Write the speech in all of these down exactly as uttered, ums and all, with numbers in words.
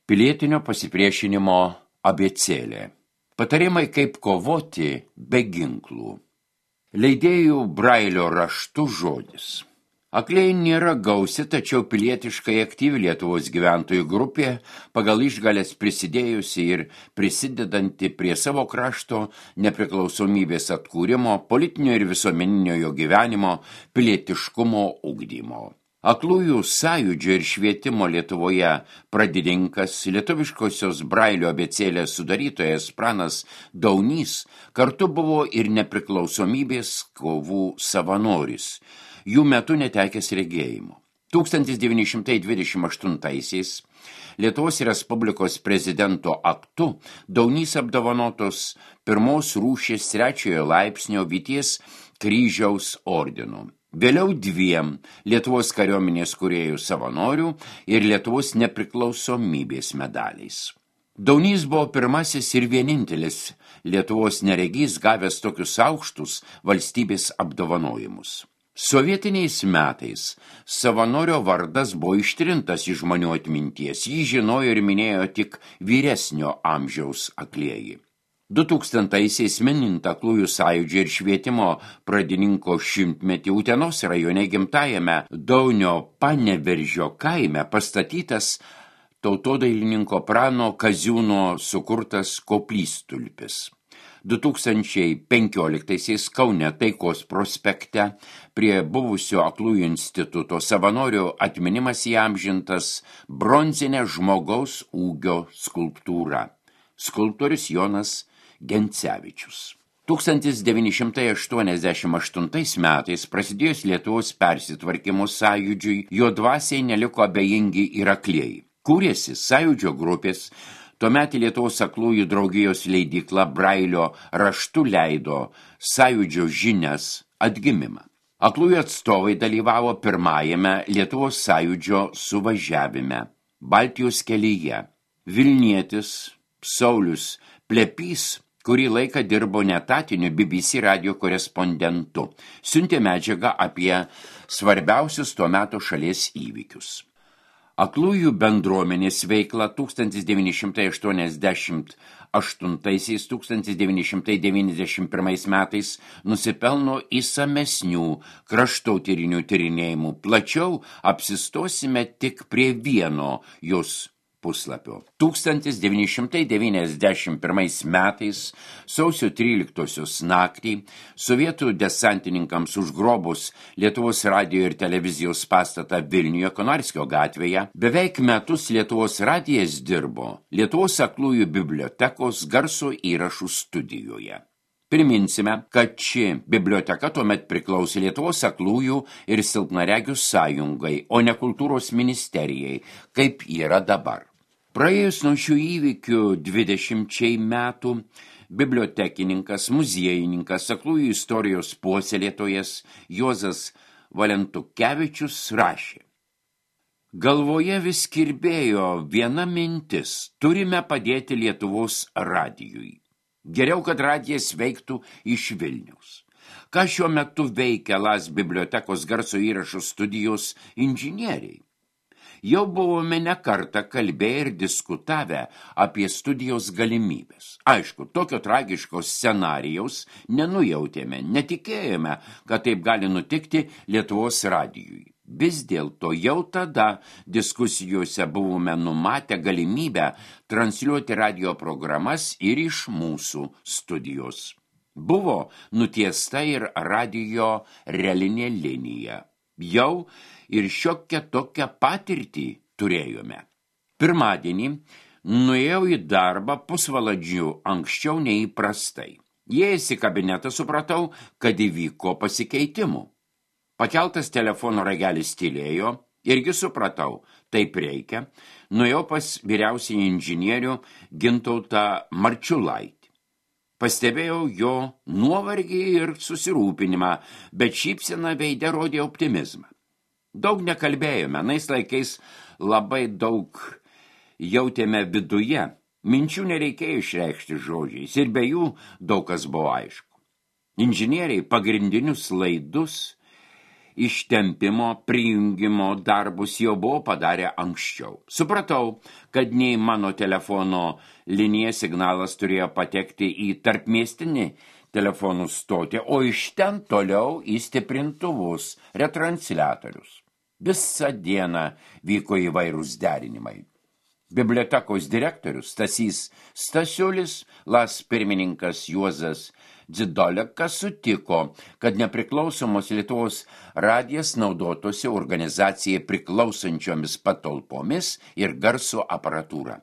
Pilietinio pasipriešinimo abėcėlė. Patarimai, kaip kovoti be ginklų. Leidėjų Brailio raštu žodis. Akliai nėra gausi, tačiau pilietiškai aktyvi Lietuvos gyventojų grupė, pagal išgalės prisidėjusi ir prisidedanti prie savo krašto nepriklausomybės atkūrimo, politinio ir visuomeninio jo gyvenimo, pilietiškumo ugdymo. Aklųjų sąjūdžio ir švietimo Lietuvoje pradininkas, lietuviškosios Brailio abėcėlės sudarytojas Pranas Daunys kartu buvo ir nepriklausomybės kovų savanoris, jų metu netekęs regėjimo. tūkstantis devyni šimtai dvidešimt aštuntaisiais Lietuvos Respublikos prezidento aktu Daunys apdovanotos pirmos rūšies trečiojo laipsnio Vyties kryžiaus ordinu. Vėliau dviem Lietuvos kariuomenės kūrėjų savanorių ir Lietuvos nepriklausomybės medaliais. Daunys buvo pirmasis ir vienintelis Lietuvos neregys gavęs tokius aukštus valstybės apdovanojimus. Sovietiniais metais savanorio vardas buvo ištrintas iš žmonių atminties, jį žinojo ir minėjo tik vyresnio amžiaus aklieji. du tūkstantaisiais minint Aklųjų sąjūdžio ir švietimo pradininko šimtmetį Utenos rajone gimtajame Daunio Paneveržio kaime pastatytas tautodailininko Prano Kaziūno sukurtas koplytstulpis. du tūkstančiai penkioliktaisiais Kaune Taikos prospekte prie buvusio Aklųjų instituto savanorių atminimas įamžintas bronzinė žmogaus ūgio skulptūra. Skulptorius Jonas Gencevičius. tūkstantis devyni šimtai aštuoniasdešimt aštuntais metais prasidėjus Lietuvos persitvarkymo sąjūdžiui, jo dvasiai neliko abejingi ir aklieji. Kūrėsi sąjūdžio grupės, tuomet Lietuvos aklųjų draugijos leidykla Brailio raštu leido sąjūdžio žinias atgimimą. Aklųjų atstovai dalyvavo pirmajame Lietuvos sąjūdžio suvažiavime Baltijos kelyje. Vilnietis Saulius Plepys kurį laiką dirbo netatiniu B B C radio korespondentu, siuntė medžiagą apie svarbiausius tuo metu šalies įvykius. Aklųjų bendruomenės veikla tūkstantis devyni šimtai aštuoniasdešimt aštuntaisiais - tūkstantis devyni šimtai devyniasdešimt pirmais metais nusipelno įsamesnių kraštotyrinių tyrinėjimų. Plačiau apsistosime tik prie vieno jos puslapio. tūkstantis devyni šimtai devyniasdešimt pirmais metais sausio tryliktosios naktį sovietų desantininkams užgrobus Lietuvos radijo ir televizijos pastatą Vilniuje Konarskio gatvėje, beveik metus Lietuvos radijas dirbo Lietuvos aklųjų bibliotekos garso įrašų studijoje. Priminsime, kad ši biblioteka tuomet priklausė Lietuvos aklųjų ir silpnaregių sąjungai, o ne kultūros ministerijai, kaip yra dabar. Praėjus nuo šių įvykių dvidešimčiai metų, bibliotekininkas, muziejininkas, aklųjų istorijos puoselėtojas Juozas Valentukevičius rašė: Galvoje vis kirbėjo viena mintis – turime padėti Lietuvos radijui. Geriau, kad radijas veiktų iš Vilniaus. Ką šiuo metu veikia Las bibliotekos garso įrašų studijos inžinieriai? Jau buvome ne kartą kalbėję ir diskutavę apie studijos galimybės. Aišku, tokio tragiško scenarijaus nenujautėme, netikėjome, kad taip gali nutikti Lietuvos radijui. Vis dėlto jau tada diskusijose buvome numatę galimybę transliuoti radio programas ir iš mūsų studijos. Buvo nutiesta ir radijo relinė linija. Jau ir šiokią tokią patirtį turėjome. Pirmadienį nuėjau į darbą pusvalandžiu anksčiau neįprastai. Įėjęs į kabinetą supratau, kad įvyko pasikeitimų. Pakeltas telefono ragelis tylėjo, irgi supratau, taip reikia, nuėjau pas vyriausiąjį inžinierių Gintautą Marčiulaitį. Pastebėjau jo nuovargį ir susirūpinimą, bet šypsena veide rodė optimizmą. Daug nekalbėjome, nais laikais labai daug jautėme viduje, minčių nereikėjo išreikšti žodžiais ir be jų daug kas buvo aišku. Inžinieriai pagrindinius laidus ištempimo, prijungimo darbus jau buvo padarę anksčiau. Supratau, kad nei mano telefono linija signalas turėjo patekti į tarpmiestinį telefonų stotį, o iš ten toliau į stiprintuvus, retransliatorius. Visą dieną vyko įvairūs derinimai. Bibliotekos direktorius Stasys Stasiulis, Las pirmininkas Juozas Dzidolekas sutiko, kad nepriklausomos Lietuvos radijas naudotųsi organizacijai priklausančiomis patalpomis ir garso aparatūra.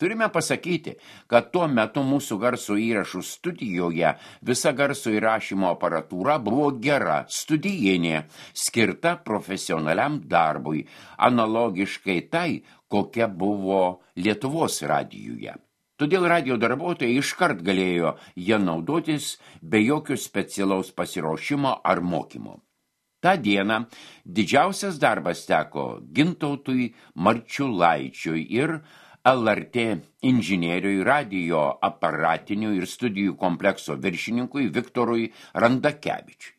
Turime pasakyti, kad tuo metu mūsų garso įrašų studijoje visa garso įrašymo aparatūra buvo gera, studijinė, skirta profesionaliam darbui, analogiškai tai, kokia buvo Lietuvos radijuje. Todėl radijo darbuotojai iškart galėjo ją naudotis be jokio specialaus pasiruošimo ar mokymo. Ta diena didžiausias darbas teko Gintautui Marčiulaičiui ir L R T inžinieriui, radijo aparatinių ir studijų komplekso viršininkui Viktorui Randakevičiui.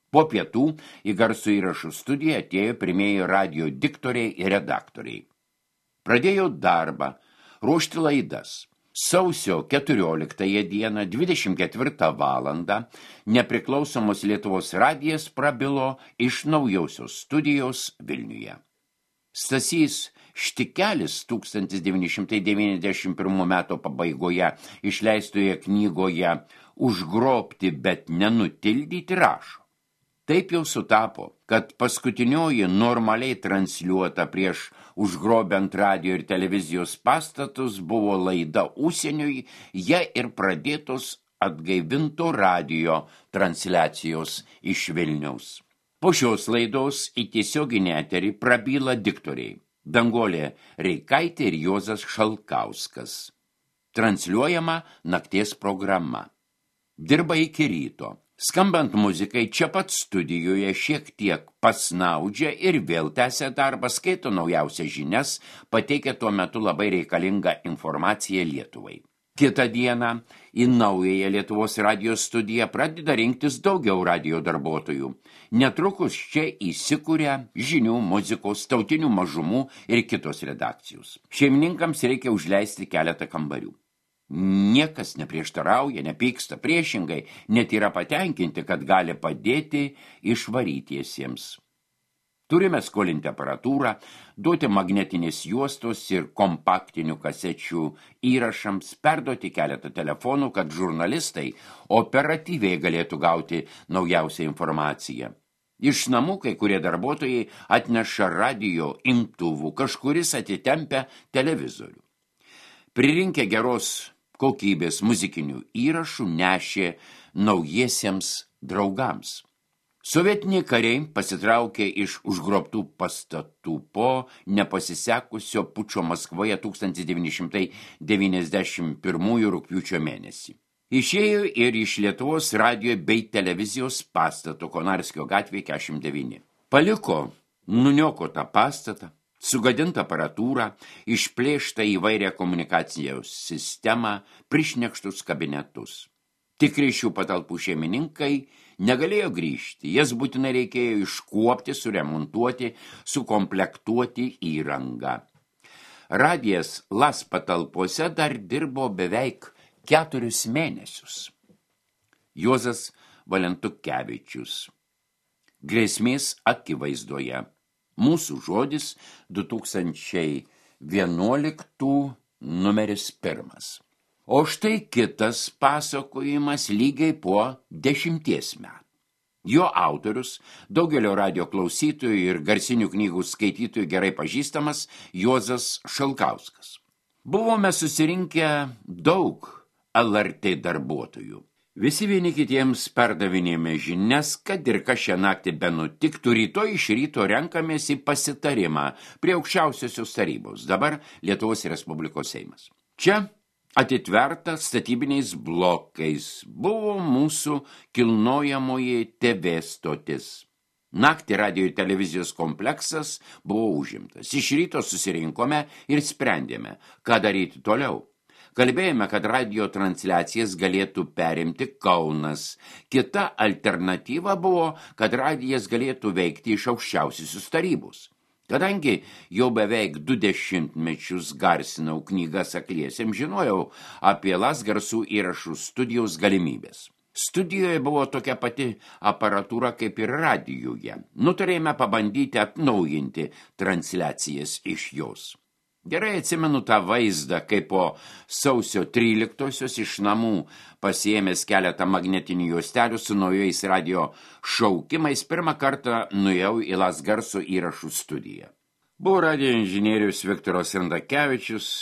Po pietų į garso įrašų studiją atėjo pirmieji radijo diktoriai ir redaktoriai. Pradėjo darbą, ruošti laidas. Sausio keturioliktąją dieną, dvidešimt ketvirtą valandą, nepriklausomos Lietuvos radijas prabilo iš naujausios studijos Vilniuje. Stasys Štikelis tūkstantis devyni šimtai devyniasdešimt pirmų metų pabaigoje išleistoje knygoje Užgrobti, bet nenutildyti rašo. Taip jau sutapo, kad paskutinioji normaliai transliuota prieš užgrobiant radijo ir televizijos pastatus buvo laida užsieniui, jie ir pradėtos atgaivinto radijo transliacijos iš Vilniaus. Po šios laidos į tiesioginį eterį prabyla diktoriai Danguolė Reikaitė ir Juozas Šalkauskas. Transliuojama nakties programa. Dirba iki ryto. Skambant muzikai čia pat studijoje šiek tiek pasnaudžia ir vėl tęsia darbą, skaito naujausias žinias, pateikia tuo metu labai reikalingą informaciją Lietuvai. Kitą dieną į naująją Lietuvos radijo studiją pradeda rinktis daugiau radijo darbuotojų. Netrukus čia įsikuria žinių, muzikos, tautinių mažumų ir kitos redakcijos. Šeimininkams reikia užleisti keletą kambarių. Niekas neprieštarauja, nepyksta, priešingai, net yra patenkinti, kad gali padėti išvarytiesiems. Turime skolinti aparatūrą, duoti magnetinės juostos ir kompaktinių kasečių įrašams, perduoti keletą telefonų, kad žurnalistai operatyviai galėtų gauti naujausią informaciją. Iš namų kai kurie darbuotojai atneša radijo imtuvų, kažkuris atitempia televizorių. Pririnkę geros kokybės muzikinių įrašų nešė naujiesiems draugams. Sovietiniai kariai pasitraukė iš užgrobtų pastatų po nepasisekusio pučo Maskvoje tūkstantis devyni šimtai devyniasdešimt pirmųjų rugpjūčio mėnesį. Išėjo ir iš Lietuvos radijo bei televizijos pastato Konarskio gatvėje keturiasdešimt devyni. Paliko nuniokotą pastatą, sugadintą aparatūrą, išplėštą įvairią komunikacijos sistemą, prišnekštus kabinetus. Tikri šių patalpų šeimininkai negalėjo grįžti, jas būtinai reikėjo iškuopti, suremontuoti, sukomplektuoti įrangą. Radijas Las patalpose dar dirbo beveik keturis mėnesius. Juozas Valentukevičius. Grėsmės akivaizdoje. Mūsų žodis du tūkstančiai vienuoliktų numeris pirmas. O štai kitas pasakojimas lygiai po dešimties metų. Jo autorius, daugelio radijo klausytojų ir garsinių knygų skaitytojų gerai pažįstamas Juozas Šalkauskas. Buvome susirinkę daug L R T darbuotojų. Visi vieni kitiems perdavinėjome žinias, kad ir kas šią naktį benutiktų, rytoj iš ryto renkamės į pasitarimą prie aukščiausiosios tarybos, dabar Lietuvos Respublikos Seimas. Čia atitverta statybiniais blokais buvo mūsų kilnojamoji T V stotis. Naktį radijo ir televizijos kompleksas buvo užimtas. Iš ryto susirinkome ir sprendėme, ką daryti toliau. Kalbėjome, kad radio transliacijas galėtų perimti Kaunas. Kita alternatyva buvo, kad radijas galėtų veikti iš aukščiausiosios tarybos. Kadangi jau beveik du dešimtmečius garsinau knygas akliesiems, žinojau apie Lasgarsų įrašų studijos galimybės. Studijoje buvo tokia pati aparatūra kaip ir radijuje. Nutarėme pabandyti atnaujinti transliacijas iš jos. Gerai atsimenu tą vaizdą, kaip po sausio tryliktosios iš namų pasiėmęs keletą magnetinių juostelių su naujais radio šaukimais, pirmą kartą nuėjau į Lasgarsų įrašų studiją. Buvo radio inžinierius Viktoras Randakevičius,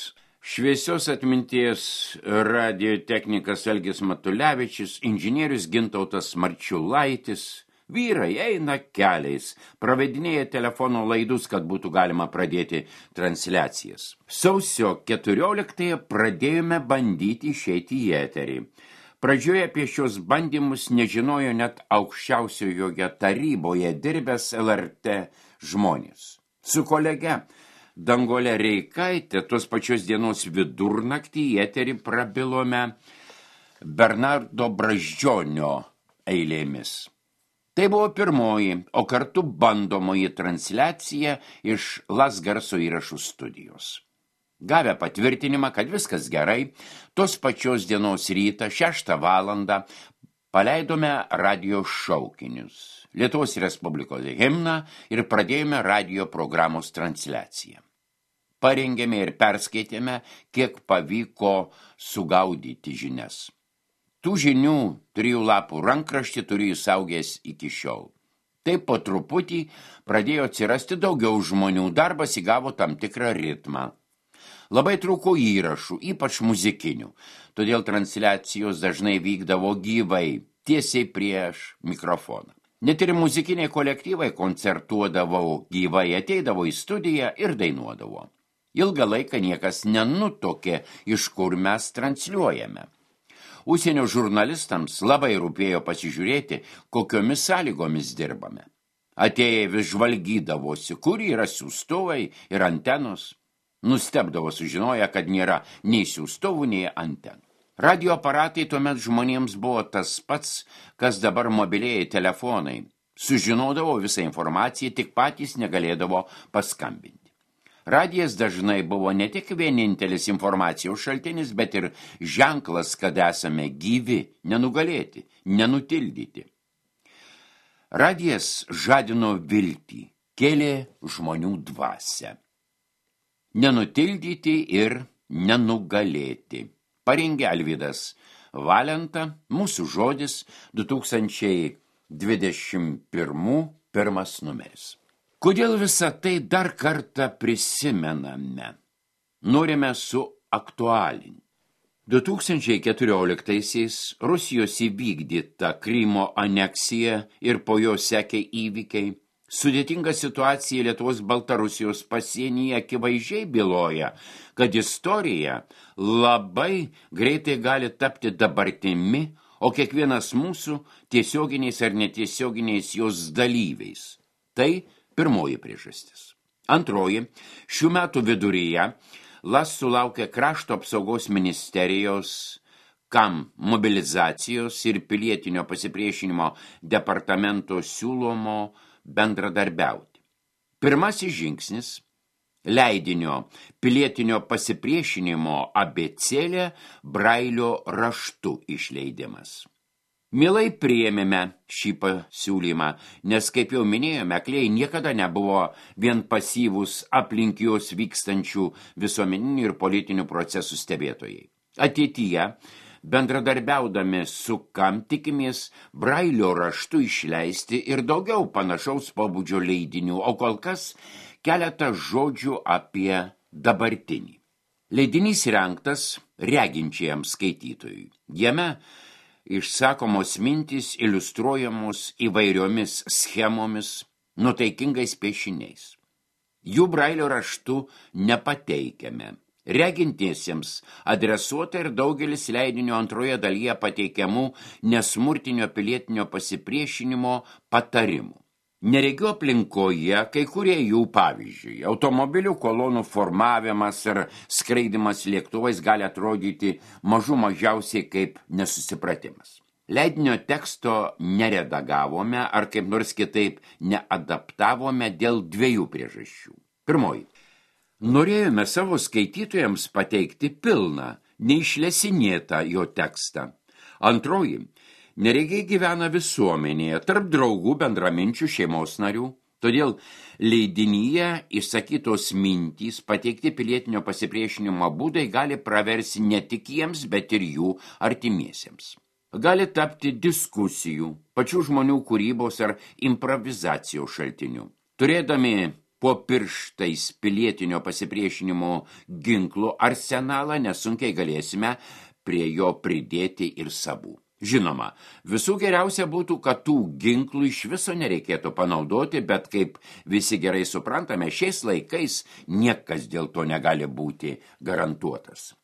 šviesios atminties radio technikas Algis Matulevičius, inžinierius Gintautas Marčiulaitis. Vyrai eina keliais, pravedinėja telefono laidus, kad būtų galima pradėti transliacijas. Sausio keturioliktąją pradėjome bandyti išeiti į eterį. Pradžioje apie šios bandymus nežinojo net aukščiausiojoje taryboje dirbęs L R T žmonės. Su kolege Dangole Reikaitė tos pačios dienos vidurnaktį į eterį prabilome Bernardo Brazdžionio eilėmis. Tai buvo pirmoji, o kartu bandomoji transliacija iš Lasgarso įrašų studijos. Gavę patvirtinimą, kad viskas gerai, tos pačios dienos rytą, šeštą valandą, paleidome radio šaukinius, Lietuvos Respublikos himną ir pradėjome radio programos transliaciją. Parengėme ir perskaitėme, kiek pavyko sugaudyti žinias. Tų žinių trijų lapų rankraštį turiu įsaugęs iki šiol. Taip po truputį pradėjo atsirasti daugiau žmonių, darbas įgavo tam tikrą ritmą. Labai trūko įrašų, ypač muzikinių, todėl transliacijos dažnai vykdavo gyvai, tiesiai prieš mikrofoną. Net ir muzikiniai kolektyvai koncertuodavo gyvai, ateidavo į studiją ir dainuodavo. Ilgą laiką niekas nenutokė, iš kur mes transliuojame. Užsienio žurnalistams labai rūpėjo pasižiūrėti, kokiomis sąlygomis dirbame. Atėję vis žvalgydavosi, kur yra siųstuvai ir antenos. Nustebdavo sužinoję, kad nėra nei siųstuvų, nei antenų. Radio aparatai tuomet žmonėms buvo tas pats, kas dabar mobilieji telefonai. Sužinodavo visą informaciją, tik patys negalėdavo paskambinti. Radijas dažnai buvo ne tik vienintelis informacijos šaltinis, bet ir ženklas, kad esame gyvi, nenugalėti, nenutildyti. Radijas žadino viltį, kėlė žmonių dvasią. Nenutildyti ir nenugalėti. Parengė Alvydas Valenta, mūsų žodis, du tūkstančiai dvidešimt pirmų pirmas numeris. Kodėl visą tai dar kartą prisimename? Norime suaktualinti. du tūkstančiai keturioliktaisiais Rusijos įvykdyta Krymo aneksija ir po jo sekė įvykiai. Sudėtinga situacija Lietuvos Baltarusijos pasienyje akivaizdžiai byloja, kad istorija labai greitai gali tapti dabartimi, o kiekvienas mūsų tiesioginiais ar netiesioginiais jos dalyviais. Tai pirmoji priežastis. Antroji, šių metų viduryje Las sulaukė krašto apsaugos ministerijos kam mobilizacijos ir pilietinio pasipriešinimo departamento siūlomo bendradarbiauti. Pirmasis žingsnis – leidinio pilietinio pasipriešinimo abėcėlė Brailio raštu išleidimas. Mielai priėmėme šį pasiūlymą, nes, kaip jau minėjome, akliai niekada nebuvo vien pasyvūs aplink juos vykstančių visuomeninių ir politinių procesų stebėtojai. Ateityje, bendradarbiaudami su kam tikimės Brailio raštu išleisti ir daugiau panašaus pobūdžio leidinių, o kol kas keletą žodžių apie dabartinį. Leidinys rengtas reginčiajam skaitytojui. Jame išsakomos mintys iliustruojamos įvairiomis schemomis, nuotaikingais piešiniais. Jų Brailio raštu nepateikiame. Regintiesiems adresuota ir daugelis leidinio antroje dalyje pateikiamų nesmurtinio pilietinio pasipriešinimo patarimų. Neregių aplinkoje kai kurie jų pavyzdžiui, automobilių kolonų formavimas ir skraidimas lėktuvais gali atrodyti mažų mažiausiai kaip nesusipratimas. Leidinio teksto neredagavome ar kaip nors kitaip neadaptavome dėl dviejų priežasčių. Pirmoji. Norėjome savo skaitytojams pateikti pilną, neišlesinėtą jo tekstą. Antroji. Neregiai gyvena visuomenėje, tarp draugų, bendraminčių, šeimos narių. Todėl leidinyje išsakytos mintys, pateikti pilietinio pasipriešinimo būdai gali praversi ne tik jiems, bet ir jų artimiesiems. Gali tapti diskusijų, pačių žmonių kūrybos ar improvizacijos šaltinių. Turėdami po pirštais pilietinio pasipriešinimo ginklų arsenalą, nesunkiai galėsime prie jo pridėti ir savų. Žinoma, visų geriausia būtų, kad tų ginklų iš viso nereikėtų panaudoti, bet kaip visi gerai suprantame, šiais laikais niekas dėl to negali būti garantuotas.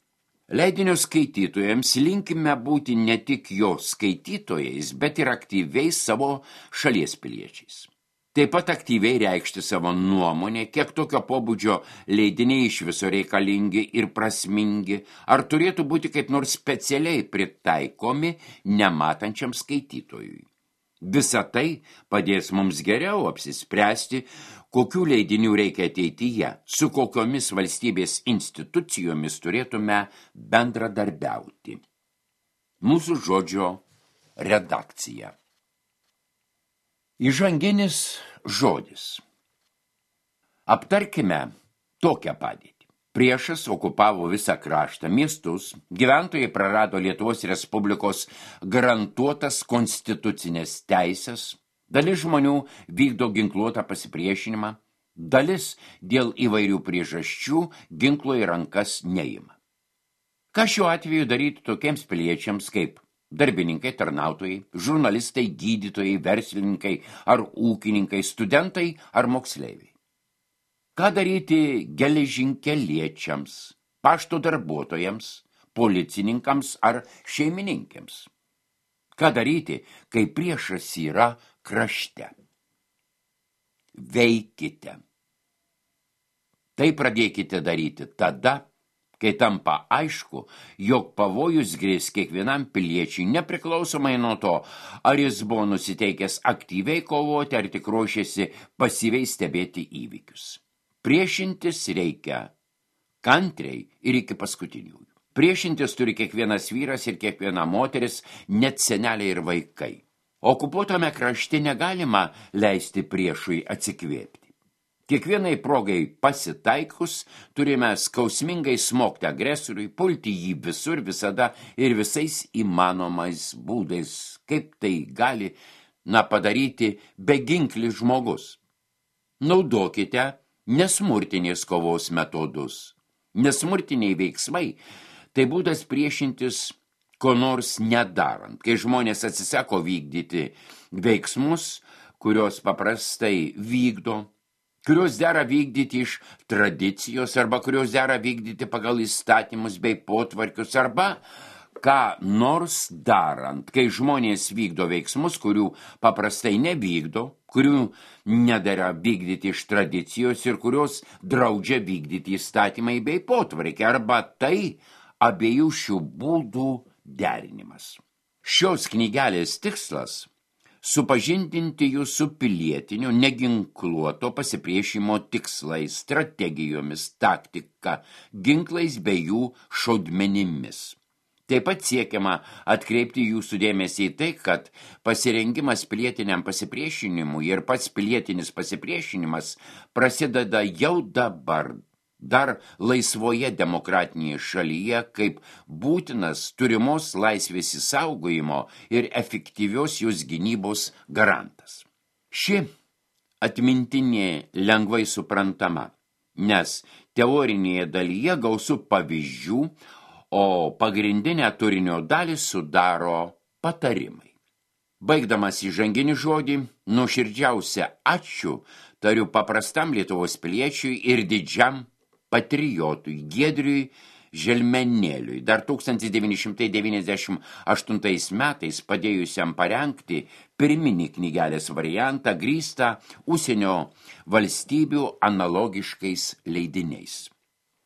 Leidinio skaitytojams linkime būti ne tik jo skaitytojais, bet ir aktyviais savo šalies piliečiais. Taip pat aktyviai reikšti savo nuomonę, kiek tokio pobūdžio leidiniai iš viso reikalingi ir prasmingi, ar turėtų būti kaip nors specialiai pritaikomi nematančiam skaitytojui. Visa tai padės mums geriau apsispręsti, kokių leidinių reikia ateityje, su kokiomis valstybės institucijomis turėtume bendradarbiauti. Mūsų žodžio redakcija. Įžanginis žodis. Aptarkime tokią padėtį. Priešas okupavo visą kraštą, miestus, gyventojai prarado Lietuvos Respublikos garantuotas konstitucinės teisės, dalis žmonių vykdo ginkluotą pasipriešinimą, dalis dėl įvairių priežasčių ginklo į rankas neima. Ką šiuo atveju daryti tokiems piliečiams kaip darbininkai, tarnautojai, žurnalistai, gydytojai, verslininkai ar ūkininkai, studentai ar moksleiviai? Ką daryti geležinkeliečiams, pašto darbuotojams, policininkams ar šeimininkėms? Ką daryti, kai priešas yra krašte? Veikite. Tai pradėkite daryti tada, kai tampa aišku, jog pavojus grės kiekvienam piliečiui, nepriklausomai nuo to, ar jis buvo nusiteikęs aktyviai kovoti, ar tik ruošėsi pasyviai stebėti įvykius. Priešintis reikia kantriai ir iki paskutiniųjų. Priešintis turi kiekvienas vyras ir kiekviena moteris, net seneliai ir vaikai. Okupuotame krašte negalima leisti priešui atsikvėpti. Kiekvienai progai pasitaikus turime skausmingai smogti agresoriui, pulti jį visur, visada ir visais įmanomais būdais, kaip tai gali na, padaryti beginklis žmogus. Naudokite nesmurtinės kovos metodus. Nesmurtiniai veiksmai tai būdas priešintis ko nors nedarant, kai žmonės atsisako vykdyti veiksmus, kurios paprastai vykdo, kurios dera vykdyti iš tradicijos arba kurios dera vykdyti pagal įstatymus bei potvarkius arba ką nors darant, kai žmonės vykdo veiksmus, kurių paprastai nevykdo, kurių nedera vykdyti iš tradicijos ir kurios draudžia vykdyti įstatymai bei potvarkiai arba tai abiejų šių būdų derinimas. Šios knygelės tikslas – supažindinti jų su pilietiniu, neginkluoto pasipriešimo tikslais, strategijomis, taktika, ginklais bei jų šaudmenimis. Taip pat siekiama atkreipti jūsų dėmesį į tai, kad pasirengimas pilietiniam pasipriešinimui ir pats pilietinis pasipriešinimas prasideda jau dabar, dar laisvoje demokratinėje šalyje, kaip būtinas turimos laisvės įsaugojimo ir efektyvios jos gynybos garantas. Ši atmintinė lengvai suprantama, nes teorinėje dalyje gausu pavyzdžių, o pagrindinę turinio dalį sudaro patarimai. Baigdamas įžanginį žodį, nuoširdžiausia ačiū tariu paprastam Lietuvos piliečiui ir didžiam patriotui Giedriui Želmenėliui, dar tūkstantis devyni šimtai devyniasdešimt aštuntais metais padėjusiam parengti pirminį knygelės variantą grįstą užsienio valstybių analogiškais leidiniais.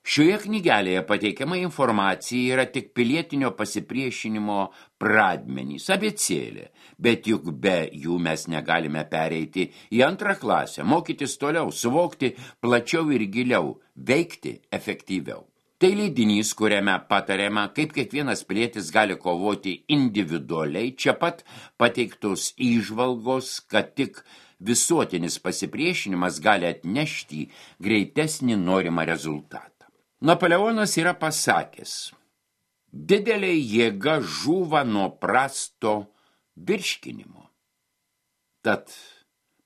Šioje knygelėje pateikiama informacija yra tik pilietinio pasipriešinimo pradmenys, abėcėlė, bet juk be jų mes negalime pereiti į antrą klasę, mokytis toliau, suvokti plačiau ir giliau, veikti efektyviau. Tai leidinys, kuriame patariama, kaip kiekvienas pilietis gali kovoti individualiai, čia pat pateiktos įžvalgos, kad tik visuotinis pasipriešinimas gali atnešti greitesnį norimą rezultatą. Napoleonas yra pasakęs, didelė jėga žūva nuo prasto virškinimo. Tad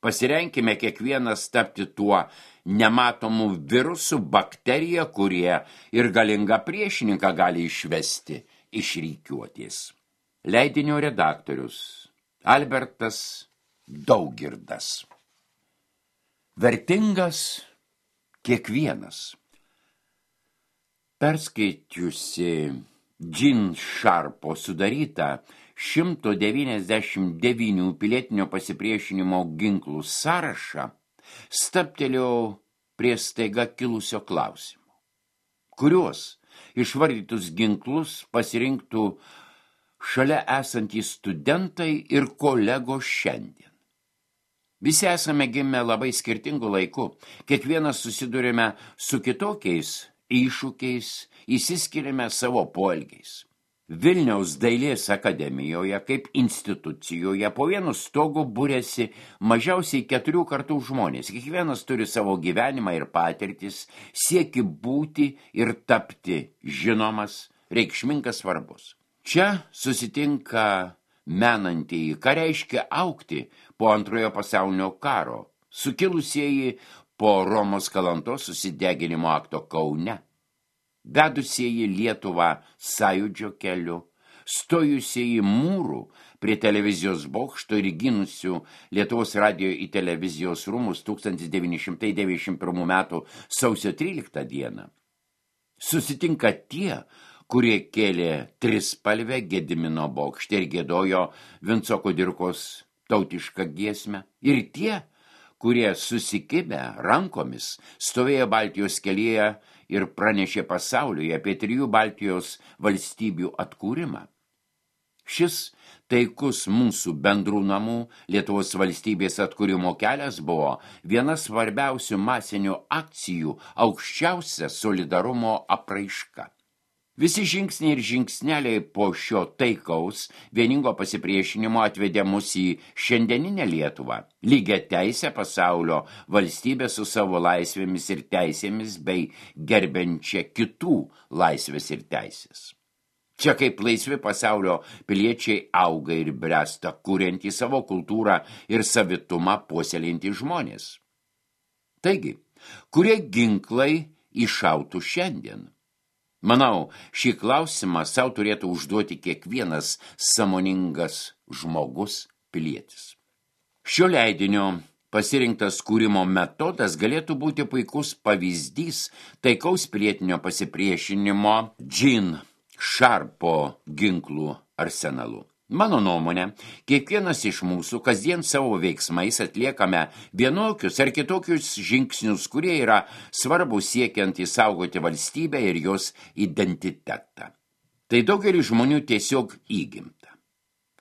pasirenkime kiekvienas tapti tuo nematomų virusų, bakteriją, kurie ir galingą priešininką gali išvesti iš rikiuotės. Leidinio redaktorius Albertas Daugirdas. Vertingas kiekvienas. Perskaičiusi Jean Sharpo sudarytą šimto devyniasdešimt devynių pilietinio pasipriešinimo ginklų sąrašą, stabtelėjau prie staiga kilusio klausimo. Kuriuos išvardytus ginklus pasirinktų šalia esantys studentai ir kolegos šiandien? Visi esame gimę labai skirtingų laikų, kiekvienas susidurime su kitokiais iššūkiais, įsiskiriame savo poelgiais. Vilniaus dailės akademijoje kaip institucijoje po vienu stogu būrėsi mažiausiai keturių kartų žmonės. Kiekvienas turi savo gyvenimą ir patirtis, sieki būti ir tapti žinomas, reikšmingas, svarbus. Čia susitinka menantieji, ką reiškia augti po antrojo pasaulinio karo, sukilusieji po Romos Kalantos susideginimo akto Kaune, vedusieji Lietuvą sąjūdžio keliu, stojusieji mūrų prie televizijos bokšto ir gynusių Lietuvos radijo į televizijos rūmus tūkstantis devyni šimtai devyniasdešimt pirmų metų sausio tryliktą dieną. Susitinka tie, kurie kėlė trispalvę Gedimino bokšte ir giedojo Vinco Kudirkos tautišką giesmę, ir tie, kurie susikibę rankomis stovėjo Baltijos kelyje ir pranešė pasauliui apie trijų Baltijos valstybių atkūrimą. Šis taikus mūsų bendrų namų Lietuvos valstybės atkūrimo kelias buvo viena svarbiausių masinių akcijų, aukščiausia solidarumo apraiška. Visi žingsniai ir žingsneliai po šio taikaus vieningo pasipriešinimo atvedė mus į šiandieninę Lietuvą, lygią teisę pasaulio valstybę su savo laisvėmis ir teisėmis bei gerbiančią kitų laisvės ir teisės. Čia kaip laisvi pasaulio piliečiai auga ir bręsta, kuriantį savo kultūrą ir savitumą puoselėjantį žmonės. Taigi, kurie ginklai iššautų šiandien? Manau, šį klausimą savo turėtų užduoti kiekvienas sąmoningas žmogus pilietis. Šio leidinio pasirinktas kūrimo metodas galėtų būti puikus pavyzdys taikaus pilietinio pasipriešinimo Jean Sharpo ginklų arsenalu. Mano nuomonė, kiekvienas iš mūsų kasdien savo veiksmais atliekame vienokius ar kitokius žingsnius, kurie yra svarbus siekiant įsaugoti valstybę ir jos identitetą. Tai daugelis žmonių tiesiog įgimta.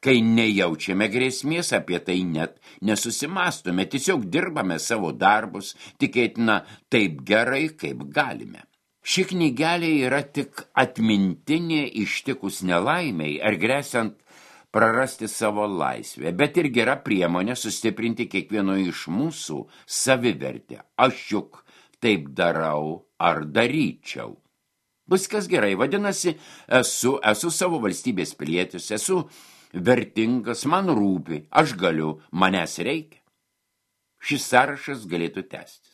Kai nejaučiame grėsmės, apie tai net nesusimastome, tiesiog dirbame savo darbus, tikėtina taip gerai, kaip galime. Ši knygelė yra tik atmintinė ištikus nelaimiai ar gresiant prarasti savo laisvę, bet ir gera priemonė sustiprinti kiekvieno iš mūsų savivertę. Aš juk taip darau ar daryčiau. Viskas gerai, vadinasi, esu, esu savo valstybės pilietis, esu vertingas, man rūpi, aš galiu, manęs reikia. Šis sąrašas galėtų tęstis.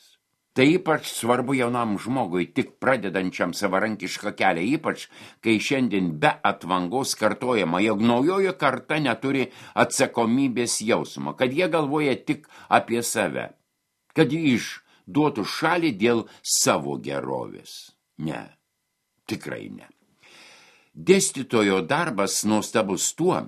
Tai ypač svarbu jaunam žmogui, tik pradedančiam savarankišką kelią, ypač kai šiandien be atvangos kartojama, jog naujoji karta neturi atsakomybės jausmo, kad jie galvoja tik apie save, kad jie išduotų šalį dėl savo gerovės. Ne. Tikrai ne. Dėstytojo darbas nuostabus tuo,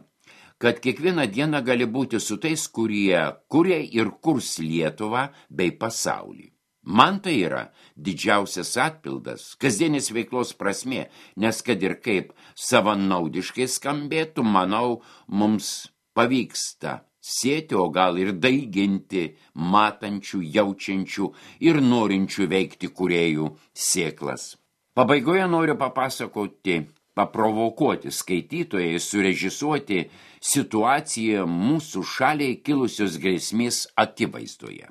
kad kiekvieną dieną gali būti su tais, kurie kuria ir kurs Lietuvą bei pasaulį. Man tai yra didžiausias atpildas, kasdienis veiklos prasmė, nes kad ir kaip savanaudiškai skambėtų, manau, mums pavyksta sėti, o gal ir daiginti matančių, jaučiančių ir norinčių veikti kūrėjų sėklas. Pabaigoje noriu papasakoti, paprovokuoti skaitytojai, surežisuoti situaciją mūsų šaliai kilusios grėsmės akivaizdoje.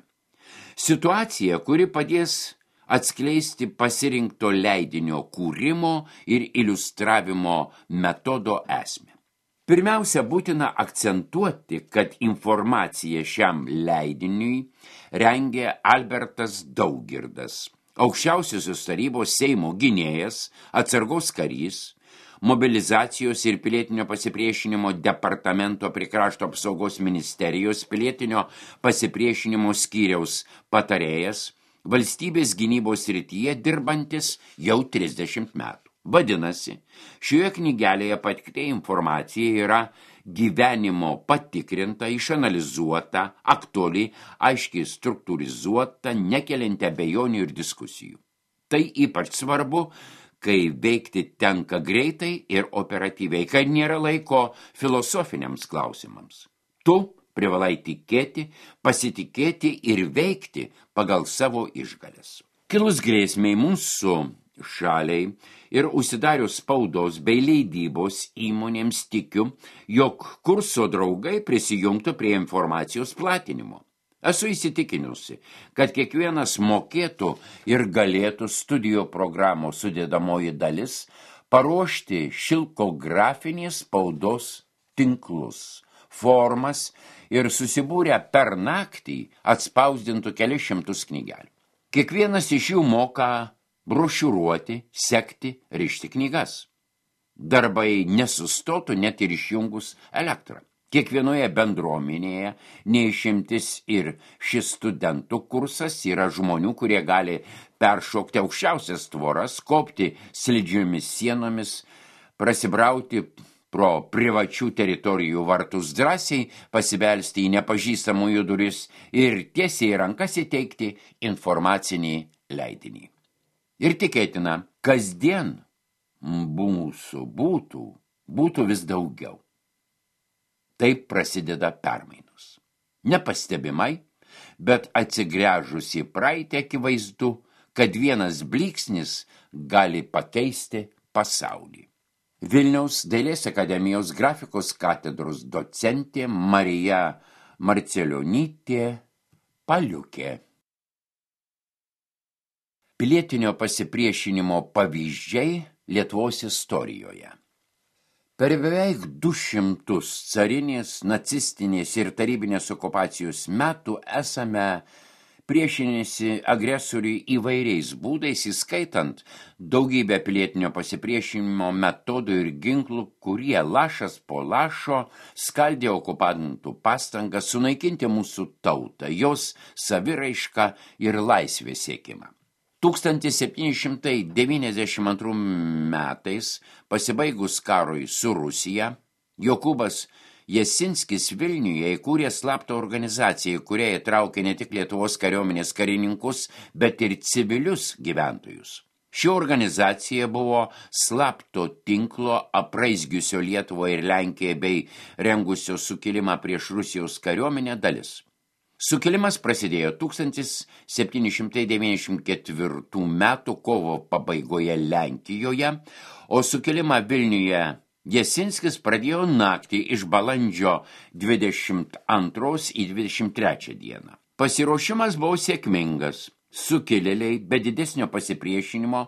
Situacija, kuri padės atskleisti pasirinkto leidinio kūrimo ir iliustravimo metodo esmę. Pirmiausia, būtina akcentuoti, kad informaciją šiam leidiniui rengė Albertas Daugirdas, aukščiausiosios tarybos Seimo gynėjas, atsargos karys, mobilizacijos ir pilietinio pasipriešinimo departamento prie Krašto apsaugos ministerijos pilietinio pasipriešinimo skyriaus patarėjas, valstybės gynybos srityje dirbantis jau trisdešimt metų. Vadinasi, šioje knygelėje pateikta informacija yra gyvenimo patikrinta, išanalizuota, aktuali, aiškiai struktūrizuota, nekelianti abejonių ir diskusijų. Tai ypač svarbu, kai veikti tenka greitai ir operatyviai, kai nėra laiko filosofiniams klausimams. Tu privalai tikėti, pasitikėti ir veikti pagal savo išgales. Kilus grėsmei mūsų šaliai ir užsidarius spaudos bei leidybos įmonėms tikiu, jog kurso draugai prisijungtų prie informacijos platinimo. Esu įsitikinusi, kad kiekvienas mokėtų ir galėtų studijų programos sudėdamoji dalis paruošti šilkografinės spaudos tinklus, formas ir susibūrę per naktį atspausdintų kelias šimtus knygelių. Kiekvienas iš jų moka brošiūruoti, sekti, rišti knygas. Darbai nesustotų net ir išjungus elektrą. Kiekvienoje bendruomenėje neišimtis ir šis studentų kursas yra žmonių, kurie gali peršokti aukščiausias tvoras, kopti slidžiomis sienomis, prasibrauti pro privačių teritorijų vartus drąsiai, pasibelsti į nepažįstamųjų duris ir tiesiai rankas įteikti informacinį leidinį. Ir tikėtina, kasdien mūsų būtų, būtų vis daugiau. Taip prasideda permainos. Nepastebimai, bet atsigręžus į praeitį akivaizdu, kad vienas blyksnis gali pakeisti pasaulį. Vilniaus Dailės akademijos grafikos katedros docentė Marija Marcelionytė Paliukė. Pilietinio pasipriešinimo pavyzdžiai Lietuvos istorijoje. Per beveik du šimtus carinės, nacistinės ir tarybinės okupacijos metų esame priešinėsi agresoriui įvairiais būdais, įskaitant daugybę pilietinio pasipriešinimo metodų ir ginklų, kurie lašas po lašo skaldė okupantų pastangas sunaikinti mūsų tautą, jos saviraišką ir laisvės siekimą. tūkstantis septyni šimtai devyniasdešimt antrų metais, pasibaigus karui su Rusija, Jokūbas Jasinskis Vilniuje įkūrė slaptą organizaciją, kurie įtraukė ne tik Lietuvos kariuomenės karininkus, bet ir civilius gyventojus. Ši organizacija buvo slapto tinklo apraizgiusio Lietuvą ir Lenkiją bei rengusio sukilimą prieš Rusijos kariuomenę dalis. Sukilimas prasidėjo tūkstantis septyni šimtai devyniasdešimt ketvirtų metų kovo pabaigoje Lenkijoje, o sukilimą Vilniuje Jasinskis pradėjo naktį iš balandžio dvidešimt antros į dvidešimt trečią dieną. Pasiruošimas buvo sėkmingas. Sukilėliai be didesnio pasipriešinimo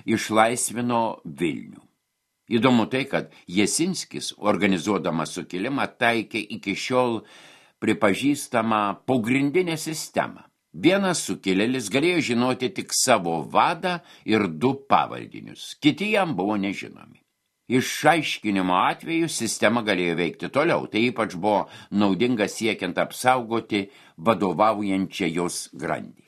išlaisvino Vilnių. Įdomu tai, kad Jasinskis, organizuodamas sukilimą, taikė iki šiol pripažįstamą pagrindinę sistemą. Vienas sukilėlis galėjo žinoti tik savo vadą ir du pavaldinius, kiti jam buvo nežinomi. Išaiškinimo atveju sistema galėjo veikti toliau, tai ypač buvo naudinga siekiant apsaugoti vadovaujančią jos grandį.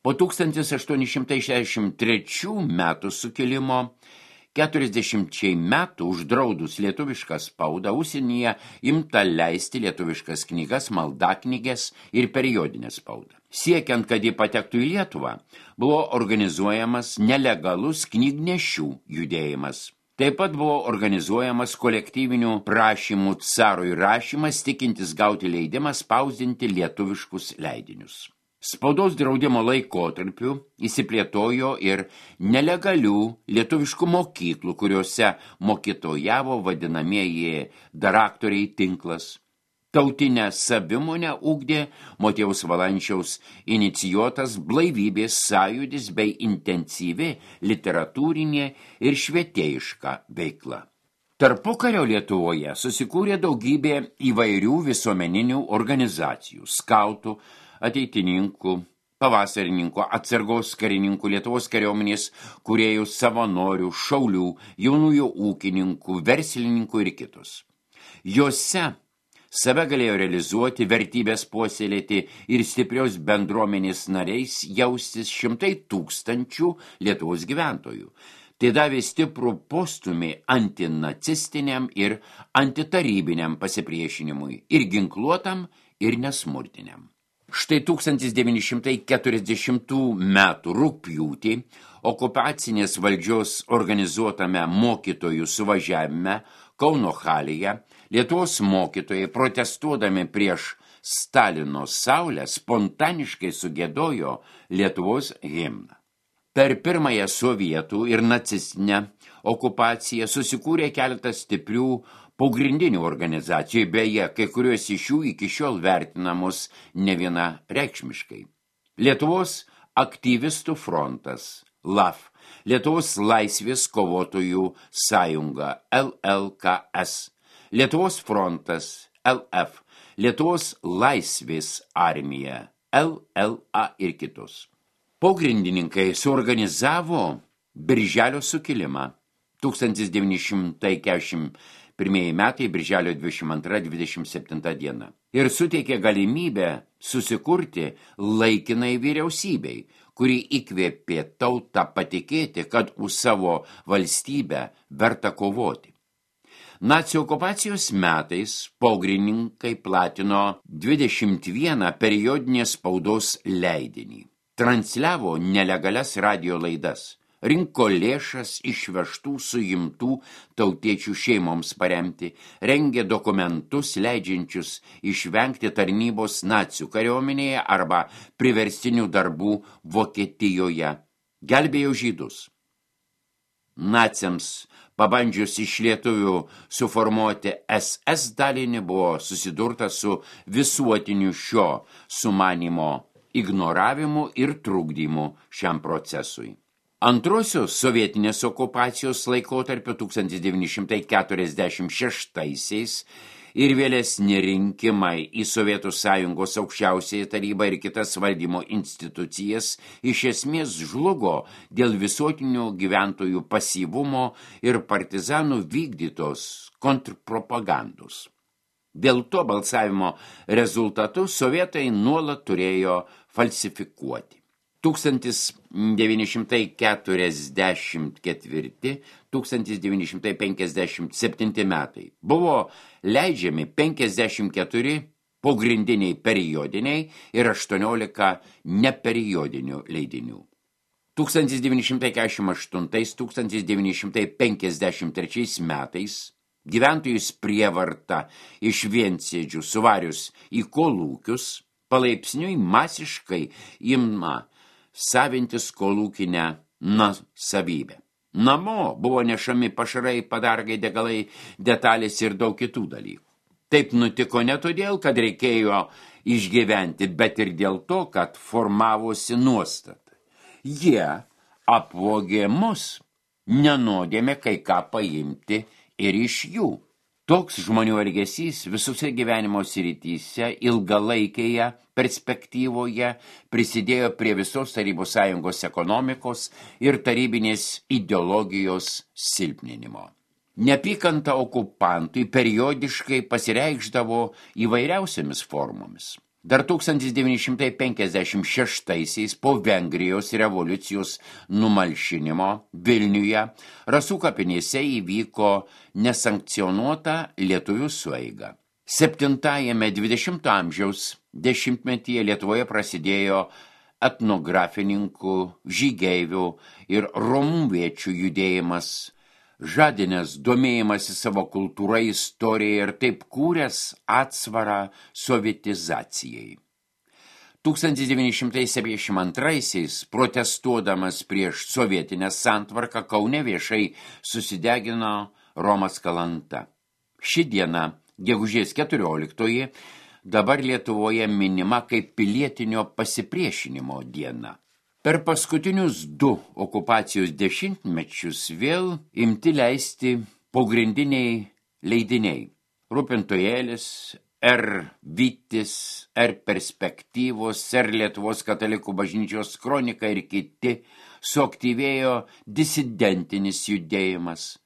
Po tūkstantis aštuoni šimtai šešiasdešimt trečių metų sukilimo keturiasdešimčiai metų uždraudus lietuvišką spaudą užsienyje imta leisti lietuviškas knygas, maldaknyges ir periodinę spaudą. Siekiant, kad ji patektų į Lietuvą, buvo organizuojamas nelegalus knygnešių judėjimas. Taip pat buvo organizuojamas kolektyvinių prašymų carui rašymas, tikintis gauti leidimą spausdinti lietuviškus leidinius. Spaudos draudimo laikotarpiu įsiplėtojo ir nelegalių lietuviškų mokyklų, kuriuose mokytojavo vadinamieji daraktoriai tinklas. Tautinę savimonę ugdė Motiejaus Valančiaus inicijuotas blaivybės sąjūdis bei intensyvi literatūrinė ir švietėjiška veikla. Tarpukario Lietuvoje susikūrė daugybė įvairių visuomeninių organizacijų, skautų, ateitininkų, pavasarininkų, atsargos karininkų, Lietuvos kariuomenės kūrėjų, savanorių, šaulių, jaunųjų ūkininkų, verslininkų ir kitus. Jose save galėjo realizuoti, vertybės puoselėti ir stiprios bendruomenės nariais jaustis šimtai tūkstančių Lietuvos gyventojų. Tai davė stiprų postumį antinacistiniam ir antitarybiniam pasipriešinimui, ir ginkluotam, ir nesmurtiniam. Štai tūkstantis devyni šimtai keturiasdešimtų metų rugpjūtį okupacinės valdžios organizuotame mokytojų suvažiavime Kauno halėje Lietuvos mokytojai, protestuodami prieš Stalino saulę, spontaniškai sugiedojo Lietuvos himną. Per pirmąją sovietų ir nacistinę okupaciją susikūrė keletas stiprių pagrindinių organizacijų, beje, kai kurios iš jų iki šiol vertinamos ne viena reikšmiškai. Lietuvos aktyvistų frontas, L A F, Lietuvos laisvės kovotojų sąjunga, L L K S, Lietuvos frontas, L F, Lietuvos laisvės armija, L L A ir kitus. Pogrindininkai suorganizavo Birželio sukilimą tūkstantis devyni šimtai keturiasdešimt pirmieji metai, Birželio dvidešimt antra dvidešimt septinta diena, ir suteikė galimybę susikurti laikinai vyriausybei, kuri įkvėpė tautą patikėti, kad už savo valstybę verta kovoti. Nacių okupacijos metais pogrindininkai platino dvidešimt vieną periodinės spaudos leidinį, transliavo nelegalias radio laidas, rinko lėšas išvežtų suimtų tautiečių šeimoms paremti, rengė dokumentus leidžiančius išvengti tarnybos nacių kariuomenėje arba priverstinių darbų Vokietijoje, gelbėjo žydus. Naciams pabandžius iš lietuvių suformuoti S S dalinį buvo susidurta su visuotiniu šio sumanymo ignoravimu ir trukdymu šiam procesui. Antrosios sovietinės okupacijos laikotarpio tūkstantis devyni šimtai keturiasdešimt šeštaisiais ir vėlesni rinkimai į Sovietų Sąjungos aukščiausiąją tarybą ir kitas valdymo institucijas iš esmės žlugo dėl visuotinio gyventojų pasyvumo ir partizanų vykdytos kontrpropagandos. Dėl to balsavimo rezultatus sovietai nuolat turėjo falsifikuoti. tūkstantis devyni šimtai keturiasdešimt ketvirti - tūkstantis devyni šimtai penkiasdešimt septinti metai buvo leidžiami penkiasdešimt keturi pogrindiniai periodiniai ir aštuoniolika neperiodinių leidinių. tūkstantis devyni šimtai keturiasdešimt aštuntais - tūkstantis devyni šimtai penkiasdešimt trečiais metais gyventojus prievarta iš viensėdžių suvarius į kolūkius palaipsniui masiškai ima savintis kolūkinę nuosavybę. Namo buvo nešami pašarai, padargai, degalai, detalės ir daug kitų dalykų. Taip nutiko ne todėl, kad reikėjo išgyventi, bet ir dėl to, kad formavosi nuostata. Jie apvogė mus, nenodėme kai ką paimti ir iš jų. Toks žmonių elgesys visose gyvenimo srityse ilgalaikėje perspektyvoje prisidėjo prie visos Tarybų Sąjungos ekonomikos ir tarybinės ideologijos silpninimo. Neapykanta okupantui periodiškai pasireikšdavo įvairiausiamis formomis. Dar tūkstantis devyni šimtai penkiasdešimt šeštaisiais po Vengrijos revoliucijos numalšinimo Vilniuje Rasų kapinėse įvyko nesankcionuota lietuvių sueiga. Septintajame dvidešimto amžiaus dešimtmetyje Lietuvoje prasidėjo etnografininkų, žygeivių ir romuviečių judėjimas, žadinęs domėjimąsi savo kultūra, istorija ir taip kūręs atsvarą sovietizacijai. tūkstantis devyni šimtai septyniasdešimt antraisiais, protestuodamas prieš sovietinę santvarką, Kaune viešai susidegino Romas Kalanta. Ši diena, gegužės keturioliktoji, dabar Lietuvoje minima kaip pilietinio pasipriešinimo diena. Per paskutinius du okupacijos dešimtmečius vėl imti leisti pogrindiniai leidiniai. Rūpintojėlis, R. Vytis, R. Perspektyvos, R. Lietuvos katalikų bažnyčios kronika ir kiti, suaktyvėjo disidentinis judėjimas.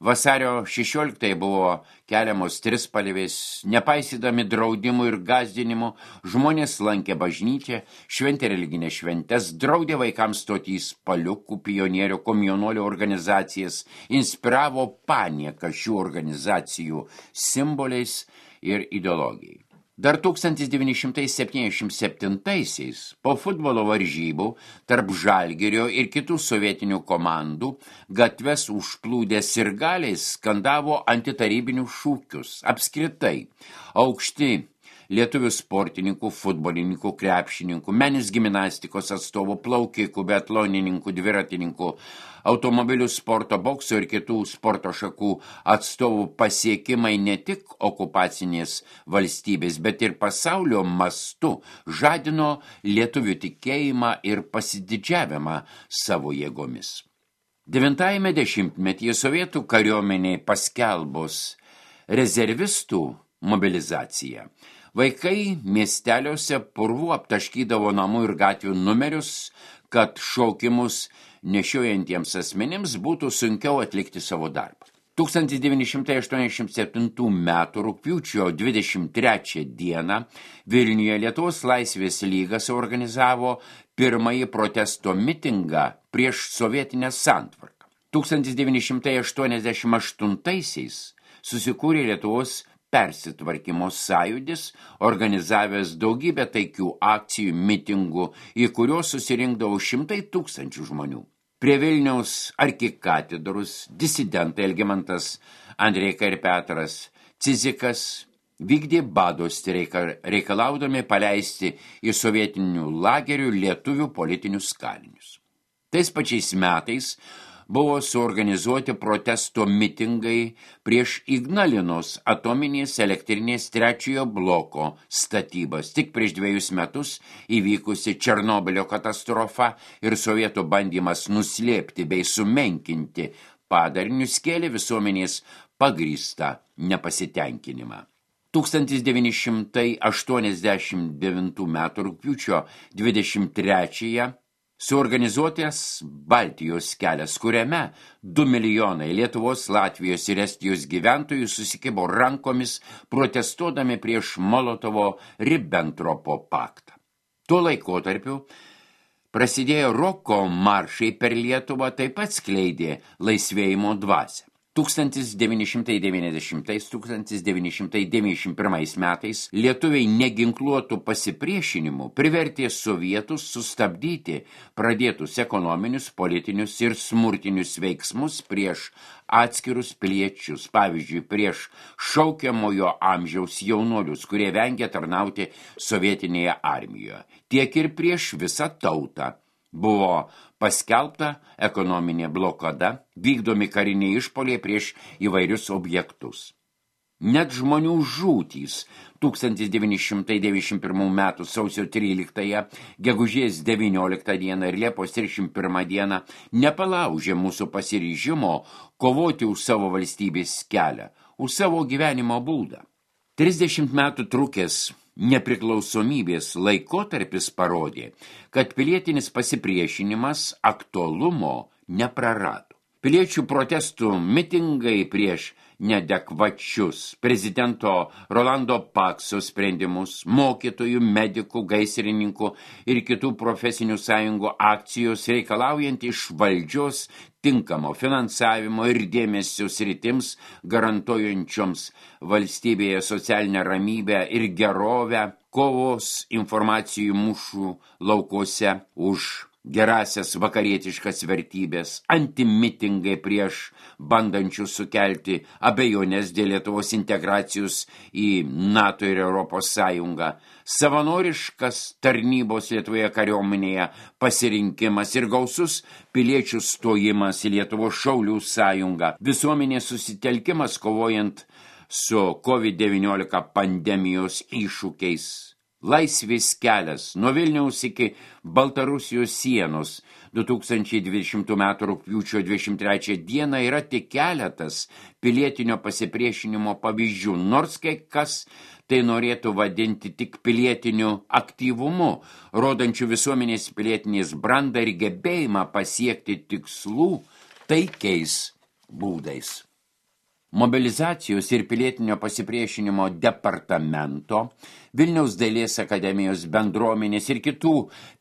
Vasario šešioliktąją buvo keliamos trispalvės, nepaisydami draudimų ir gąsdinimų, žmonės lankė bažnyčią, šventė religinės šventes, draudė vaikams stoti į spaliukų, pionierių, komjaunuolių organizacijas, inspiravo panieką šių organizacijų simboliais ir ideologijai. Dar tūkstantis devyni šimtai septyniasdešimt septintaisiais po futbolo varžybų tarp Žalgirio ir kitų sovietinių komandų gatves užplūdę sirgaliais skandavo antitarybinius šūkius. Apskritai, aukšti lietuvių sportininkų, futbolininkų, krepšininkų, meninės gimnastikos atstovų, plaukikų, biatlonininkų, dviratininkų, automobilių sporto, bokso ir kitų sporto šakų atstovų pasiekimai ne tik okupacinės valstybės, bet ir pasaulio mastu žadino lietuvių tikėjimą ir pasididžiavimą savo jėgomis. Devintajame dešimtmetyje sovietų kariuomeniai paskelbus rezervistų mobilizaciją, vaikai miesteliuose purvų aptaškydavo namų ir gatvių numerius, kad šaukimus nešiojantiems asmenims būtų sunkiau atlikti savo darbą. tūkstantis devyni šimtai aštuoniasdešimt septintų metų rugpjūčio dvidešimt trečią dieną Vilniuje Lietuvos laisvės lyga suorganizavo pirmąjį protesto mitingą prieš sovietinę santvarką. tūkstantis devyni šimtai aštuoniasdešimt aštuntaisiais susikūrė Lietuvos persitvarkymo sąjūdis, organizavęs daugybę taikių akcijų, mitingų, į kuriuos susirinkdavo šimtai tūkstančių žmonių. Prie Vilniaus arkikatedros disidentai Elgimantas Andreika ir Petras Cizikas vykdė bado streiką, reikalaudami paleisti į sovietinių lagerių lietuvių politinius kalinius. Tais pačiais metais buvo suorganizuoti protesto mitingai prieš Ignalinos atominės elektrinės trečiojo bloko statybas. Tik prieš dviejus metus įvykusi Černobylio katastrofa ir sovietų bandymas nuslėpti bei sumenkinti padarinius kėlė visuomenės pagrįstą nepasitenkinimą. tūkstantis devyni šimtai aštuoniasdešimt devintų metų rugpjūčio dvidešimt trečiąją suorganizuotas Baltijos kelias, kuriame du milijonai Lietuvos, Latvijos ir Estijos gyventojų susikibo rankomis, protestuodami prieš Molotovo-Ribbentropo paktą. Tuo laikotarpiu prasidėjo roko maršai per Lietuvą, taip pat skleidė laisvėjimo dvasią. tūkstantis devyni šimtai devyniasdešimtais - tūkstantis devyni šimtai devyniasdešimt pirmais metais lietuviai neginkluotų pasipriešinimų privertė sovietus sustabdyti pradėtus ekonominius, politinius ir smurtinius veiksmus prieš atskirus piliečius, pavyzdžiui, prieš šaukiamojo amžiaus jaunuolius, kurie vengia tarnauti sovietinėje armijoje, tiek ir prieš visą tautą. Buvo paskelbta ekonominė blokada, vykdomi kariniai išpoliai prieš įvairius objektus. Net žmonių žūtys tūkstantis devyni šimtai devyniasdešimt pirmų metų sausio tryliktąją, gegužės devynioliktą dieną ir Liepos trisdešimt pirmą dieną nepalaužė mūsų pasiryžimo kovoti už savo valstybės kelią, už savo gyvenimo būdą. trisdešimt metų trukęs nepriklausomybės laikotarpis parodė, kad pilietinis pasipriešinimas aktualumo neprarado. Piliečių protestų mitingai prieš neadekvačius prezidento Rolando Pakso sprendimus, mokytojų, medikų, gaisrininkų ir kitų profesinių sąjungų akcijos reikalaujant iš valdžios tinkamo finansavimo ir dėmesio sritims garantuojančioms valstybėje socialinę ramybę ir gerovę, kovos informacijų mūšų laukuose už gerasias vakarietiškas vertybės, antimitingai prieš bandančius sukelti abejonės dėl Lietuvos integracijos į NATO ir Europos Sąjungą, savanoriškas tarnybos Lietuvoje kariuomenėje pasirinkimas ir gausus piliečių stojimas į Lietuvos šaulių sąjungą, visuomenės susitelkimas kovojant su COVID devyniolika pandemijos iššūkiais. Laisvės kelias nuo Vilniaus iki Baltarusijos sienos du tūkstančiai dvidešimtų metų rugpjūčio dvidešimt trečią dieną yra tik keletas pilietinio pasipriešinimo pavyzdžių, nors kai kas tai norėtų vadinti tik pilietiniu aktyvumu, rodančiu visuomenės pilietinės brandą ir gebėjimą pasiekti tikslų taikiais būdais. Mobilizacijos ir pilietinio pasipriešinimo departamento, Vilniaus dailės akademijos bendruomenės ir kitų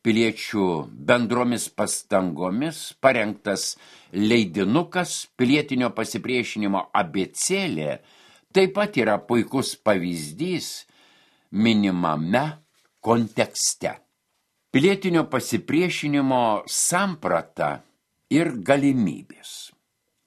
piliečių bendromis pastangomis parengtas leidinukas pilietinio pasipriešinimo abėcėlė taip pat yra puikus pavyzdys minimame kontekste. Pilietinio pasipriešinimo samprata ir galimybės.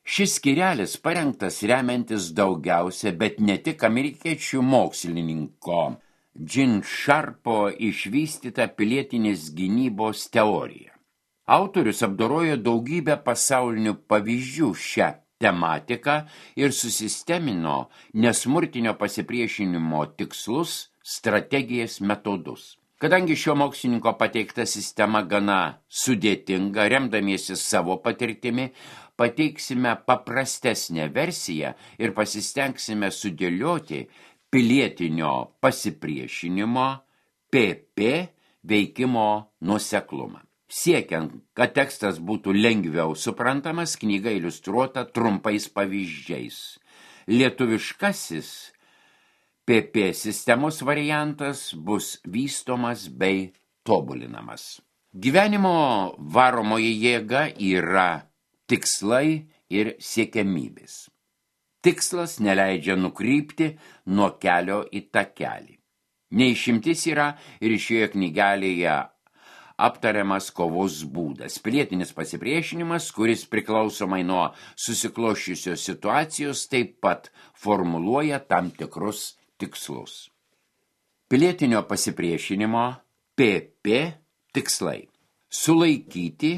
Šis skyrelis parengtas remiantis daugiausia, bet ne tik amerikiečių mokslininko Gene Sharpo išvystyta pilietinės gynybos teorija. Autorius apdorojo daugybę pasaulinių pavyzdžių šią tematiką ir susistemino nesmurtinio pasipriešinimo tikslus, strategijas, metodus. Kadangi šio mokslininko pateikta sistema gana sudėtinga, remdamiesi savo patirtimi, pateiksime paprastesnę versiją ir pasistengsime sudėlioti pilietinio pasipriešinimo P P veikimo nuoseklumą. Siekiant, kad tekstas būtų lengviau suprantamas, knyga iliustruota trumpais pavyzdžiais. Lietuviškasis P P sistemos variantas bus vystomas bei tobulinamas. Gyvenimo varomoji jėga yra tikslai ir siekiamybės. Tikslas neleidžia nukrypti nuo kelio į takelį. Neišimtis yra ir šioje knygelėje aptariamas kovos būdas. Pilietinis pasipriešinimas, kuris priklausomai nuo susikloščiusios situacijos taip pat formuluoja tam tikrus tikslus. Pilietinio pasipriešinimo P P tikslai. Sulaikyti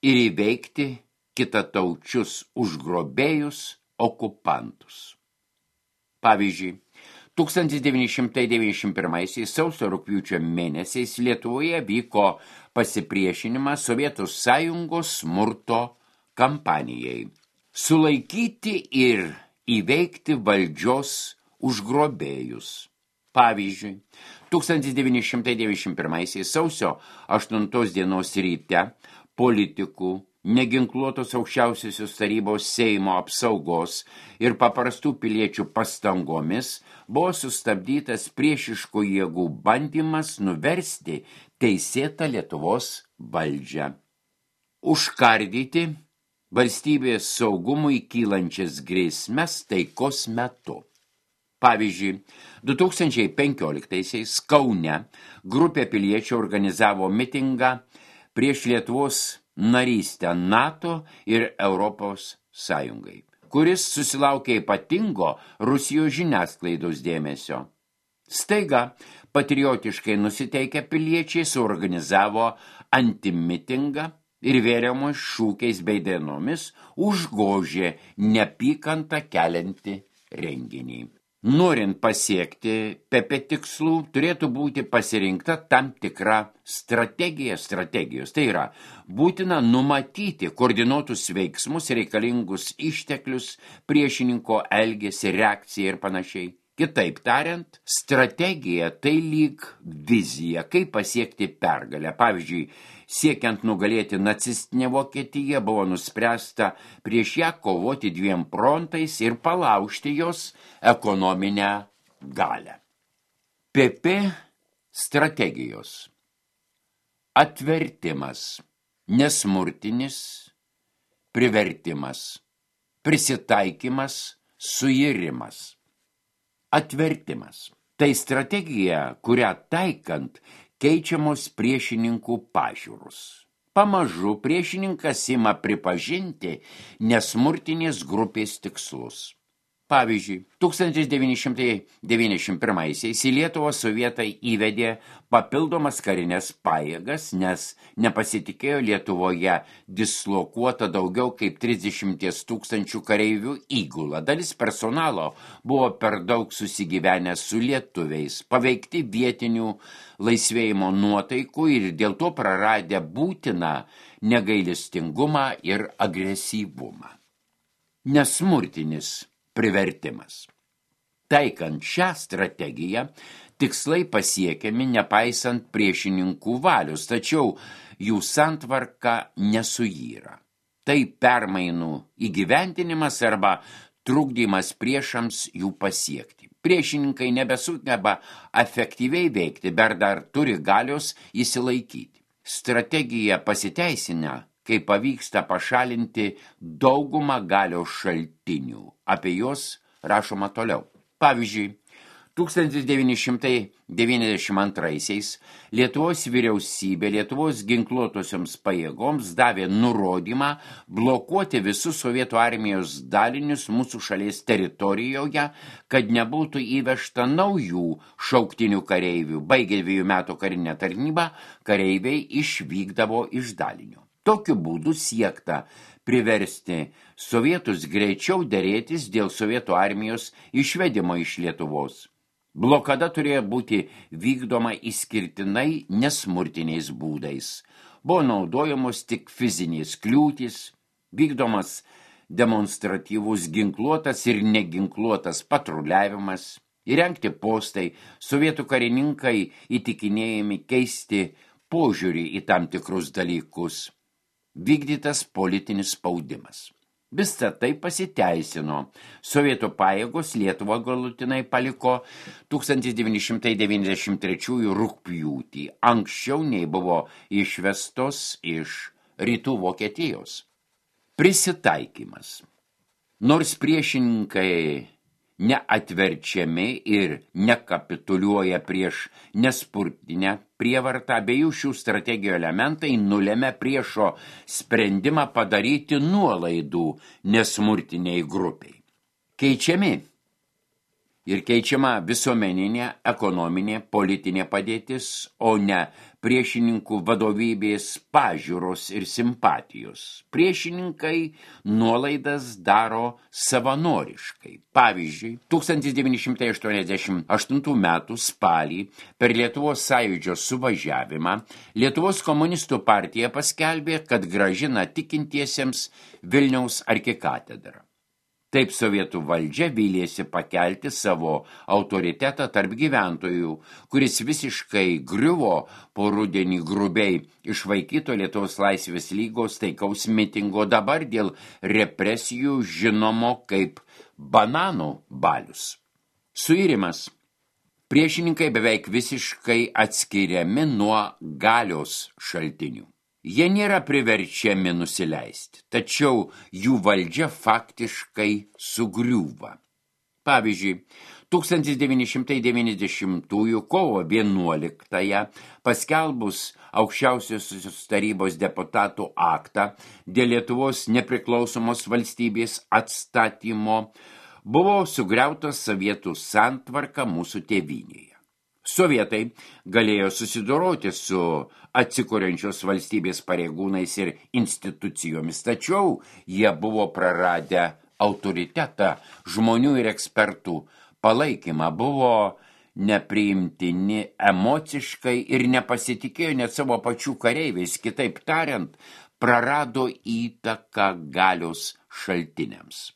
ir įveikti kitataučius užgrobėjus okupantus. Pavyzdžiui, tūkstantis devyni šimtai devyniasdešimt pirmaisiais sausio rugpjūčio mėnesiais Lietuvoje vyko pasipriešinimas Sovietų Sąjungos smurto kampanijai. Sulaikyti ir įveikti valdžios užgrobėjus. Pavyzdžiui, tūkstantis devyni šimtai devyniasdešimt pirmaisiais sausio aštuntos dienos ryte politikų, neginkluotos aukščiausiosios tarybos Seimo apsaugos ir paprastų piliečių pastangomis buvo sustabdytas priešiškų jėgų bandymas nuversti teisėtą Lietuvos valdžią. Užkardyti valstybės saugumui kylančias grėsmes taikos metu. Pavyzdžiui, du tūkstančiai penkioliktaisiais Kaune grupė piliečių organizavo mitingą prieš Lietuvos narystę NATO ir Europos Sąjungai, kuris susilaukė ypatingo Rusijos žiniasklaidos dėmesio. Staiga patriotiškai nusiteikę piliečiai suorganizavo antimitingą ir vėriamos šūkiais bei dainomis užgožė neapykantą keliantį renginį. Norint pasiekti P P tikslų, turėtų būti pasirinkta tam tikra strategija strategijos. Tai yra, būtina numatyti koordinuotus veiksmus, reikalingus išteklius, priešininko elgesį, reakciją ir panašiai. Kitaip tariant, strategija tai lyg vizija, kaip pasiekti pergalę. Pavyzdžiui, siekiant nugalėti nacistinę Vokietiją, buvo nuspręsta prieš ją kovoti dviem frontais ir palaužti jos ekonominę galią. P P strategijos. Atvertimas, nesmurtinis, privertimas, prisitaikymas, suirimas. Atvertimas. Tai strategija, kurią taikant keičiamos priešininkų pažiūros. Pamažu priešininkas ima pripažinti nesmurtinės grupės tikslus. Pavyzdžiui, tūkstantis devyni šimtai devyniasdešimt pirmaisiais į Lietuvą sovietai įvedė papildomas karinės pajėgas, nes nepasitikėjo Lietuvoje dislokuota daugiau kaip trisdešimt tūkstančių kareivių įgula. Dalis personalo buvo per daug susigyvenę su lietuviais, paveikti vietinių laisvėjimo nuotaikų ir dėl to praradę būtiną negailestingumą ir agresyvumą. Nesmurtinis privertimas. Taikant šią strategiją, tikslai pasiekiami nepaisant priešininkų valios, tačiau jų santvarka nesuyra. Tai permainų įgyvendinimas arba trukdymas priešams jų pasiekti. Priešininkai nebesugeba efektyviai veikti, bet dar turi galios įsilaikyti. Strategija pasiteisina, kai pavyksta pašalinti daugumą galios šaltinių. Apie juos rašoma toliau. Pavyzdžiui, tūkstantis devyni šimtai devyniasdešimt antraisiais Lietuvos vyriausybė Lietuvos ginkluotosioms pajėgoms davė nurodymą blokuoti visus sovietų armijos dalinius mūsų šalies teritorijoje, kad nebūtų įvežta naujų šauktinių kareivių. Baigę dviejų metų karinę tarnybą, kareiviai išvykdavo iš dalinių. Tokiu būdu siekta priversti sovietus greičiau derėtis dėl sovietų armijos išvedimo iš Lietuvos. Blokada turėjo būti vykdoma išskirtinai nesmurtiniais būdais. Buvo naudojamos tik fizinės kliūtys, vykdomas demonstratyvus ginkluotas ir neginkluotas patruliavimas, įrengti postai, sovietų karininkai įtikinėjami keisti požiūrį į tam tikrus dalykus. Vykdytas politinis spaudimas. Visa tai pasiteisino. Sovietų pajėgos Lietuvą galutinai paliko tūkstantis devyni šimtai devyniasdešimt trečiųjų rugpjūtį, anksčiau nei buvo išvestos iš rytų Vokietijos. Prisitaikymas. Nors priešininkai neatverčiami ir nekapituliuoja prieš nespurtinę prievartą, abiejų šių strategijų elementai nulėmė priešo sprendimą padaryti nuolaidų nesmurtiniai grupiai. Keičiami ir keičiama visuomeninė, ekonominė, politinė padėtis, o ne priešininkų vadovybės pažiūros ir simpatijos. Priešininkai nuolaidas daro savanoriškai. Pavyzdžiui, tūkstantis devyni šimtai aštuoniasdešimt aštuntų metų spalį per Lietuvos sąjūdžio suvažiavimą Lietuvos komunistų partija paskelbė, kad grąžina tikintiesiems Vilniaus arkikatedrą. Taip sovietų valdžia vylėsi pakelti savo autoritetą tarp gyventojų, kuris visiškai griuvo po rudenį grubiai išvaikyto Lietuvos laisvės lygos taikaus mitingo, dabar dėl represijų žinomo kaip bananų balius. Suirimas. Priešininkai beveik visiškai atskiriami nuo galios šaltinių. Jie nėra priverčiami nusileisti, tačiau jų valdžia faktiškai sugriūva. Pavyzdžiui, tūkstantis devyni šimtai devyniasdešimtųjų kovo vienuoliktąją paskelbus aukščiausiosios tarybos deputatų aktą dėl Lietuvos nepriklausomos valstybės atstatymo buvo sugriauta sovietų santvarka mūsų tėvynėje. Sovietai galėjo susidoroti su atsikuriančios valstybės pareigūnais ir institucijomis, tačiau jie buvo praradę autoritetą, žmonių ir ekspertų palaikymą, buvo nepriimtini emociškai ir nepasitikėjo net savo pačių kareiviais, kitaip tariant, prarado įtaką galios šaltiniams.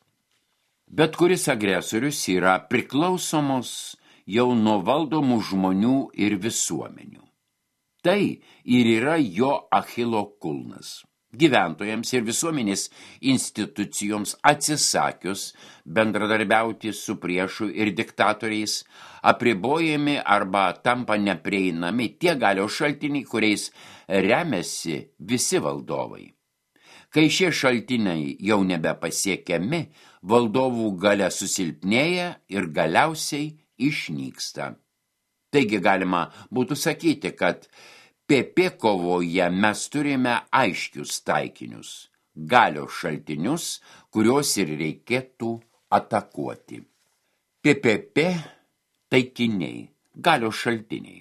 Bet kuris agresorius yra priklausomos jau nuo valdomų žmonių ir visuomenių. Tai ir yra jo Achilo kulnas. Gyventojams ir visuomenės institucijoms atsisakius bendradarbiauti su priešu ir diktatoriais, apribojami arba tampa neprieinami tie galios šaltiniai, kuriais remiasi visi valdovai. Kai šie šaltiniai jau nebepasiekiami, valdovų galia susilpnėja ir galiausiai išnyksta. Taigi galima būtų sakyti, kad P P kovoje mes turime aiškius taikinius, galios šaltinius, kuriuos ir reikėtų atakuoti. P P P taikiniai, galios šaltiniai,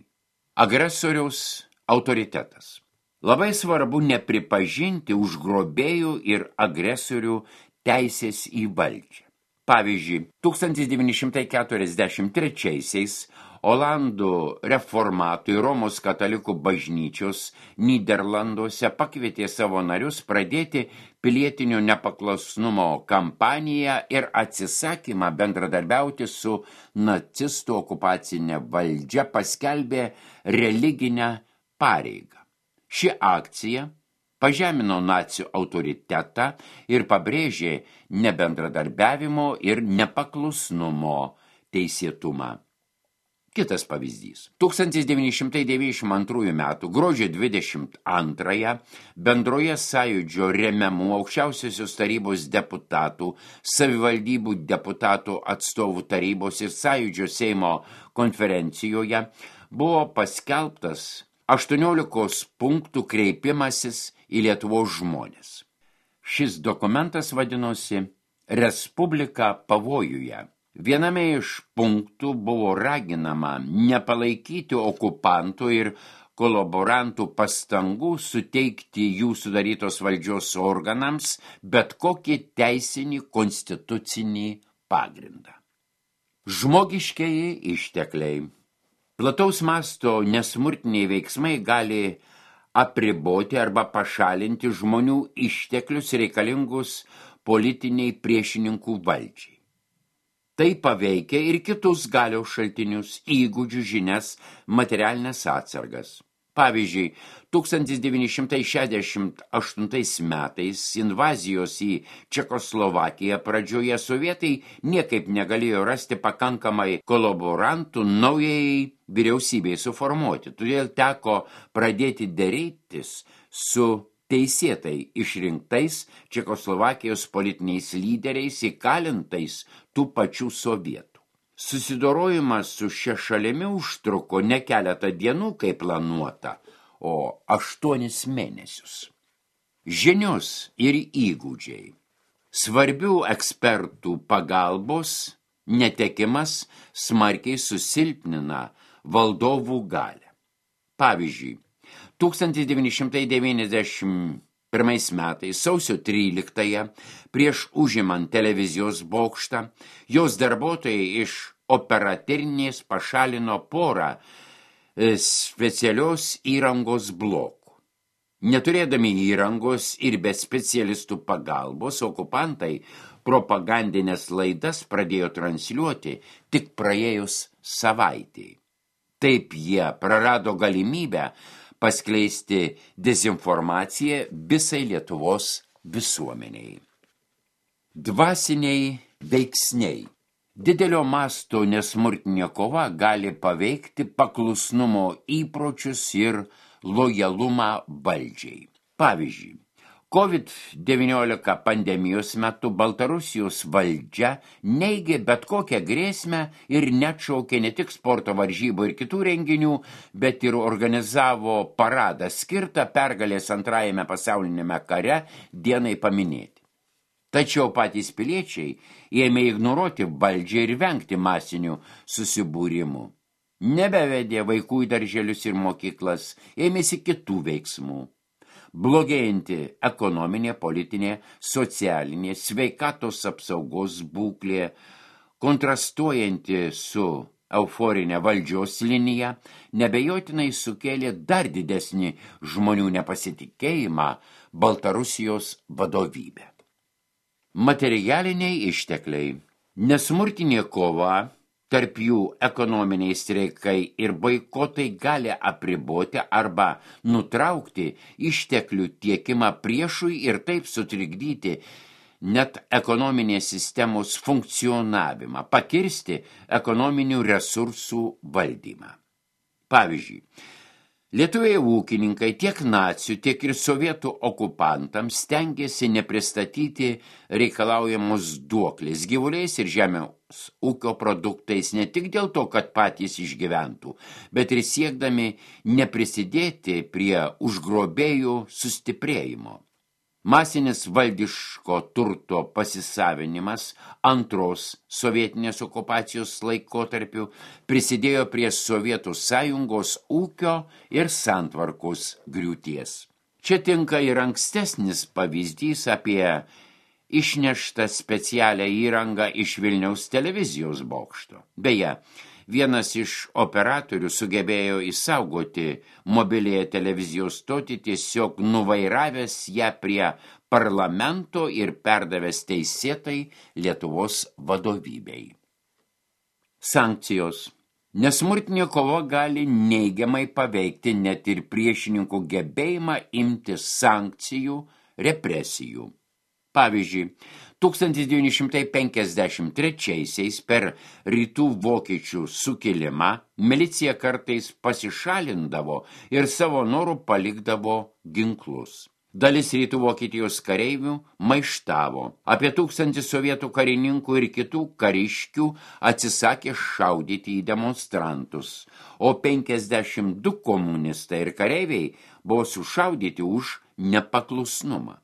agresoriaus autoritetas. Labai svarbu nepripažinti užgrobėjų ir agresorių teisės į valdžią. Pavyzdžiui, tūkstantis devyni šimtai keturiasdešimt trečiaisiais Olandų reformatų ir Romos katalikų bažnyčios Nyderlanduose pakvietė savo narius pradėti pilietinio nepaklusnumo kampaniją ir atsisakymą bendradarbiauti su nacistų okupacinė valdžia paskelbė religinę pareigą. Ši akcija pažemino nacių autoritetą ir pabrėžė nebendradarbiavimo ir nepaklusnumo teisėtumą. Kitas pavyzdys. tūkstantis devyni šimtai devyniasdešimt antrųjų metų gruodžio dvidešimt antrąją bendroje sąjūdžio remiamų aukščiausiosios tarybos deputatų, savivaldybių deputatų atstovų tarybos ir sąjūdžio Seimo konferencijoje buvo paskelbtas aštuoniolikos punktų kreipimasis į Lietuvos žmones. Šis dokumentas vadinosi Respublika pavojuje. Viename iš punktų buvo raginama nepalaikyti okupantų ir kolaborantų pastangų suteikti jų sudarytos valdžios organams bet kokį teisinį konstitucinį pagrindą. Žmogiškieji ištekliai. Plataus masto nesmurtiniai veiksmai gali apriboti arba pašalinti žmonių išteklius reikalingus politiniai priešininkų valdžiai. Tai paveikia ir kitus galios šaltinius, įgūdžių, žinias, materialinės atsargas. Pavyzdžiui, tūkstantis devyni šimtai šešiasdešimt aštuntais metais invazijos į Čekoslovakiją pradžioje sovietai niekaip negalėjo rasti pakankamai kolaborantų naujai vyriausybei suformuoti. Todėl teko pradėti derėtis su teisėtai išrinktais Čekoslovakijos politiniais lyderiais įkalintais tų pačių sovietų. Susidorojimas su šia šalimi užtruko ne keletą dienų, kaip planuota, o aštuonis mėnesius. Žinios ir įgūdžiai. Svarbių ekspertų pagalbos netekimas smarkiai susilpnina valdovų galią. Pavyzdžiui, tūkstantis devyni šimtai devyniasdešimt pirmais metais sausio tryliktąją prieš užimant televizijos bokštą, jos darbuotojai iš operatyrinės pašalino porą specialios įrangos blokų. Neturėdami įrangos ir be specialistų pagalbos, okupantai propagandinės laidas pradėjo transliuoti tik praėjus savaitei. Taip jie prarado galimybę paskleisti dezinformaciją visai Lietuvos visuomeniai. Dvasiniai veiksniai. Didelio masto nesmurtinė kova gali paveikti paklusnumo įpročius ir lojalumą valdžiai. Pavyzdžiui, COVID devyniolika pandemijos metu Baltarusijos valdžia neigė bet kokią grėsmę ir neatšaukė ne tik sporto varžybų ir kitų renginių, bet ir organizavo paradą skirtą pergalės antrajame pasaulinėme kare dienai paminėti. Tačiau patys piliečiai ėmė ignoruoti valdžią ir vengti masinių susibūrimų. Nebevedė vaikų į darželius ir mokyklas, ėmėsi kitų veiksmų. Blogėjanti ekonominė, politinė, socialinė, sveikatos apsaugos būklė, kontrastuojanti su euforinė valdžios linija, nebejotinai sukėlė dar didesnį žmonių nepasitikėjimą Baltarusijos vadovybę. Materialiniai ištekliai. Nesmurtinė kova, tarp jų ekonominiai streikai ir boikotai gali apriboti arba nutraukti išteklių tiekimą priešui ir taip sutrikdyti net ekonominės sistemos funkcionavimą, pakirsti ekonominių resursų valdymą. Pavyzdžiui, lietuviai ūkininkai tiek nacių, tiek ir sovietų okupantams stengiasi nepristatyti reikalaujamos duoklės gyvuliais ir žemės ūkio produktais ne tik dėl to, kad patys išgyventų, bet ir siekdami neprisidėti prie užgrobėjų sustiprėjimo. Masinis valdiško turto pasisavinimas antros sovietinės okupacijos laikotarpiu prisidėjo prie Sovietų sąjungos ūkio ir santvarkos griūties. Čia tinka ir ankstesnis pavyzdys apie išneštą specialią įrangą iš Vilniaus televizijos bokšto. Beje, vienas iš operatorių sugebėjo išsaugoti mobiliąją televizijos stotį, tiesiog nuvairavęs ją prie parlamento ir perdavęs teisėtai Lietuvos vadovybei. Sankcijos. Nesmurtinė kova gali neigiamai paveikti net ir priešininkų gebėjimą imtis sankcijų, represijų. Pavyzdžiui, tūkstantis devyni šimtai penkiasdešimt trečiaisiais per rytų vokiečių sukilimą milicija kartais pasišalindavo ir savo norų palikdavo ginklus. Dalis rytų Vokietijos kareivių maištavo. Apie tūkstantį sovietų karininkų ir kitų kariškių atsisakė šaudyti į demonstrantus, o penkiasdešimt du komunistai ir kareiviai buvo sušaudyti už nepaklusnumą.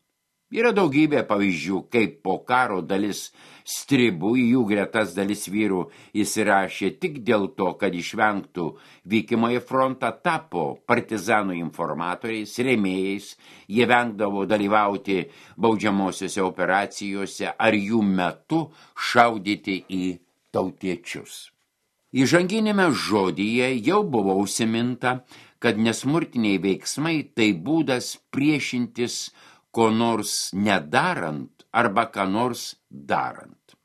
Yra daugybė pavyzdžių, kaip po karo dalis stribų į jų gretas dalis vyrų įsirašė tik dėl to, kad išvengtų vykimo į frontą, tapo partizanų informatoriais, rėmėjais, jie vengdavo dalyvauti baudžiamosiose operacijose ar jų metu šaudyti į tautiečius. Įžanginėme žodyje jau buvo užsiminta, kad nesmurtiniai veiksmai tai būdas priešintis ko nors nedarant arba ką nors darant.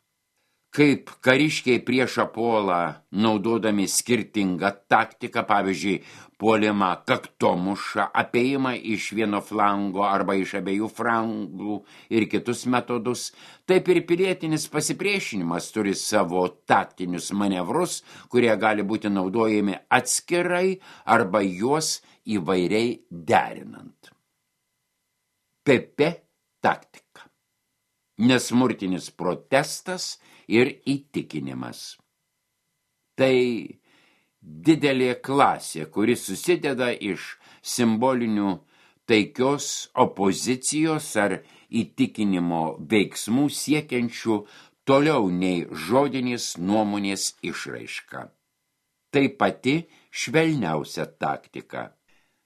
Kaip kariškiai priešą puolą naudodami skirtingą taktiką, pavyzdžiui, puolimą kaktomušą, apėjimą iš vieno flango arba iš abiejų flangų ir kitus metodus, taip ir pilietinis pasipriešinimas turi savo taktinius manevrus, kurie gali būti naudojami atskirai arba juos įvairiai derinant. P P taktika. Nesmurtinis protestas ir įtikinimas. Tai didelė klasė, kuri susideda iš simbolinių taikios opozicijos ar įtikinimo veiksmų siekiančių toliau nei žodinės nuomonės išraiška. Tai pati švelniausia taktika.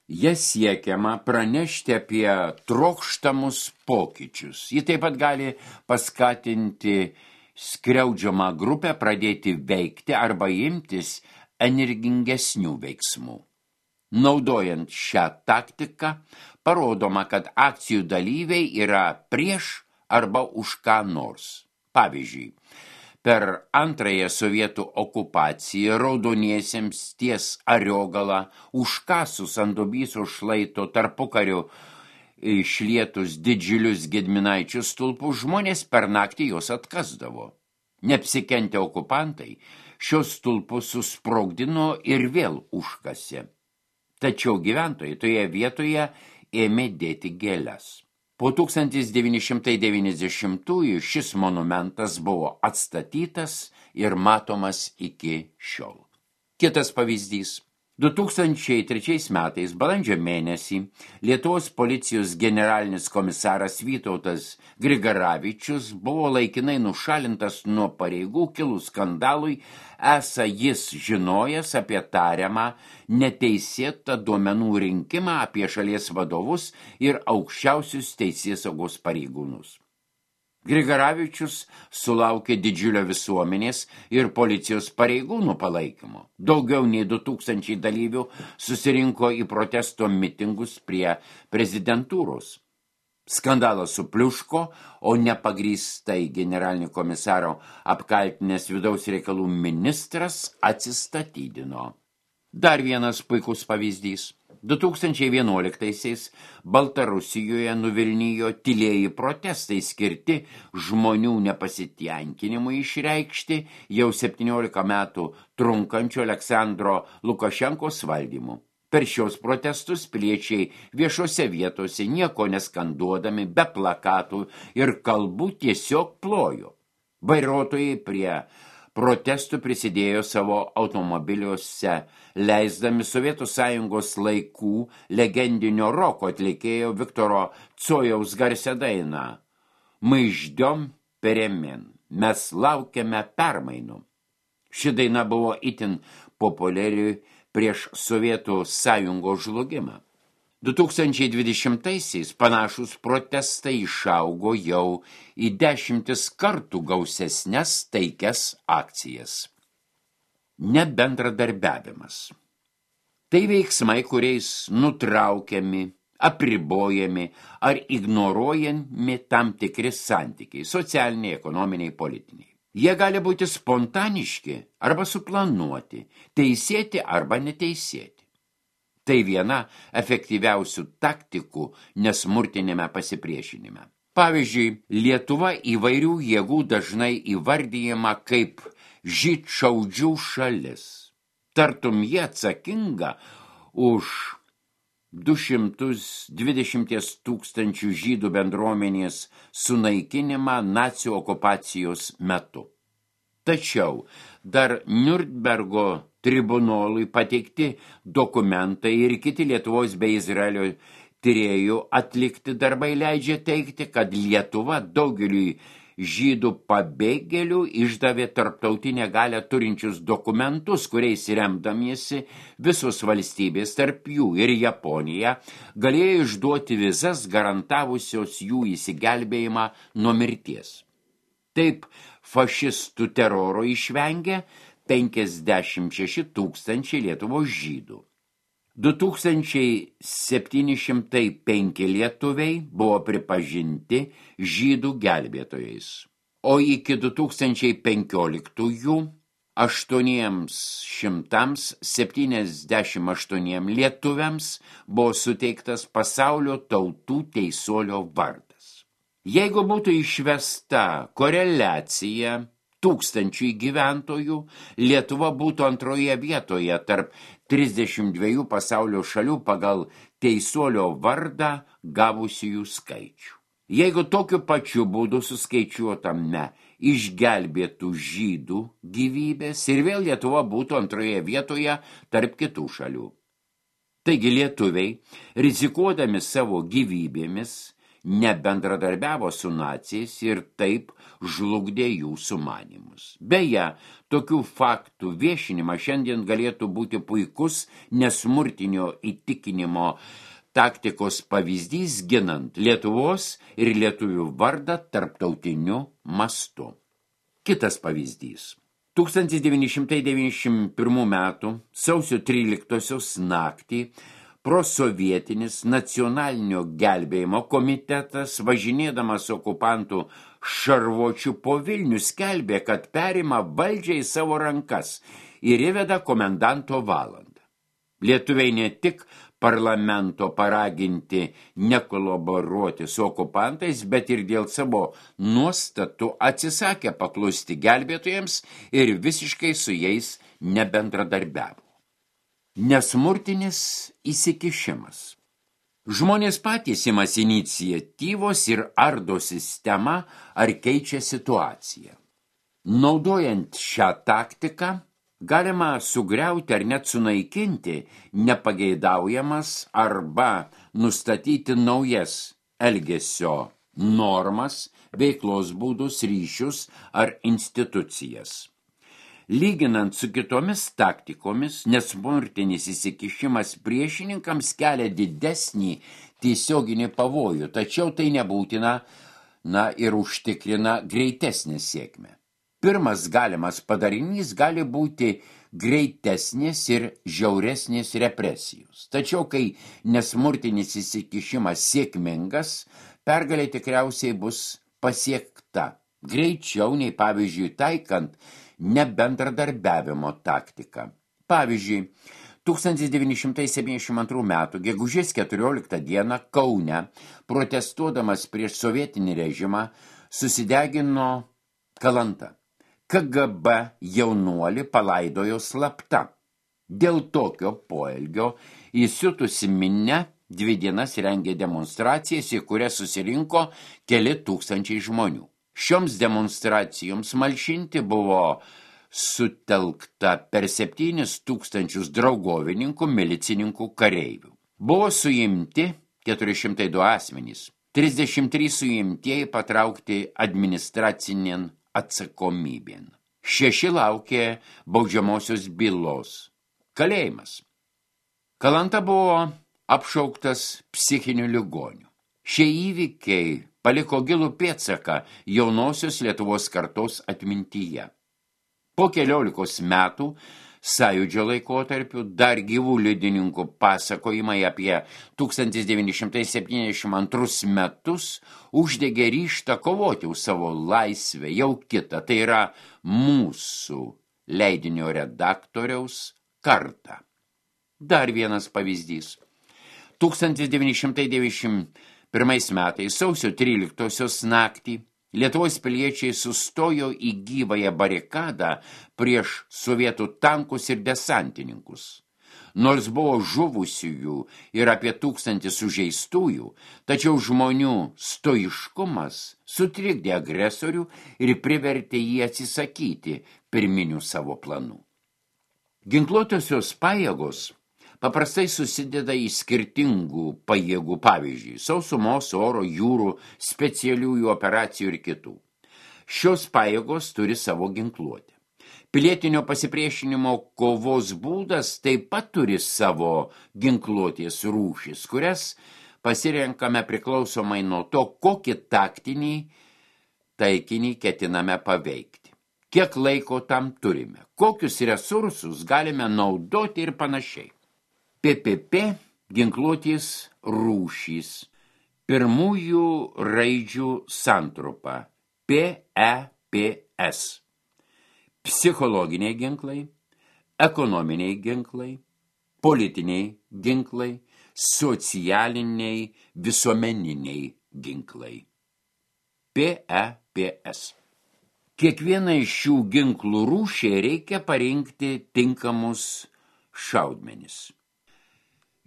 Jie siekiama pranešti apie trokštamus pokyčius. Ji taip pat gali paskatinti skriaudžiamą grupę pradėti veikti arba imtis energingesnių veiksmų. Naudojant šią taktiką, parodoma, kad akcijų dalyviai yra prieš arba už ką nors. Pavyzdžiui, per antrąją sovietų okupaciją raudoniesiems ties Ariogalą užkasus ant Dubysos šlaito tarpukariu išlietus didžiulius Gedminaičių stulpus, žmonės per naktį juos atkasdavo. Neapsikentę okupantai šios stulpus susprogdino ir vėl užkasė. Tačiau gyventojai toje vietoje ėmė dėti gėles. Po tūkstantis devyni šimtai devyniasdešimtųjų šis monumentas buvo atstatytas ir matomas iki šiol. Kitas pavyzdys. du tūkstančiai trečiais metais balandžio mėnesį Lietuvos policijos generalinis komisaras Vytautas Grigaravičius buvo laikinai nušalintas nuo pareigų kilus skandalui, esą jis žinojęs apie tariamą neteisėtą duomenų rinkimą apie šalies vadovus ir aukščiausius teisėsaugos pareigūnus. Grigaravičius sulaukė didžiulio visuomenės ir policijos pareigūnų palaikymo. Daugiau nei du tūkstančiai dalyvių susirinko į protesto mitingus prie prezidentūros. Skandalas supliuško, o nepagrįstai generalinį komisaro apkaltinęs vidaus reikalų ministras atsistatydino. Dar vienas puikus pavyzdys. du tūkstančiai vienuoliktaisiais Baltarusijoje nuvilnijo tylieji protestai skirti žmonių nepasitenkinimui išreikšti jau septyniolika metų trunkančio Aleksandro Lukašenkos valdymu. Per šios protestus piliečiai viešose vietose nieko neskanduodami, be plakatų ir kalbų tiesiog plojo. Vairuotojai prie protestų prisidėjo savo automobiliuose, leisdami Sovietų Sąjungos laikų legendinio roko atlikėjo Viktoro Cojaus garsią dainą «Мы ждем перемен», mes laukiame permainų. Ši daina buvo itin populiari prieš Sovietų Sąjungos žlugimą. du tūkstančiai dvidešimtaisiais panašus protestai išaugo jau į dešimtis kartų gausesnes taikias akcijas. Nebendradarbiavimas. Tai veiksmai, kuriais nutraukiami, apribojami ar ignoruojami tam tikri santykiai, socialiniai, ekonominiai, politiniai. Jie gali būti spontaniški arba suplanuoti, teisėti arba neteisėti. Tai viena efektyviausių taktikų nesmurtinėme pasipriešinime. Pavyzdžiui, Lietuva įvairių jėgų dažnai įvardyjama kaip žydšaudžių šalis. Tartum jie atsakinga už du šimtus dvidešimt tūkstančių žydų bendruomenės sunaikinimą nacių okupacijos metu. Tačiau dar Niurnbergo tribunolui pateikti dokumentai ir kiti Lietuvos bei Izraelio tyrėjų atlikti darbai leidžia teigti, kad Lietuva daugeliui žydų pabėgėlių išdavė tarptautinę galią turinčius dokumentus, kuriais remdamiesi visos valstybės, tarp jų ir Japonija, galėjo išduoti vizas garantavusios jų įsigelbėjimą nuo mirties. Taip fašistų teroro išvengė penkiasdešimt šeši tūkstančiai Lietuvos žydų. du tūkstančiai septyni šimtai penki lietuviai buvo pripažinti žydų gelbėtojais, o iki du tūkstančiai penkioliktųjų aštuoniems šimtams septyniasdešimt aštuoniems lietuviams buvo suteiktas pasaulio tautų teisuolio vardas. Jeigu būtų išvesta koreliacija tūkstančių gyventojų, Lietuva būtų antroje vietoje tarp trisdešimt dviejų pasaulio šalių pagal teisuolio vardą gavusiųjų skaičių. Jeigu tokiu pačiu būdu suskaičiuotame išgelbėtų žydų gyvybės ir vėl Lietuva būtų antroje vietoje tarp kitų šalių. Taigi lietuviai, rizikuodami savo gyvybėmis, nebendradarbiavo su naciais ir taip žlugdė jų sumanymus. Beje, tokių faktų viešinimas šiandien galėtų būti puikus nesmurtinio įtikinimo taktikos pavyzdys ginant Lietuvos ir lietuvių vardą tarptautiniu mastu. Kitas pavyzdys. tūkstantis devyni šimtai devyniasdešimt pirmų metų sausio tryliktosios naktį prosovietinis nacionalinio gelbėjimo komitetas, važinėdamas okupantų šarvuočių po Vilnių, skelbė, kad perima valdžią į savo rankas ir įveda komendanto valandą. Lietuviai ne tik parlamento paraginti nekolaboruoti su okupantais, bet ir dėl savo nuostatų atsisakė paklusti gelbėtojams ir visiškai su jais nebendradarbiavo. Nesmurtinis įsikišimas. Žmonės patys imasi iniciatyvos ir ardo sistemą ar keičia situaciją. Naudojant šią taktiką, galima sugriauti ar net sunaikinti nepageidaujamas arba nustatyti naujas elgesio normas, veiklos būdus, ryšius ar institucijas. Lyginant su kitomis taktikomis, nesmurtinis įsikišimas priešininkams kelia didesnį tiesioginį pavojų, tačiau tai nebūtina, na, ir užtikrina greitesnę sėkmę. Pirmas galimas padarinys gali būti greitesnės ir žiauresnės represijos. Tačiau, kai nesmurtinis įsikišimas sėkmingas, pergalė tikriausiai bus pasiekta greičiau nei, pavyzdžiui, taikant nebendradarbiavimo taktiką. Pavyzdžiui, tūkstantis devyni šimtai septyniasdešimt antrų metų gegužės keturioliktą dieną Kaune, protestuodamas prieš sovietinį režimą, susidegino Kalanta. K G B jaunuolį palaidojo slapta. Dėl tokio poelgio įsiutusi minia dvi dienas rengė demonstracijas, į kurias susirinko keli tūkstančiai žmonių. Šioms demonstracijoms malšinti buvo sutelkta per septynis tūkstančius draugovininkų, milicininkų, kareivių. Buvo suimti keturi šimtai du asmenys, trisdešimt trys suimtieji patraukti administracinėn atsakomybėn. Šeši laukė baudžiamosios bylos. Kalėjimas. Kalanta buvo apšauktas psichinių ligonių. Šie įvykiai paliko gilų pėdsaką jaunosios Lietuvos kartos atmintyje. Po keliolikos metų sąjūdžio laikotarpiu dar gyvų liudininkų pasakojimai apie tūkstantis devyni šimtai septyniasdešimt antrus metus uždegė ryžtą kovoti už savo laisvę jau kitą, tai yra mūsų leidinio redaktoriaus kartą. Dar vienas pavyzdys. tūkstantis devyni šimtai devyniasdešimt pirmais metais sausio tryliktosios naktį Lietuvos piliečiai sustojo į gyvąją barikadą prieš sovietų tankus ir desantininkus. Nors buvo žuvusiųjų ir apie tūkstantį sužeistųjų, tačiau žmonių stoiškumas sutrikdė agresorių ir privertė jį atsisakyti pirminių savo planų. Ginkluotosios pajėgos paprastai susideda į skirtingų pajėgų, pavyzdžiui, sausumos, oro, jūrų, specialiųjų operacijų ir kitų. Šios pajėgos turi savo ginkluotę. Pilietinio pasipriešinimo kovos būdas taip pat turi savo ginkluotės rūšis, kurias pasirenkame priklausomai nuo to, kokį taktinį taikinį ketiname paveikti. Kiek laiko tam turime, kokius resursus galime naudoti ir panašiai. P P P ginkluotės rūšys. Pirmųjų raidžių santrupa P E P S. Psichologiniai ginklai, ekonominiai ginklai, politiniai ginklai, socialiniai, visuomeniniai ginklai. P E P S. Kiekvieną iš šių ginklų rūšiai reikia parinkti tinkamus šaudmenis.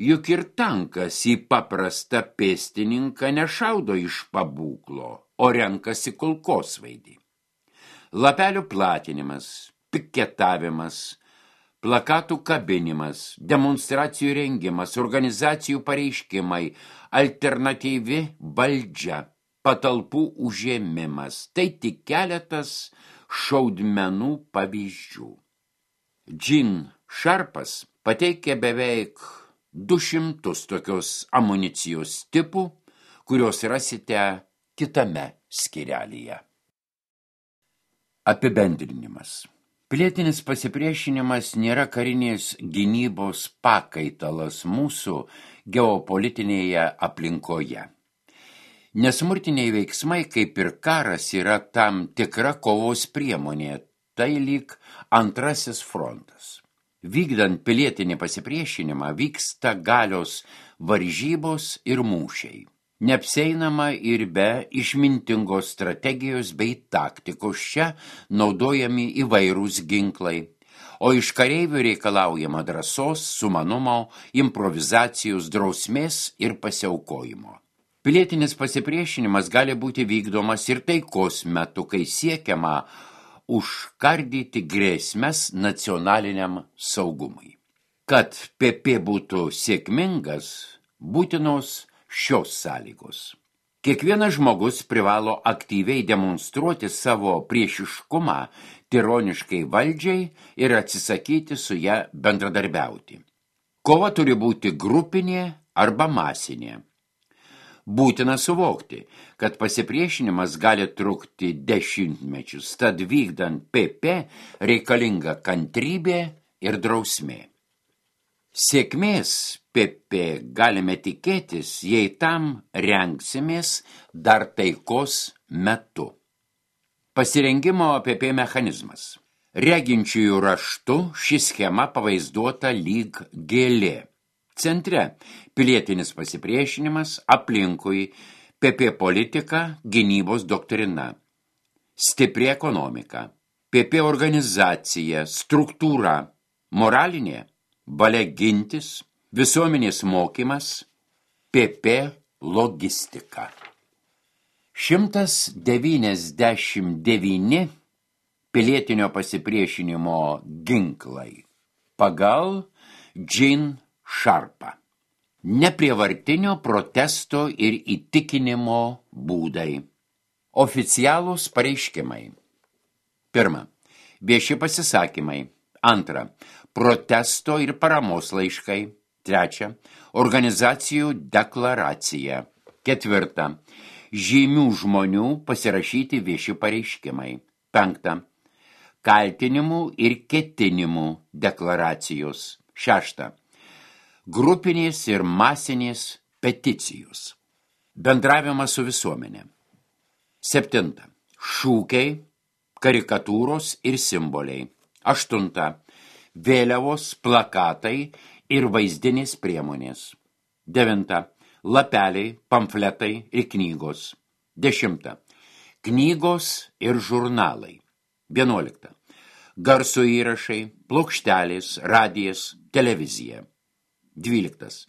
Juk ir tankas į paprastą pėstininką nešaudo iš pabūklo, o renkasi kulkosvaidį. Lapelių platinimas, piketavimas, plakatų kabinimas, demonstracijų rengimas, organizacijų pareiškimai, alternatyvi valdžia, patalpų užėmimas – tai tik keletas šaudmenų pavyzdžių. Jean Sharpas pateikė beveik du šimtus tokios amunicijos tipų, kurios rasite kitame skyrelyje. Apibendrinimas. Pilietinis pasipriešinimas nėra karinės gynybos pakaitalas mūsų geopolitinėje aplinkoje. Nesmurtiniai veiksmai, kaip ir karas, yra tam tikra kovos priemonė, tai lyg antrasis frontas. Vykdant pilietinį pasipriešinimą vyksta galios varžybos ir mūšiai. Neapseinama ir be išmintingos strategijos bei taktikos, čia naudojami įvairūs ginklai, o iš kareivių reikalaujama drąsos, sumanumo, improvizacijos, drausmės ir pasiaukojimo. Pilietinis pasipriešinimas gali būti vykdomas ir taikos metu, kai siekiama užkardyti grėsmes nacionaliniam saugumui. Kad P P būtų sėkmingas, būtinos šios sąlygos. Kiekvienas žmogus privalo aktyviai demonstruoti savo priešiškumą tironiškai valdžiai ir atsisakyti su ją bendradarbiauti. Kova turi būti grupinė arba masinė. Būtina suvokti, kad pasipriešinimas gali trukti dešimtmečius, tad vykdant P P reikalinga kantrybė ir drausmė. Sėkmės P P galime tikėtis, jei tam rengsimės dar taikos metu. Pasirengimo P P mechanizmas. Reginčiųjų raštu ši schema pavaizduota lyg gėlė. Centre pilietinis pasipriešinimas, aplinkui P P politika, gynybos doktrina. Stipri ekonomika, P P organizacija, struktūra, moralinė, valia gintis, visuomenės mokymas, P P logistika. šimtas devyniasdešimt devyni pilietinio pasipriešinimo ginklai pagal Jean Sharpą. Neprievartinio protesto ir įtikinimo būdai. Oficialūs pareiškimai. Pirma. Vieši pasisakymai. Antra. Protesto ir paramos laiškai. Trečia. Organizacijų deklaracija. Ketvirta. Žymių žmonių pasirašyti vieši pareiškimai. Penkta. Kaltinimų ir ketinimų deklaracijos. Šešta. Grupinės ir masinės peticijos. Bendravimas su visuomenė. Septinta. Šūkiai, karikatūros ir simboliai. Aštunta. Vėliavos, plakatai ir vaizdinės priemonės. Devinta. Lapeliai, pamfletai ir knygos. Dešimta. Knygos ir žurnalai. Vienuolikta. Garso įrašai, plokštelės, radijas, televizija. Dvyliktas.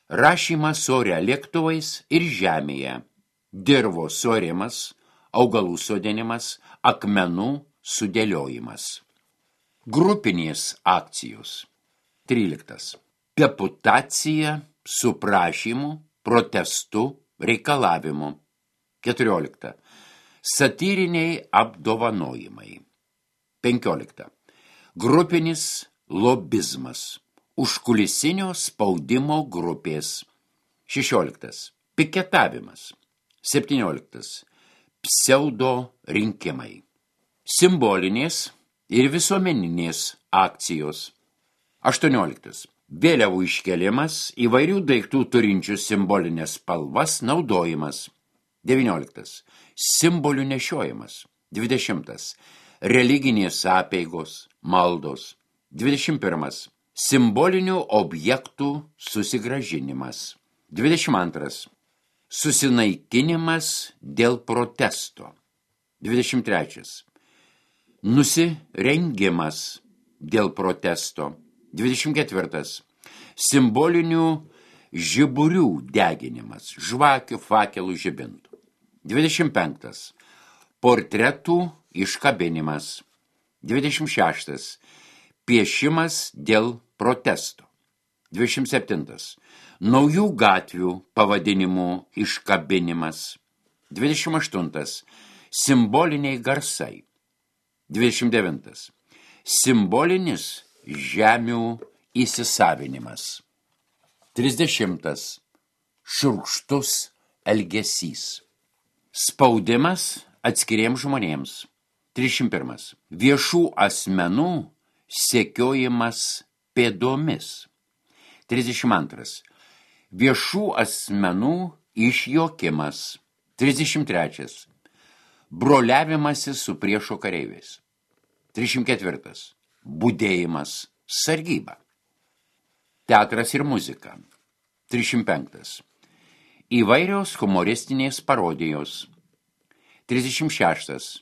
Rašymas ore lėktuvais ir žemėje. Dirvos suarimas, augalų sodinimas, akmenų sudėliojimas. Grupinės akcijos. Tryliktas. Deputacija su prašymu, protestu, reikalavimu. Keturiolikta. Satyriniai apdovanojimai. Penkiolikta. Grupinis lobizmas. Užkulisinio spaudimo grupės. Šešioliktas. Piketavimas. Septynioliktas. Pseudo rinkimai. Simbolinės ir visuomeninės akcijos. Aštuonioliktas. Vėliavų iškelimas, įvairių daiktų turinčių simbolinės spalvas naudojimas. Devynioliktas. Simbolių nešiojimas. Dvidešimtas. Religinės apeigos, maldos. Dvidešimt pirmas. Simbolinių objektų susigrąžinimas. Dvidešimt antras. Susinaikinimas dėl protesto. Dvidešimt trečias. Nusirengimas dėl protesto. Dvidešimt ketvirtas. Simbolinių žiburių deginimas, žvakių, fakelų, žibintų. Dvidešimt penktas. Portretų iškabinimas. Dvidešimt šeštas. Piešimas dėl protesto. Dvidešimt septintas. Naujų gatvių pavadinimų iškabinimas. Dvidešimt aštuntas. Simboliniai garsai. Dvidešimt devintas. Simbolinis žemių įsisavinimas. Trisdešimtas. Šiurkštus elgesys. Spaudimas atskiriems žmonėms. Trisdešimt pirmas. Viešų asmenų sekiojimas pėdomis. Trisdešimt antras. Viešų asmenų išjokimas. Trisdešimt trečias. Broliavimasis su priešo kareiviais. Trisdešimt ketvirtas. Budėjimas, sargyba. Teatras ir muzika. Trisdešimt penktas. Įvairios humoristinės parodijos. Trisdešimt šeštas.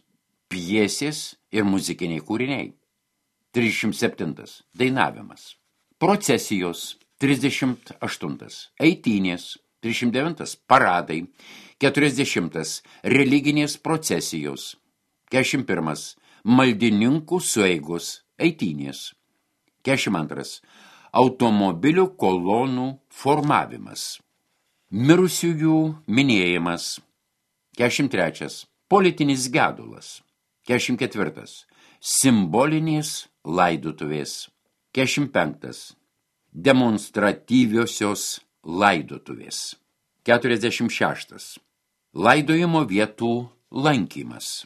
Pjesės ir muzikiniai kūriniai. Trisdešimt septintas. Dainavimas. Procesijos. Trisdešimt aštuntas. Eitynės. Trisdešimt devintas. Paradai. Keturiasdešimtas. Religinės procesijos. Keturiasdešimt pirmas. Maldininkų sueigos. Eitynės. Keturiasdešimt antras. Automobilių kolonų formavimas. Mirusiųjų minėjimas. Keturiasdešimt trečias. Politinis gedulas. Keturiasdešimt ketvirtas. Simbolinės laidotuvės. Keturiasdešimt penktas. Demonstratyviosios laidotuvės. Keturiasdešimt šeštas. Laidojimo vietų lankymas.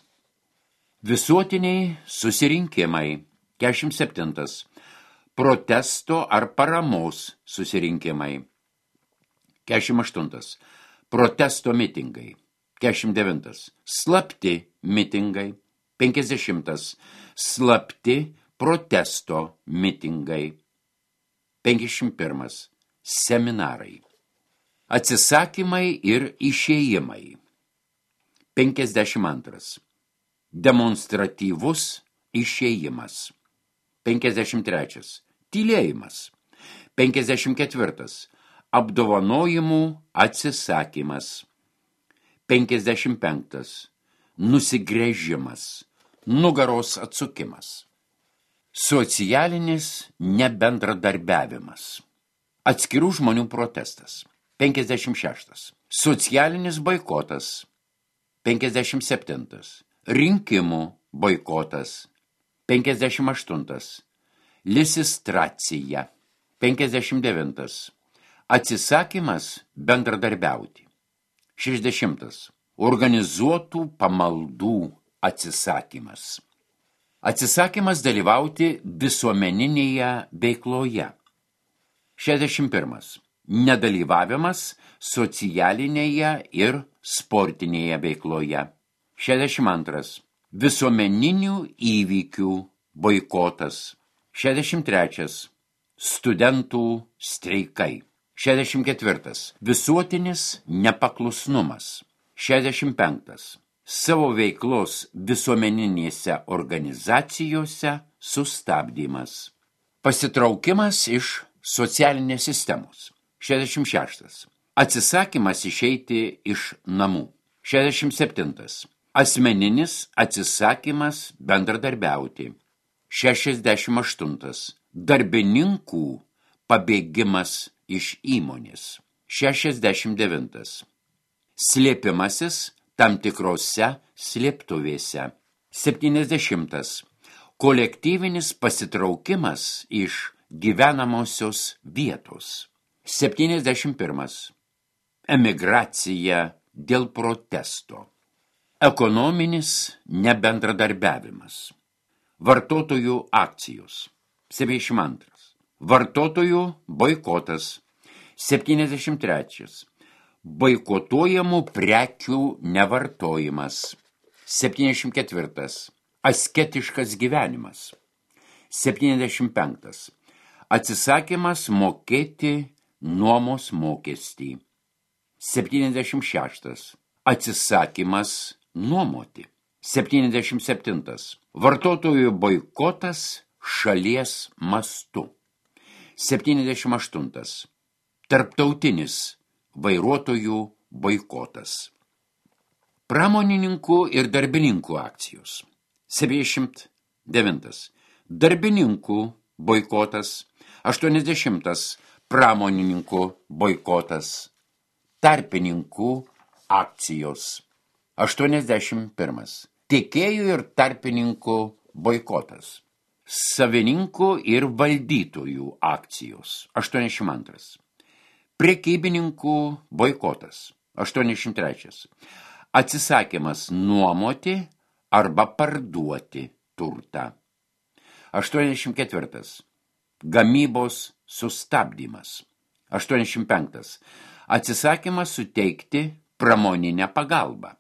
Visuotiniai susirinkimai. Keturiasdešimt septintas. protesto ar paramos susirinkimai. keturiasdešimt aštuntas. Protesto mitingai. keturiasdešimt devintas. Slapti mitingai. penkdesimtas. Slapti protesto mitingai. penkiasdešimt pirmas. Seminarai. Atsisakymai ir išėjimai. penkiasdešimt antras. Demonstratyvus išėjimas. penkiasdešimt trečias. Tylėjimas. penkiasdešimt ketvirtas. Apdovanojimų atsisakymas. penkiasdešimt penktas. Nusigręžimas. Nugaros atsukimas. Socialinis nebendradarbiavimas. Atskirų žmonių protestas. penkiasdešimt šeštas. Socialinis boikotas. penkiasdešimt septintas. Rinkimų boikotas. penkiasdešimt aštuntas. Lisistracija. penkiasdešimt devintas. Atsisakymas bendradarbiauti. šešdešimtas. Organizuotų pamaldų atsisakymas. Atsisakymas dalyvauti visuomeninėje veikloje. šešdešimt pirmas. Nedalyvavimas socialinėje ir sportinėje veikloje. šešdešimt antras. Visuomeninių įvykių boikotas. šešdešimt trečias. Studentų streikai. šešdešimt ketvirtas. Visuotinis nepaklusnumas. šešdešimt penktas. Savo veiklos visuomeninėse organizacijose sustabdymas. Pasitraukimas iš socialinės sistemos. šešdešimt šeštas. Atsisakymas išeiti iš namų. šešdešimt septintas. Asmeninis atsisakymas bendradarbiauti. šešiasdešimt aštuntas. Darbininkų pabėgimas iš įmonės. šešiasdešimt devintas. Slėpimasis tam tikrose slėptuvėse. septyniasdešimtas. Kolektyvinis pasitraukimas iš gyvenamosios vietos. septyniasdešimt pirmas. Emigracija dėl protesto. Ekonominis nebendradarbiavimas. Vartotojų akcijos. septyniasdešimt antras. Vartotojų boikotas. septyniasdešimt trečias. Boikotuojamų prekių nevartojimas. septyniasdešimt ketvirtas. Asketiškas gyvenimas. septyniasdešimt penktas. Atsisakymas mokėti nuomos mokestį. septyniasdešimt šeštas. Atsisakymas nuomoti. septyniasdešimt septintas. Vartotojų boikotas šalies mastu. septyniasdešimt aštuntas. Tarptautinis vairuotojų boikotas. Pramonininkų ir darbininkų akcijos. septyniasdešimt devintas. Darbininkų boikotas. aštuoniasdešimtas. Pramonininkų boikotas. Tarpininkų akcijos. aštuoniasdešimt pirmas. Tiekėjų ir tarpininkų boikotas. Savininkų ir valdytojų akcijos. aštuoniasdešimt antras. Prekybininkų boikotas. aštuoniasdešimt trečias. Atsisakymas nuomoti arba parduoti turtą. aštuoniasdešimt ketvirtas. Gamybos sustabdymas. aštuoniasdešimt penktas. Atsisakymas suteikti pramoninę pagalbą.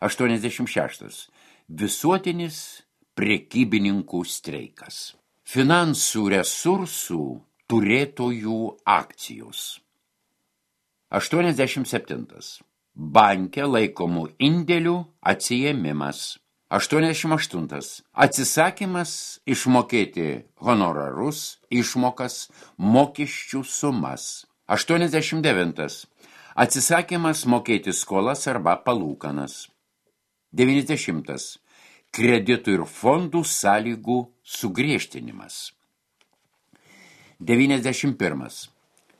aštuoniasdešimt šeštas. Visuotinis prekybininkų streikas. Finansų resursų turėtojų akcijos. aštuoniasdešimt septintas. Banke laikomų indėlių atsiėmimas. aštuoniasdešimt aštuntas. Atsisakymas išmokėti honorarus, išmokas, mokesčių sumas. aštuoniasdešimt devintas. Atsisakymas mokėti skolas arba palūkanas. devyniasdešimtas. Kreditų ir fondų sąlygų sugriežtinimas. devyniasdešimt pirmas.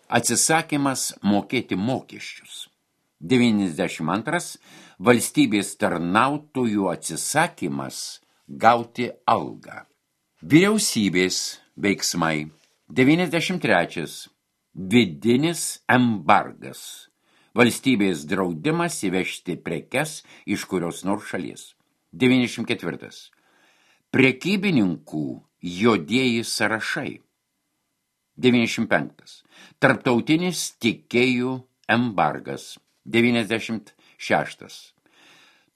Atsisakymas mokėti mokesčius. devyniasdešimt antras. Valstybės tarnautojų atsisakymas gauti algą. Vyriausybės veiksmai. devyniasdešimt trečias. Vidinis embargas. Valstybės draudimas įvežti prekes iš kurios nors šalies. devyniasdešimt ketvirtas. Prekybininkų juodieji sąrašai. devyniasdešimt penktas. Tarptautinis tiekėjų embargas, devyniasdešimt šeštas.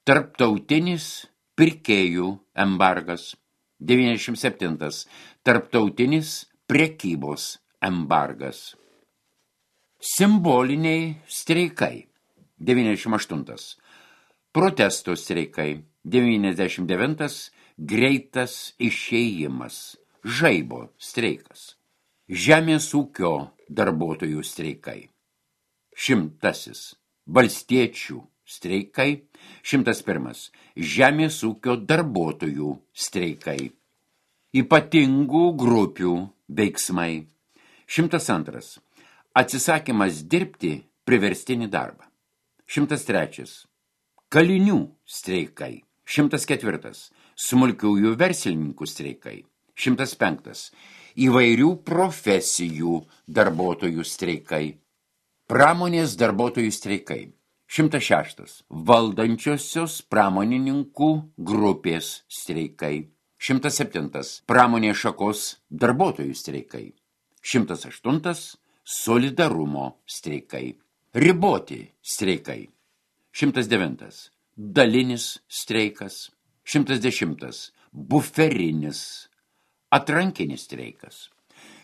Tarptautinis pirkėjų embargas, devyniasdešimt septintas. Tarptautinis prekybos embargas. Simboliniai streikai, devyniasdešimt aštuntas. Protesto streikai, devyniasdešimt devintas. Greitas išėjimas, žaibo streikas. Žemės ūkio darbuotojų streikai. Šimtasis. Valstiečių streikai. Šimtas pirmas. Žemės ūkio darbuotojų streikai. Ypatingų grupių veiksmai. Šimtas antras. Atsisakymas dirbti priverstinį darbą. Šimtas trečias. Kalinių streikai. Šimtas ketvirtas. Smulkiųjų verslininkų streikai. Šimtas penktas. Įvairių profesijų darbuotojų streikai. Pramonės darbuotojų streikai. Šimtas šeštas. Valdančiosios pramonininkų grupės streikai. Šimtas septintas. Pramonės šakos darbuotojų streikai. Šimtas aštuntas. Solidarumo streikai. Riboti streikai. Šimtas devintas. Dalinis streikas. Šimtas dešimtas. Buferinis. Atrankinis streikas.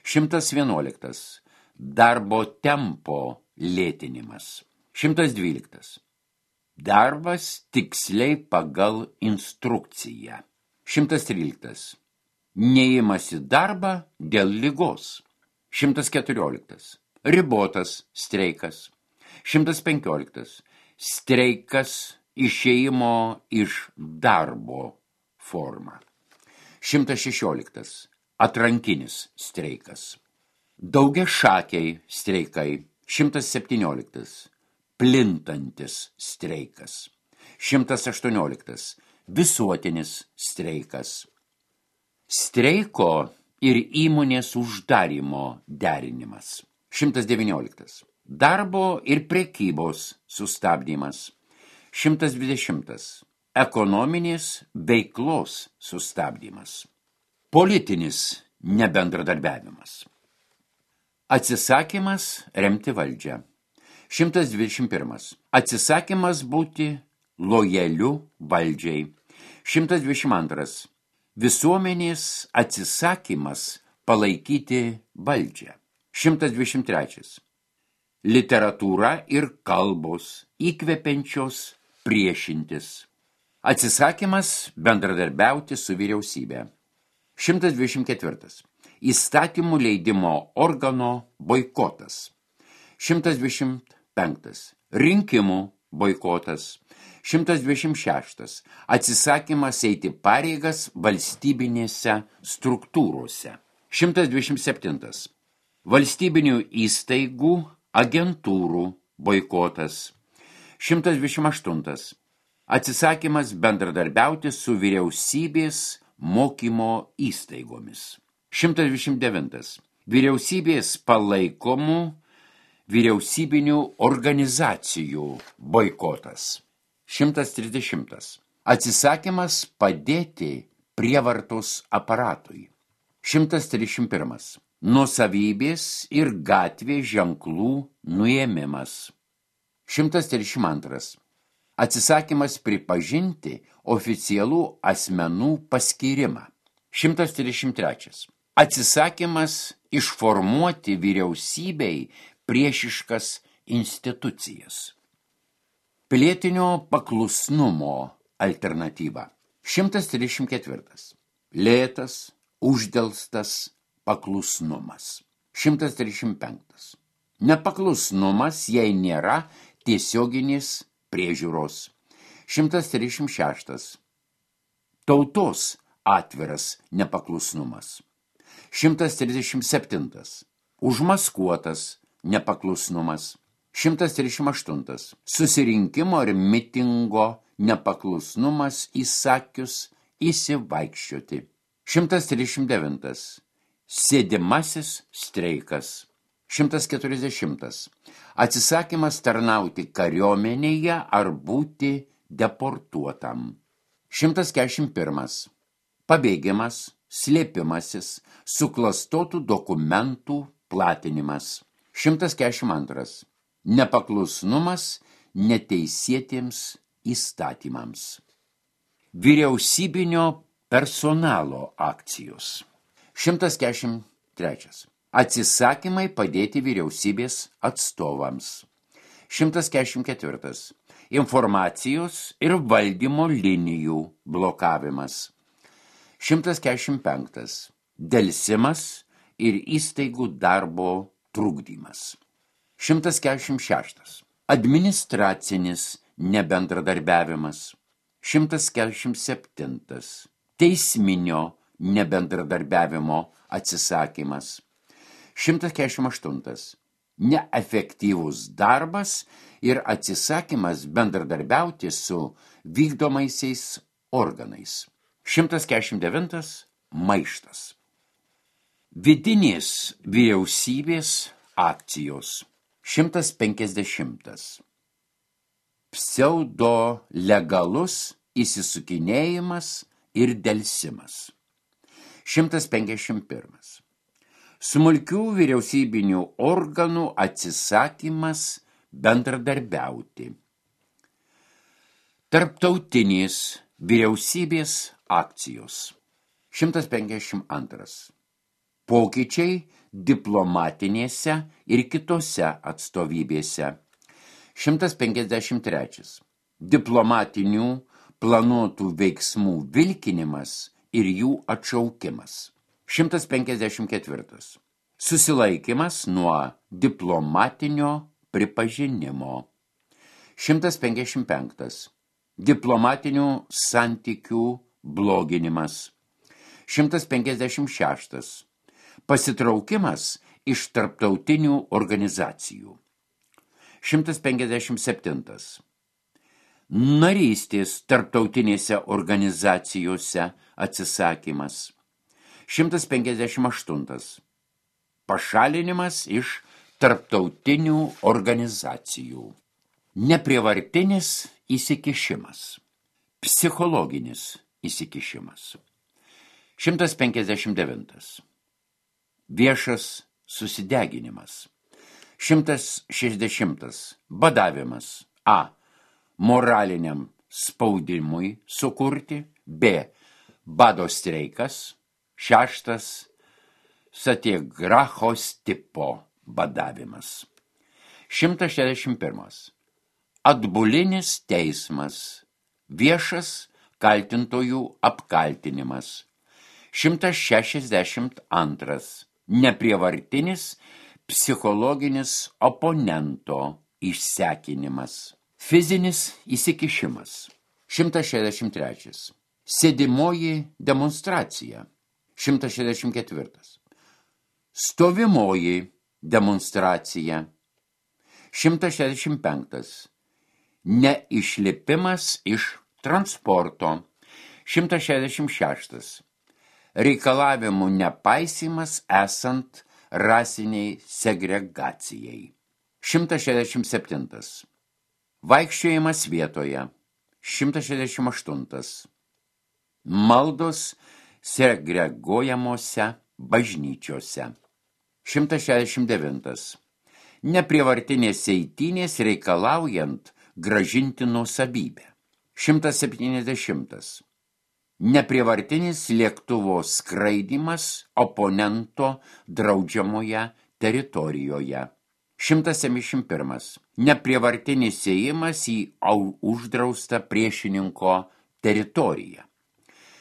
Šimtas vienuoliktas. Darbo tempo lėtinimas. Šimtas dvyliktas. Darbas tiksliai pagal instrukciją. Šimtas tryliktas. Neėjimas į darbą dėl ligos. Šimtas keturioliktas. Ribotas streikas. Šimtas penkioliktas. Streikas išėjimo iš darbo forma. Šimtas šešioliktas. Atrankinis streikas. Daugiašakiai streikai. Šimtas septynioliktas. Plintantis streikas. Šimtas aštuonioliktas. Visuotinis streikas. Streiko ir įmonės uždarymo derinimas. Šimtas devynioliktas. Darbo ir prekybos sustabdymas. Šimtas dvidešimtas. Ekonominės veiklos sustabdymas. Politinis nebendradarbiavimas. Atsisakymas remti valdžią. Šimtas dvidešimt pirmas. Atsisakymas būti lojaliu valdžiai. Šimtas dvidešimt antras. Visuomenės atsisakymas palaikyti valdžią. Šimtas dvidešimt trečias. Literatūra ir kalbos įkvepiančios priešintis. Atsisakymas bendradarbiauti su vyriausybė. Šimtas dvidešimt ketvirtas. Įstatymų leidimo organo boikotas. Šimtas dvidešimt penktas. Rinkimų boikotas. Šimtas dvidešimt šeštas. Atsisakymas eiti pareigas valstybinėse struktūrose. Šimtas dvidešimt septintas. Valstybinių įstaigų, agentūrų boikotas. Šimtas dvidešimt aštuntas. Atsisakymas bendradarbiauti su vyriausybės mokymo įstaigomis. Šimtas dvidešimt devintas. Vyriausybės palaikomų vyriausybinių organizacijų boikotas. Šimtas trisdešimtas. Atsisakymas padėti prievartos aparatui. Šimtas trisdešimt pirmas. Nuosavybės ir gatvės ženklų nuėmimas. Šimtas trisdešimt antras. Atsisakymas pripažinti oficialų asmenų paskyrimą. Šimtas trisdešimt trečias. Atsisakymas išformuoti vyriausybei priešiškas institucijas. Pilietinio paklusnumo alternatyva. Šimtas trisdešimt ketvirtas. Lėtas, uždelstas paklusnumas. Šimtas trisdešimt penktas. Nepaklusnumas, jei nėra tiesioginės priežiūros. Šimtas trisdešimt šeštas. Tautos atviras nepaklusnumas. Šimtas trisdešimt septintas. Užmaskuotas nepaklusnumas. Šimtas trisdešimt aštuntas. Susirinkimo ir mitingo nepaklusnumas įsakius įsivaikščioti. Šimtas trisdešimt devintas. Sėdimasis streikas. Šimtas keturiasdešimtas. Atsisakymas tarnauti kariuomenėje ar būti deportuotam. Šimtas keturiasdešimt pirmas. Pabėgimas, slėpimasis, suklastotų dokumentų platinimas. šimtas keturiasdešimt antras. Nepaklusnumas neteisėtiems įstatymams. Vyriausybinio personalo akcijos. šimtas keturiasdešimt trečias. Atsisakymai padėti vyriausybės atstovams. šimtas keturiasdešimt ketvirtas. Informacijos ir valdymo linijų blokavimas. šimtas keturiasdešimt penktas. Delsimas ir įstaigų darbo trukdymas. šimtas keturiasdešimt šeštas. Administracinis nebendradarbiavimas. šimtas keturiasdešimt septintas. Teisminio nebendradarbiavimo atsisakymas. šimtas keturiasdešimt aštuntas. Neefektyvus darbas ir atsisakymas bendradarbiauti su vykdomaisiais organais. šimtas keturiasdešimt devintas. Maištas. Vidinės vyriausybės akcijos. šimtas penkiasdešimtas. Pseudo-legalus įsisukinėjimas ir delsimas. šimtas penkiasdešimt pirmas. Smulkių vyriausybinių organų atsisakymas bendradarbiauti. Tarptautinės vyriausybės akcijos. šimtas penkiasdešimt antras. Pokyčiai diplomatinėse ir kitose atstovybėse. šimtas penkiasdešimt trečias. Diplomatinių planuotų veiksmų vilkinimas ir jų atšaukimas. šimtas penkiasdešimt ketvirtas. Susilaikimas nuo diplomatinio pripažinimo. šimtas penkiasdešimt penktas. Diplomatinių santykių bloginimas. šimtas penkiasdešimt šeštas. Pasitraukimas iš tarptautinių organizacijų. šimtas penkiasdešimt septintas. Narystės tarptautinėse organizacijose atsisakymas. šimtas penkiasdešimt aštuntas. Pašalinimas iš tarptautinių organizacijų. Neprievartinis įsikišimas. Psichologinis įsikišimas. šimtas penkiasdešimt devintas. Viešas susideginimas. šimtas šešiasdešimtas. Badavimas. A. Moraliniam spaudimui sukurti. B. Bado streikas. Šeštas. Satyagrahos tipo badavimas. šimtas šešiasdešimt pirmas. Atbulinis teismas. Viešas kaltintojų apkaltinimas. šimtas šešiasdešimt antras. Neprievartinis psichologinis oponento išsekinimas. Fizinis įsikišimas. šimtas šešiasdešimt trečias. Sėdimoji demonstracija. šimtas šešiasdešimt ketvirtas. Stovimoji demonstracija. šimtas šešiasdešimt penktas. Neišlipimas iš transporto. šimtas šešiasdešimt šeštas. Reikalavimų nepaisymas esant rasiniai segregacijai. šimtas šešiasdešimt septintas. Vaikščiojimas vietoje. šimtas šešiasdešimt aštuntas. Maldos segreguojamose bažnyčiose. šimtas šešiasdešimt devintas. Neprievartinės eitynės reikalaujant grąžinti nuosavybę. šimtas septyniasdešimtas. Neprievartinis lėktuvo skraidymas oponento draudžiamoje teritorijoje. šimtas septyniasdešimt pirmas. Neprievartinis ėjimas į uždraustą priešininko teritoriją.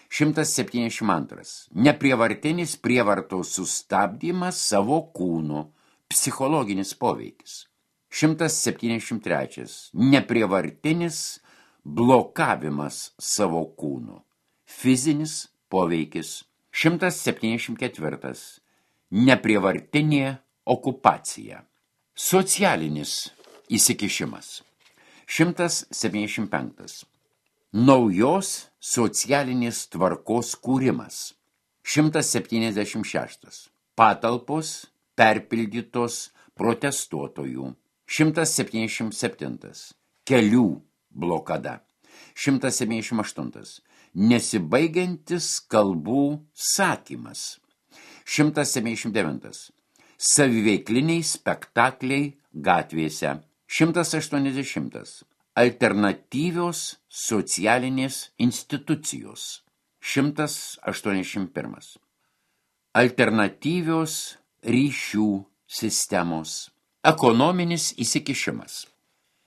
šimtas septyniasdešimt antras. Neprievartinis prievartos sustabdymas savo kūnu. Psichologinis poveikis. šimtas septyniasdešimt trečias. Neprievartinis blokavimas savo kūnu. Fizinis poveikis. šimtas septyniasdešimt ketvirtas. Neprievartinė okupacija. Socialinis įsikišimas. šimtas septyniasdešimt penktas. Naujos socialinės tvarkos kūrimas. šimtas septyniasdešimt šeštas. Patalpos perpildytos protestuotojų. šimtas septyniasdešimt septintas. Kelių blokada. šimtas septyniasdešimt aštuntas. Nesibaigiantis kalbų sakymas. šimtas septyniasdešimt devintas. Saviveikliniai spektakliai gatvėse. šimtas aštuoniasdešimtas. Alternatyvios socialinės institucijos. šimtas aštuoniasdešimt pirmas. Alternatyvios ryšių sistemos. Ekonominis įsikišimas.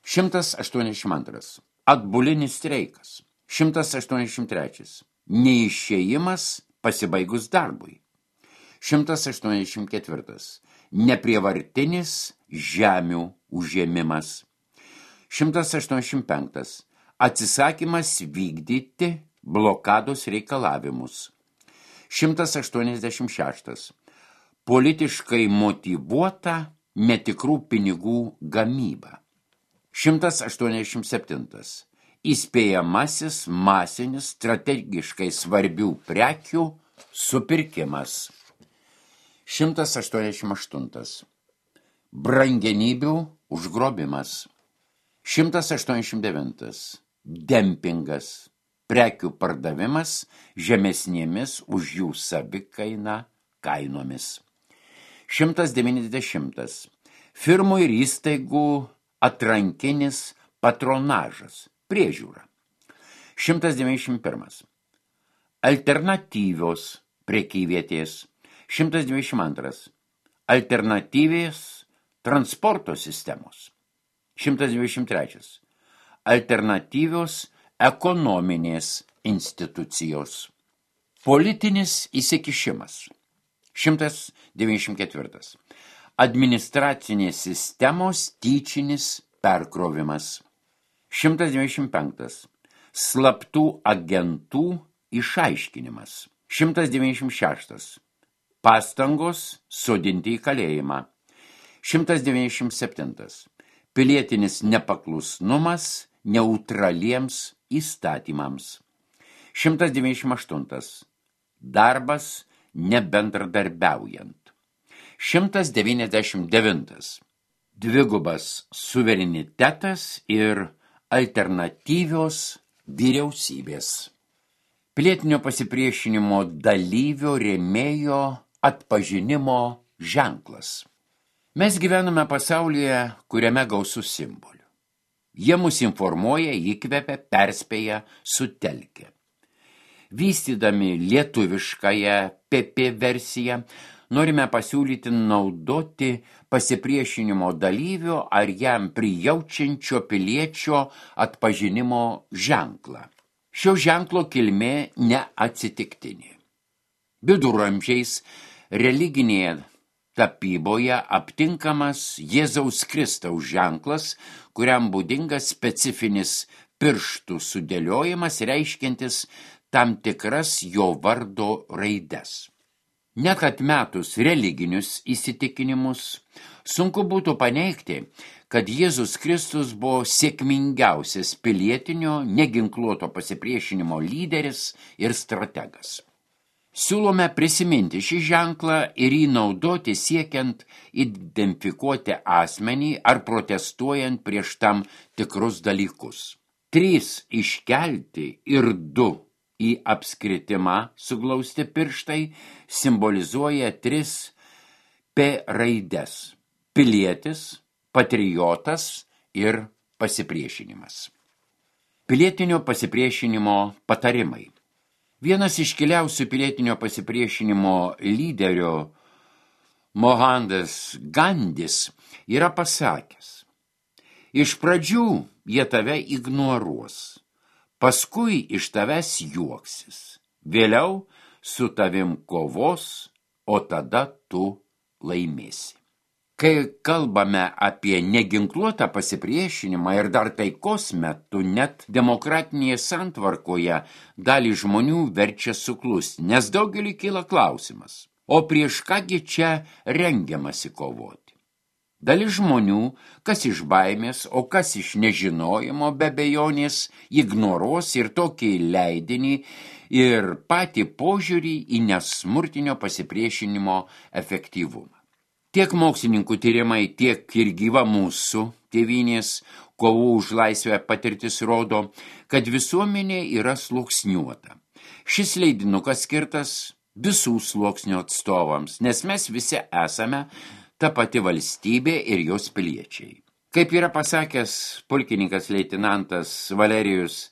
šimtas aštuoniasdešimt antras. Atbulinis streikas. šimtas aštuoniasdešimt trečias. Neišėjimas pasibaigus darbui. šimtas aštuoniasdešimt ketvirtas. Neprievartinis žemių užėmimas. šimtas aštuoniasdešimt penktas. Atsisakymas vykdyti blokados reikalavimus. šimtas aštuoniasdešimt šeštas. Politiškai motyvuota netikrų pinigų gamyba. šimtas aštuoniasdešimt septintas. Įspėjamasis masinis strategiškai svarbių prekių supirkimas. šimtas aštuoniasdešimt aštuntas. Brangenybių užgrobimas. šimtas aštuoniasdešimt devintas. Dempingas. Prekių pardavimas žemesnėmis už jų savikainą kainomis. šimtas devyniasdešimtas. Firmų ir įstaigų atrankinis patronažas. Priežiūra. šimtas devyniasdešimt pirmas. Alternatyvios prekyvietės. šimtas devyniasdešimt antras. Alternatyvės transporto sistemos. šimtas devyniasdešimt trečias. Alternatyvios ekonominės institucijos. Politinis įsikišimas. šimtas devyniasdešimt ketvirtas. Administracinės sistemos tyčinis perkrovimas. šimtas devyniasdešimt penktas. Slaptų agentų išaiškinimas. šimtas devyniasdešimt šeštas. Pastangos sodinti į kalėjimą. šimtas devyniasdešimt septintas. Pilietinis nepaklusnumas neutraliems įstatymams. šimtas devyniasdešimt aštuntas. Darbas nebendradarbiaujant. šimtas devyniasdešimt devintas. Dvigubas suverenitetas ir alternatyvios vyriausybės. Pilietinio pasipriešinimo dalyvio rėmėjo atpažinimo ženklas. Mes gyvename pasaulyje, kuriame gausu simbolių. Jie mus informuoja, įkvepia, perspėja, sutelkia. Vystydami lietuviškąją P P versiją, norime pasiūlyti naudoti pasipriešinimo dalyvio ar jam prijaučiančio piliečio atpažinimo ženklą. Šio ženklo kilmė neatsitiktinė. Viduramžiais religinėje tapyboje aptinkamas Jėzaus Kristaus ženklas, kuriam būdingas specifinis pirštų sudėliojimas, reiškiantis tam tikras jo vardo raides. Net atmetus religinius įsitikinimus, sunku būtų paneigti, kad Jėzus Kristus buvo sėkmingiausias pilietinio neginkluoto pasipriešinimo lyderis ir strategas. Siūlome prisiminti šį ženklą ir jį naudoti siekiant identifikuoti asmenį ar protestuojant prieš tam tikrus dalykus. Trys iškelti ir du į apskritimą suglausti pirštai simbolizuoja tris P raides – pilietis, patriotas ir pasipriešinimas. Pilietinio pasipriešinimo patarimai. Vienas iškiliausių pilietinio pasipriešinimo lyderio Mohandas Gandis yra pasakęs: iš pradžių jie tave ignoruos, paskui iš tavęs juoksis, vėliau su tavim kovos, o tada tu laimėsi. Kai kalbame apie neginkluotą pasipriešinimą ir dar taikos metu, net demokratinėje santvarkoje dalį žmonių verčia suklusti, nes daugelį kyla klausimas, o prieš kągi čia rengiamasi kovoti. Dalis žmonių, kas iš baimės, o kas iš nežinojimo be abejonės, ignoruos ir tokį leidinį ir patį požiūrį į nesmurtinio pasipriešinimo efektyvumą. Tiek mokslininkų tyrimai, tiek ir gyva mūsų tėvynės kovų už laisvę patirtis rodo, kad visuomenė yra sluoksniuota. Šis leidinukas skirtas visų sluoksnių atstovams, nes mes visi esame ta pati valstybė ir jos piliečiai. Kaip yra pasakęs pulkininkas leitenantas Valerijus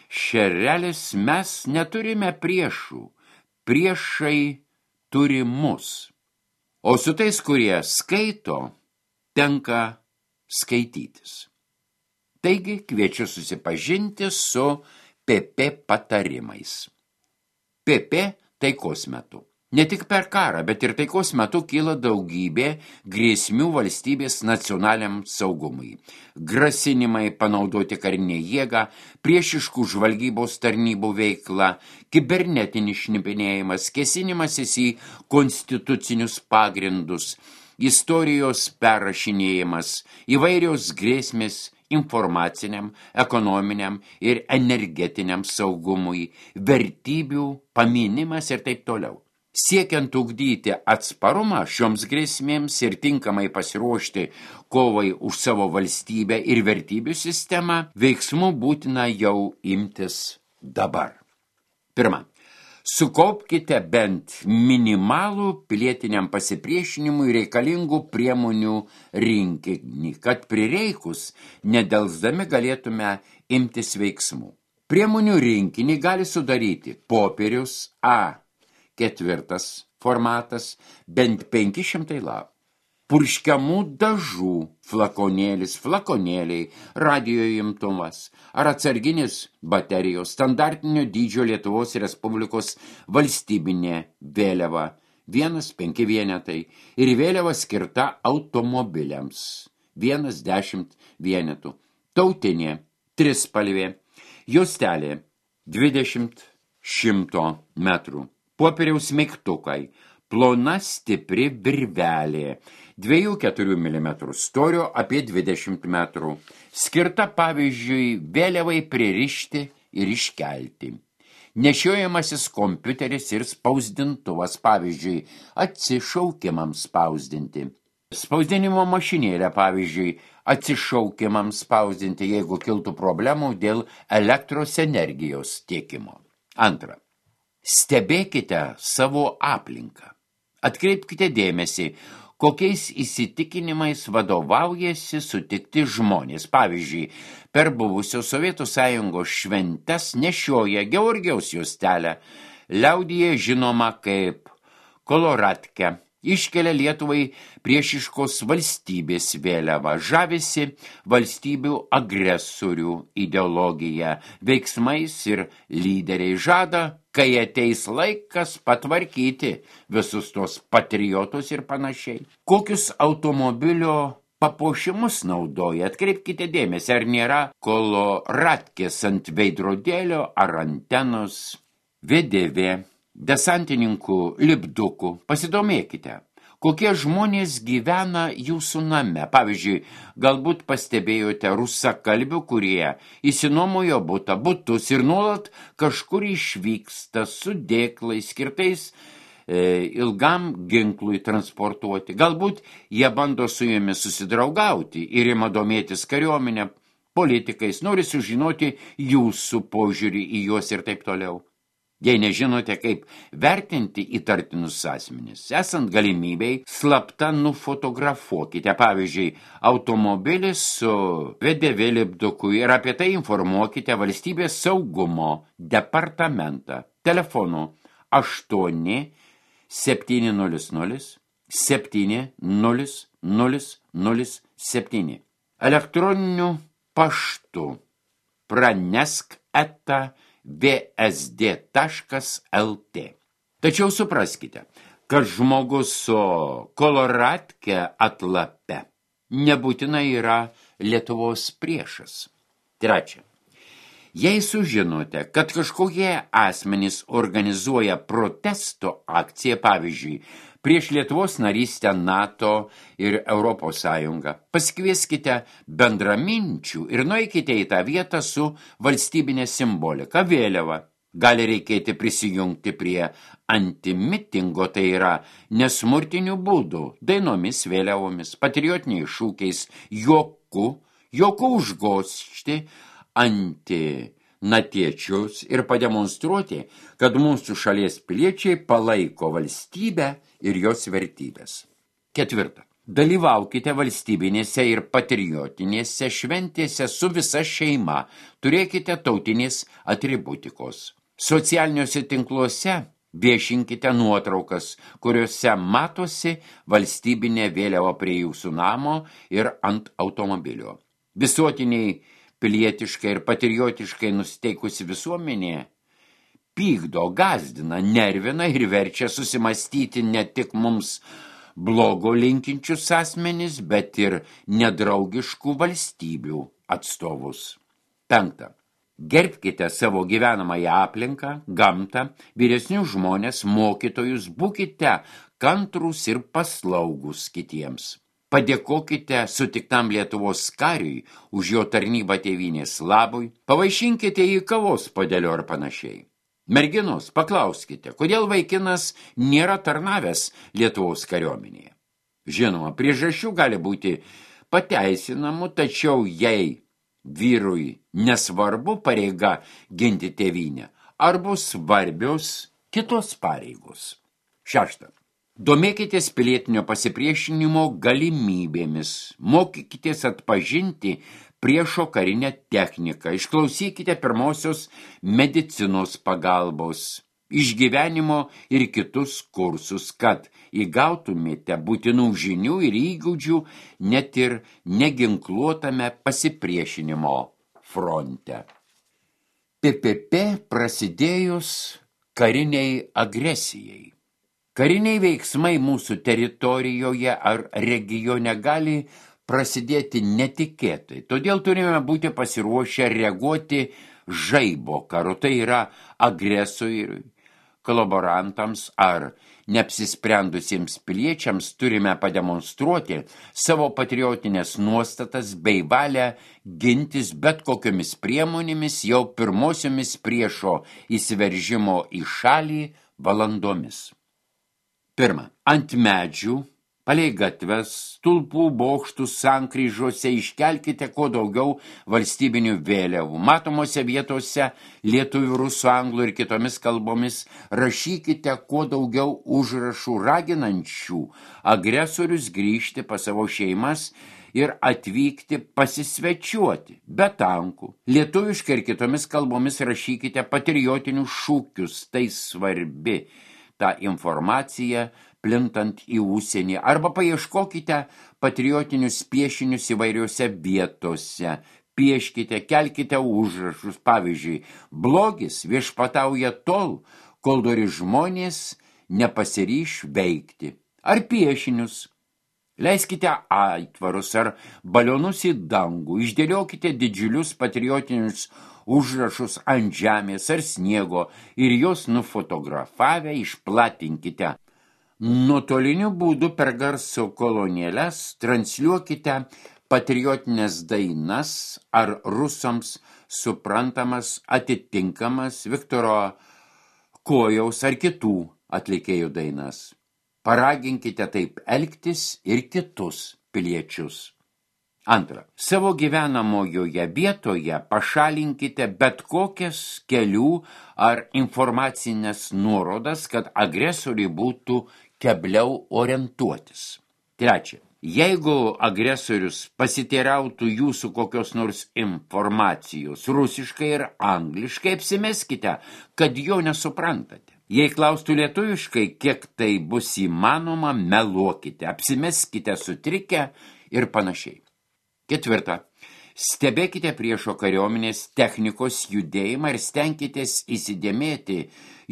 Šerelis, mes neturime priešų, priešai turi mus. O su tais, kurie skaito, tenka skaitytis. Taigi kviečiu susipažinti su P P patarimais. P P taikos metu. Ne tik per karą, bet ir taikos metu kyla daugybė grėsmių valstybės nacionaliam saugumui. Grasinimai panaudoti karinę jėgą, priešiškų žvalgybos tarnybų veikla, kibernetinis šnipinėjimas, kėsinimasis į konstitucinius pagrindus, istorijos perrašinėjimas, įvairios grėsmės informaciniam, ekonominiam ir energetiniam saugumui, vertybių paminimas ir taip toliau. Siekiant ugdyti atsparumą šioms grėsmėms ir tinkamai pasiruošti kovai už savo valstybę ir vertybių sistemą, veiksmų būtina jau imtis dabar. Pirma, sukaupkite bent minimalų pilietiniam pasipriešinimui reikalingų priemonių rinkinį, kad prireikus nedelsdami galėtume imtis veiksmų. Priemonių rinkinį gali sudaryti popierius A. Ketvirtas formatas, bent penki šimtai lapų. Purškiamų dažų flakonėlis, flakonėliai, radio imtuvas ar atsarginis baterijos, standartinio dydžio Lietuvos Respublikos valstybinė vėliava, vienas penki vienetai ir vėliava skirta automobiliams, vienas dešimt vienetų, tautinė, trispalvė, juostelė, dvidešimt šimto metrų. Popieriaus mygtukai, plona stipri virvelė, dviejų keturių milimetrų storio apie dvidešimt metrų, skirta pavyzdžiui vėliavai pririšti ir iškelti. Nešiojamasis kompiuteris ir spausdintuvas, pavyzdžiui, atsišaukimams spausdinti. Spausdinimo mašinėlė, pavyzdžiui, atsišaukimams spausdinti, jeigu kiltų problemų dėl elektros energijos tiekimo. Antra. Stebėkite savo aplinką. Atkreipkite dėmesį, kokiais įsitikinimais vadovaujasi sutikti žmonės. Pavyzdžiui, per buvusios Sovietų Sąjungos šventes nešioja Georgijaus juostelę, liaudyje žinoma kaip koloratkę, iškelia Lietuvai priešiškos valstybės vėliavą, žavisi valstybių agresorių ideologija, veiksmais ir lyderiai žada, kai ateis laikas patvarkyti visus tos patriotus ir panašiai. Kokius automobilio papuošimus naudoja, atkreipkite dėmesį, ar nėra koloratkės ant veidrodėlio ar antenos, V D V, desantininkų lipdukų. Pasidomėkite, kokie žmonės gyvena jūsų name. Pavyzdžiui, galbūt pastebėjote rusakalbių, kurie įsinuomojo butą, butus ir nuolat kažkur išvyksta su dėklais skirtais e, ilgam ginklui transportuoti. Galbūt jie bando su jumis susidraugauti ir ima domėtis kariuomenę, politikais, nori sužinoti jūsų požiūrį į juos ir taip toliau. Jei nežinote, kaip vertinti įtartinus asmenis, esant galimybei, slapta nufotografuokite, pavyzdžiui, automobilį su V D V lipduku ir apie tai informuokite valstybės saugumo departamentą telefonu aštuoni septyni nulis nulis septyni nulis nulis nulis septyni. Elektroniniu paštu pranesk eta v s d taškas l t. Tačiau supraskite, kad žmogus su koloratke atlape nebūtinai yra Lietuvos priešas. Trečia. Jei sužinote, kad kažkokie asmenys organizuoja protesto akciją, pavyzdžiui, prieš Lietuvos narystę NATO ir Europos Sąjungą, pasikvieskite bendraminčių ir nueikite į tą vietą su valstybinė simbolika, vėliava. Gali reikėti prisijungti prie antimitingo, tai yra nesmurtinių būdų, dainomis, vėliavomis, patriotiniais šūkiais, juoku, juoku užgožti antinatiečius ir pademonstruoti, kad mūsų šalies piliečiai palaiko valstybę ir jos vertybės. Ketvirta. Dalyvaukite valstybinėse ir patriotinėse šventėse su visa šeima, turėkite tautinės atributikos. Socialiniuose tinkluose viešinkite nuotraukas, kuriuose matosi valstybinė vėliava prie jūsų namo ir ant automobilio. Visuotiniai pilietiškai ir patriotiškai nusteikusi visuomenė pykdo, gazdina, nervina ir verčia susimastyti ne tik mums blogo linkinčius asmenis, bet ir nedraugiškų valstybių atstovus. Penkta. Gerbkite savo gyvenamąją aplinką, gamtą, vyresnius žmonės, mokytojus, būkite kantrūs ir paslaugus kitiems. Padėkokite sutiktam Lietuvos kariui už jo tarnybą tėvynės labui, pavaišinkite į kavos puodelio ar panašiai. Merginos, paklauskite, kodėl vaikinas nėra tarnavęs Lietuvos kariuomenėje. Žinoma, priežasčių gali būti pateisinamų, tačiau jei vyrui nesvarbu pareiga ginti tėvynę, ar bus svarbios kitos pareigos. Šešta. Domėkitės pilietinio pasipriešinimo galimybėmis, mokykitės atpažinti priešo karinę techniką, išklausykite pirmosios medicinos pagalbos, išgyvenimo ir kitus kursus, kad įgautumėte būtinų žinių ir įgūdžių net ir neginkluotame pasipriešinimo fronte. P P P prasidėjus kariniai agresijai. Kariniai veiksmai mūsų teritorijoje ar regione gali prasidėti netikėtai, todėl turime būti pasiruošę reaguoti žaibo karu, tai yra agresoriui, kolaborantams ar neapsisprendusiems piliečiams turime pademonstruoti savo patriotinės nuostatas bei valią gintis bet kokiomis priemonėmis jau pirmosiomis priešo įsiveržimo į šalį valandomis. Pirma, ant medžių, palei gatves, stulpų, bokštų sankryžose iškelkite kuo daugiau valstybinių vėliavų. Matomose vietose lietuvių, rusų, anglų ir kitomis kalbomis rašykite kuo daugiau užrašų raginančių agresorius grįžti pas savo šeimas ir atvykti pasisvečiuoti, be tankų. Lietuviškai ir kitomis kalbomis rašykite patriotinius šūkius, tai svarbi tą informaciją plintant į užsienį, arba paieškokite patriotinius piešinius įvairiose vietose, pieškite, kelkite užrašus, pavyzdžiui, blogis viešpatauja tol, kol dori žmonės nepasiryš veikti, ar piešinius. Leiskite aitvarus ar balionus į dangų, išdėliokite didžiulius patriotinius užrašus ant žemės ar sniego ir juos nufotografavę išplatinkite. Nuotoliniu būdu per garso kolonėles transliuokite patriotinės dainas ar rusams suprantamas atitinkamas Viktoro Kojaus ar kitų atlikėjų dainas. Paraginkite taip elgtis ir kitus piliečius. Antra, savo gyvenamojoje vietoje pašalinkite bet kokias kelių ar informacinės nuorodas, kad agresoriui būtų kebliau orientuotis. Trečia, jeigu agresorius pasiteirautų jūsų kokios nors informacijos rusiškai ir angliškai, apsimeskite, kad jo nesuprantate. Jei klaustų lietuviškai, kiek tai bus įmanoma, meluokite, apsimeskite sutrikę ir panašiai. Ketvirta. Stebėkite priešo kariuomenės technikos judėjimą ir stenkitės įsidėmėti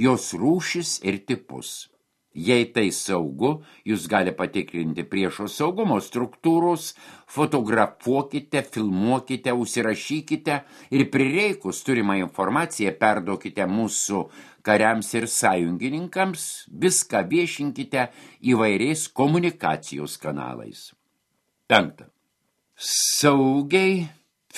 jos rūšis ir tipus. Jei tai saugu, jūs gali patikrinti priešo saugumo struktūros, fotografuokite, filmuokite, užsirašykite ir prireikus turimą informaciją perduokite mūsų kariams ir sąjungininkams, viską viešinkite įvairiais komunikacijos kanalais. Penkta. Saugiai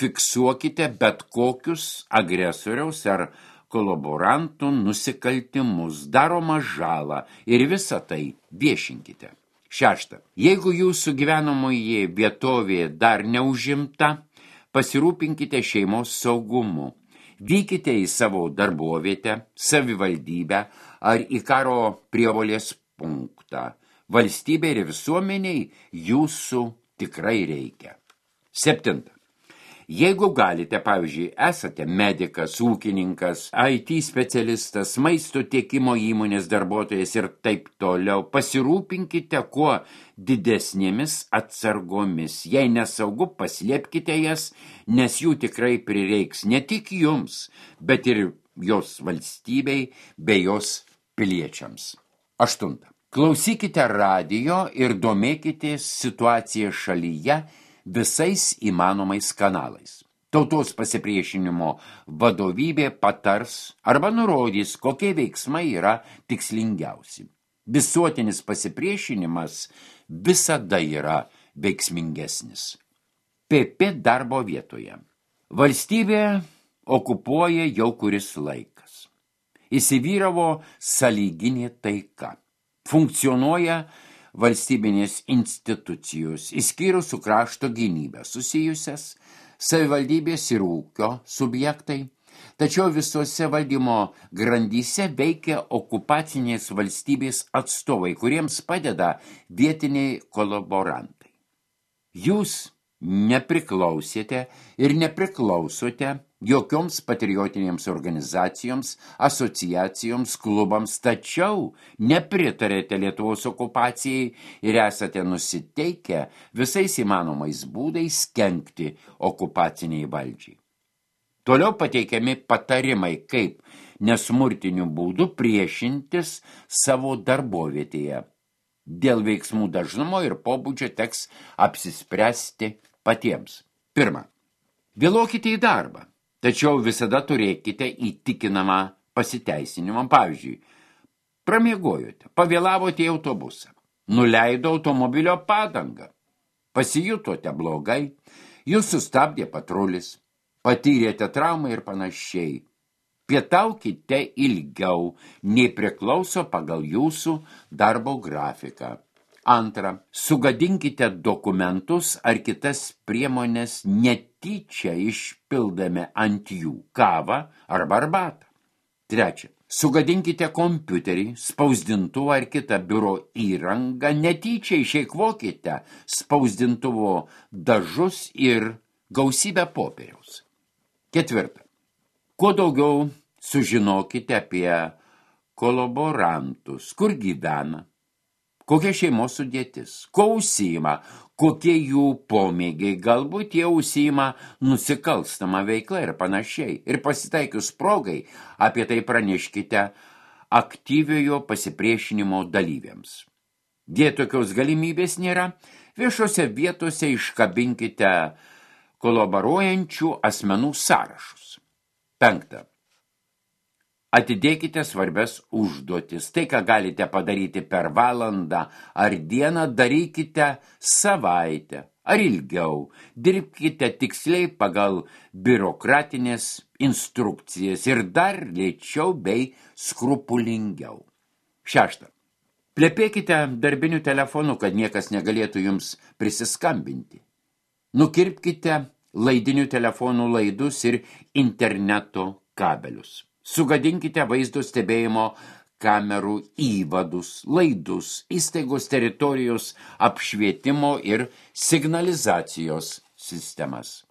fiksuokite bet kokius agresoriaus ar kolaborantų nusikaltimus, daromą žalą ir visą tai viešinkite. Šešta. Jeigu jūsų gyvenamoji vietovė dar neužimta, pasirūpinkite šeimos saugumu. Vykite į savo darbovietę, savivaldybę ar į karo prievolės punktą. valstybei ir visuomeniai jūsų tikrai reikia. Septinta. Jeigu galite, pavyzdžiui, esate medikas, ūkininkas, I T specialistas, maisto tiekimo įmonės darbuotojas ir taip toliau, pasirūpinkite kuo didesnėmis atsargomis. Jei nesaugu, paslėpkite jas, nes jų tikrai prireiks ne tik jums, bet ir jos valstybei bei jos piliečiams. Aštunta. Klausykite radijo ir domėkitės situaciją šalyje visais įmanomais kanalais. Tautos pasipriešinimo vadovybė patars arba nurodys, kokie veiksmai yra tikslingiausi. Visuotinis pasipriešinimas visada yra veiksmingesnis. P P darbo vietoje. Valstybė okupuoja jau kuris laikas. Įsivyravo sąlyginė taika. Funkcionuoja valstybinės institucijos, išskyrus su krašto gynybę susijusias, savivaldybės ir ūkio subjektai, tačiau visose valdymo grandyse veikia okupacinės valstybės atstovai, kuriems padeda vietiniai kolaborantai. Jūs nepriklausėte ir nepriklausote jokioms patriotinėms organizacijoms, asociacijoms, klubams, tačiau nepritarėte Lietuvos okupacijai ir esate nusiteikę visais įmanomais būdais kenkti okupaciniai valdžiai. Toliau pateikiami patarimai, kaip nesmurtiniu būdu priešintis savo darbovietėje. Dėl veiksmų dažnumo ir pobūdžio teks apsispręsti patiems. Pirma, vėluokite į darbą. Tačiau visada turėkite įtikinamą pasiteisinimą. Pavyzdžiui, pramiegojote, pavėlavote į autobusą, nuleido automobilio padangą, pasijutote blogai, jūs sustabdė patrulis, patyrėte traumą ir panašiai. Pietaukite ilgiau, nei priklauso pagal jūsų darbo grafiką. Antra, sugadinkite dokumentus ar kitas priemonės netyčia išpildami ant jų kavą arba arbatą. Trečia, sugadinkite kompiuterį, spausdintuvą ar kitą biuro įrangą, netyčia išeikvokite spausdintuvo dažus ir gausybę popieriaus. Ketvirta, kuo daugiau sužinokite apie kolaborantus, kur gyvena, kokia šeimos sudėtis, ko užsiima, kokie jų pomėgiai, galbūt jie užsiima nusikalstamą veiklą ir panašiai. Ir pasitaikius progai apie tai praneškite aktyviojo pasipriešinimo dalyviams. Jei tokios galimybės nėra, viešose vietose iškabinkite kolaboruojančių asmenų sąrašus. Penkta. Atidėkite svarbias užduotis. Tai, ką galite padaryti per valandą ar dieną, darykite savaitę ar ilgiau. Dirbkite tiksliai pagal biurokratinės instrukcijas ir dar lėčiau bei skrupulingiau. Šešta. Plepėkite darbiniu telefonu, kad niekas negalėtų jums prisiskambinti. Nukirpkite laidinių telefonų laidus ir interneto kabelius. Sugadinkite vaizdo stebėjimo kamerų įvadus, laidus, įstaigos teritorijos apšvietimo ir signalizacijos sistemas.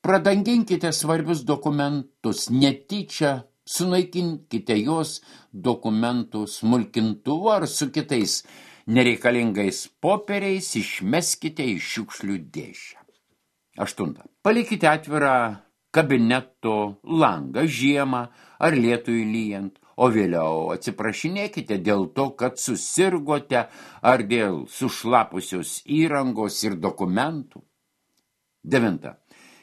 Pradanginkite svarbius dokumentus, netyčia sunaikinkite jos dokumentų smulkintuvu ar su kitais nereikalingais popieriais išmeskite į šiukšlių dėžę. Aštunta. Palikite atvirą kabineto langą žiemą ar lietui lyjant, o vėliau atsiprašinėkite dėl to, kad susirgote ar dėl sušlapusios įrangos ir dokumentų. Devinta.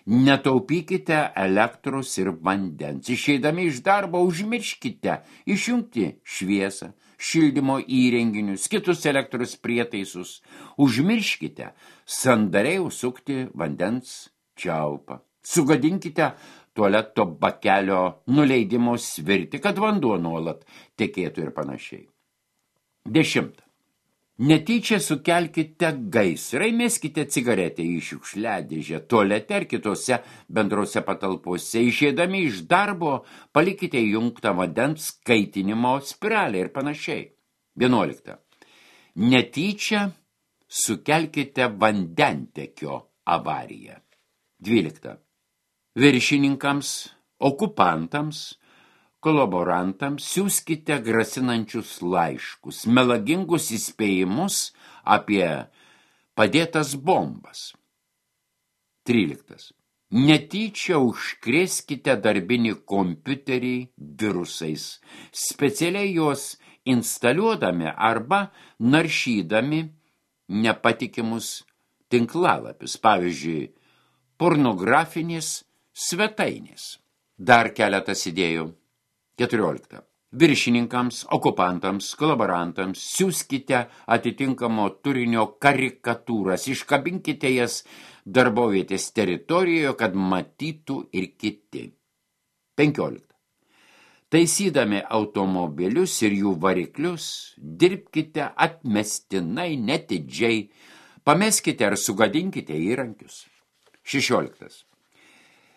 Netaupykite elektros ir vandens. Išeidami iš darbo užmirškite išjungti šviesą, šildymo įrenginius, kitus elektros prietaisus. Užmirškite sandariai užsukti vandens čiaupą. Sugadinkite tualeto bakelio nuleidimo svirtį, kad vanduo nuolat tekėtų ir panašiai. Dešimta. Netyčia sukelkite gaisrą, meskite cigaretę į šiukšliadėžę, tualete ar kitose bendrose patalpose. Išeidami iš darbo palikite įjungtą vandens kaitinimo spiralę ir panašiai. Vienuolikta. Netyčia sukelkite vandentekio avariją. dvylikta. Viršininkams, okupantams, kolaborantams siųskite grasinančius laiškus, melagingus įspėjimus apie padėtas bombas. tryliktas. Netyčia užkrėskite darbinį kompiuterį virusais, specialiai juos instaliuodami arba naršydami nepatikimus tinklalapius, pavyzdžiui, pornografinės svetainės. Dar keletas idėjų. keturiolikta. Viršininkams, okupantams, kolaborantams siųskite atitinkamo turinio karikatūras, iškabinkite jas darbovietės teritorijoje, kad matytų ir kiti. penkiolikta. Taisydami automobilius ir jų variklius, dirbkite atmestinai, netidžiai, pameskite ar sugadinkite įrankius. šešioliktas.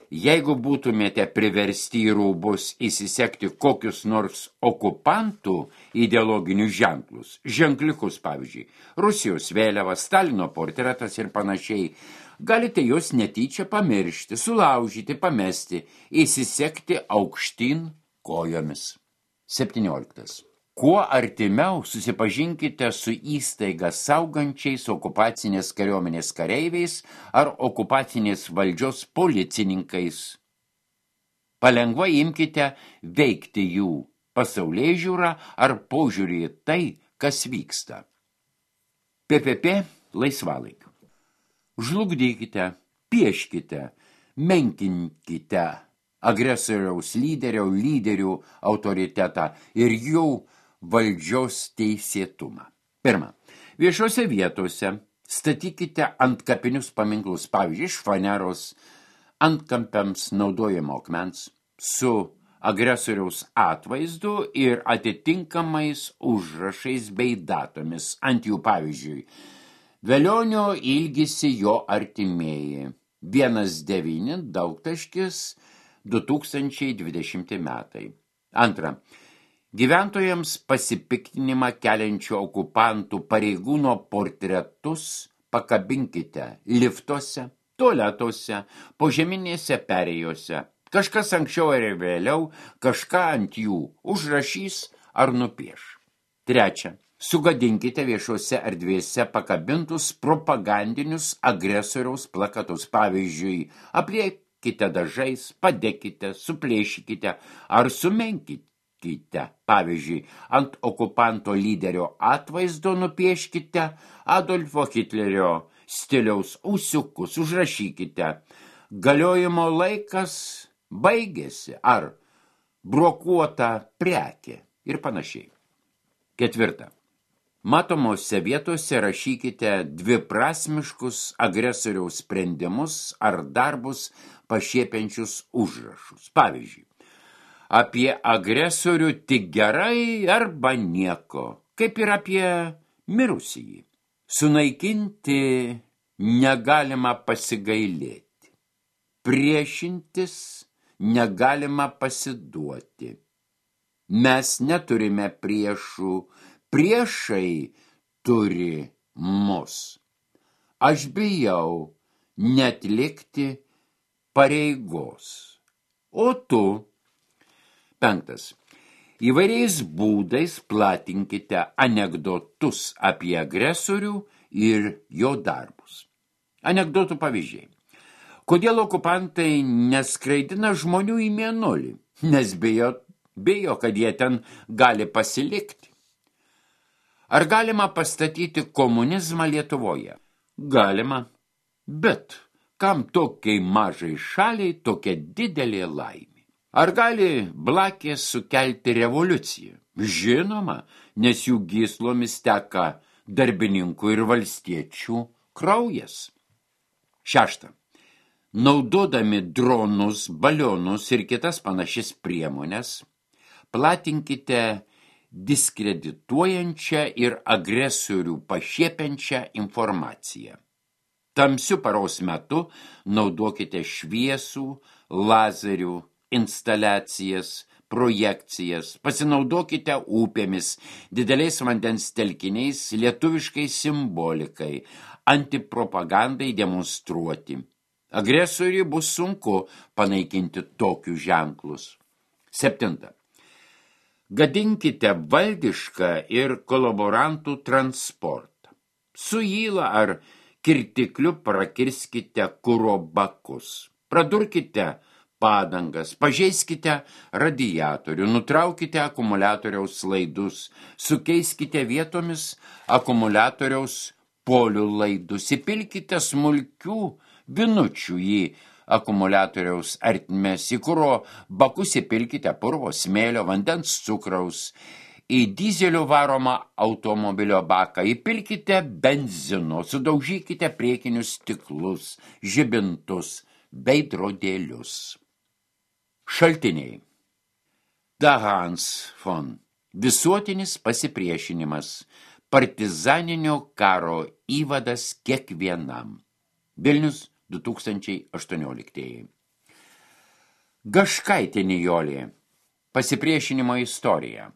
Jeigu būtumėte priversti į rūbus įsisekti kokius nors okupantų ideologinius ženklus, ženkliukus, pavyzdžiui, Rusijos vėliava, Stalino portretas ir panašiai, galite juos netyčia pamiršti, sulaužyti, pamesti, įsisekti aukštyn kojomis. septynioliktas. Kuo artimiau susipažinkite su įstaiga saugančiais okupacinės kariuomenės kareiviais ar okupacinės valdžios policininkais. Palengvai imkite veikti jų pasaulėžiūrą ar požiūrį į tai, kas vyksta. P P P laisvalaikiu. Žlugdykite, pieškite, menkinkite agresoriaus lyderio, lyderių autoritetą ir jų valdžios teisėtumą. Pirma, viešose vietose statykite antkapinius paminklus, pavyzdžiui, iš faneros antkampiams naudojamo akmens su agresoriaus atvaizdu ir atitinkamais užrašais bei datomis. Ant jų, pavyzdžiui, Velionio ilgisi jo artimieji. vienas devyni daugtaškis du tūkstančiai dvidešimti metai. Antra. Gyventojams pasipiktinimą keliančių okupantų pareigūno portretus pakabinkite liftuose, tualetuose, požeminėse perėjose. Kažkas anksčiau ar vėliau kažką ant jų užrašys ar nupieš. Trečia. Sugadinkite viešose erdvėse pakabintus propagandinius agresoriaus plakatus. Pavyzdžiui, apliekite dažais, padėkite, suplėšykite ar sumenkite. Pavyzdžiui, ant okupanto lyderio atvaizdo nupieškite Adolfo Hitlerio stiliaus ūsiukus, užrašykite galiojimo laikas baigėsi ar brokuota prekė ir panašiai. Ketvirta. Matomose vietose rašykite dviprasmiškus agresoriaus sprendimus ar darbus pašiepiančius užrašus. Pavyzdžiui, apie agresorių tik gerai arba nieko, kaip ir apie mirusįjį. Sunaikinti negalima pasigailėti. Priešintis negalima pasiduoti. Mes neturime priešų, priešai turi mus. Aš bijau neatlikti pareigos. O tu? Penktas. Įvairiais būdais platinkite anekdotus apie agresorių ir jo darbus. Anekdotų pavyzdžiai. Kodėl okupantai neskraidina žmonių į mėnulį? Nes bijo, bijo, kad jie ten gali pasilikti. Ar galima pastatyti komunizmą Lietuvoje? Galima, bet kam tokiai mažai šaliai tokia didelė laimė? Ar gali blakės sukelti revoliuciją? Žinoma, nes jų gyslomis teka darbininkų ir valstiečių kraujas. Šešta. Naudodami dronus, balionus ir kitas panašias priemonės, platinkite diskredituojančią ir agresorių pašiepiančią informaciją. Tamsiu paros metu naudokite šviesų, lazerių, instaliacijas, projekcijas, pasinaudokite upėmis, dideliais vandens telkiniais, lietuviškai simbolikai, antipropagandai demonstruoti. Agresoriui bus sunku panaikinti tokius ženklus. Septinta. Gadinkite valdišką ir kolaborantų transportą. Su įla ar kirtikliu prakirskite kuro bakus. Pradurkite padangas, pažeiskite radiatorių, nutraukite akumuliatoriaus laidus, sukeiskite vietomis akumuliatoriaus polių laidus, įpilkite smulkių vinučių į akumuliatoriaus ertmes, į kuro bakus įpilkite purvo, smėlio, vandens, cukraus, į dizelio varomą automobilio baką įpilkite benzino, sudaužykite priekinius stiklus, žibintus, veidrodėlius. Šaltiniai. Dahans von. Visuotinis pasipriešinimas. Partizaninio karo įvadas kiekvienam. Vilnius du tūkstančiai aštuonioliktieji. Gaškaitė Nijolė. Pasipriešinimo istorija.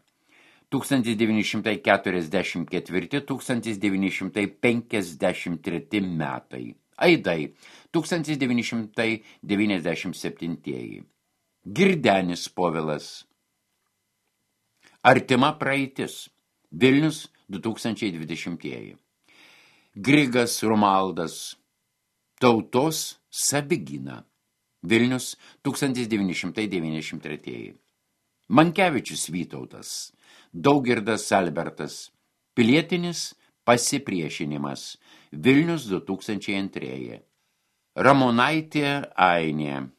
tūkstantis devyni šimtai keturiasdešimt ketvirti - tūkstantis devyni šimtai penkiasdešimt treti metai. Aidai. tūkstantis devyni šimtai devyniasdešimt septintieji. Girdenis Povilas. Artima praeitis. Vilnius du tūkstančiai dvidešimtieji. Grigas Romaldas. Tautos Savigyna. Vilnius tūkstantis devyni šimtai devyniasdešimt tretieji. Mankevičius Vytautas. Daugirdas Albertas. Pilietinis pasipriešinimas. Vilnius du tūkstančiai antrieji. Ramonaitė Ainė.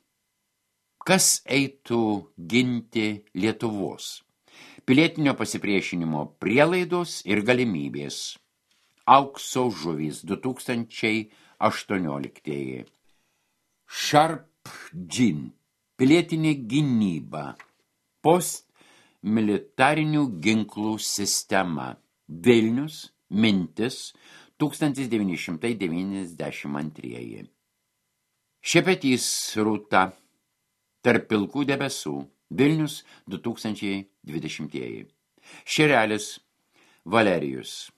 Kas eitų ginti Lietuvos? Pilietinio pasipriešinimo prielaidos ir galimybės. Aukso žuvys du tūkstančiai aštuonioliktieji. Sharp Džin. Pilietinė gynyba. Postmilitarinių ginklų sistema. Vilnius, mintis, tūkstantis devyni šimtai devyniasdešimt antrieji. Šepetys Rūta. Tarp pilkų debesų. Vilnius du tūkstančiai dvidešimtieji. Šerelis Valerijus.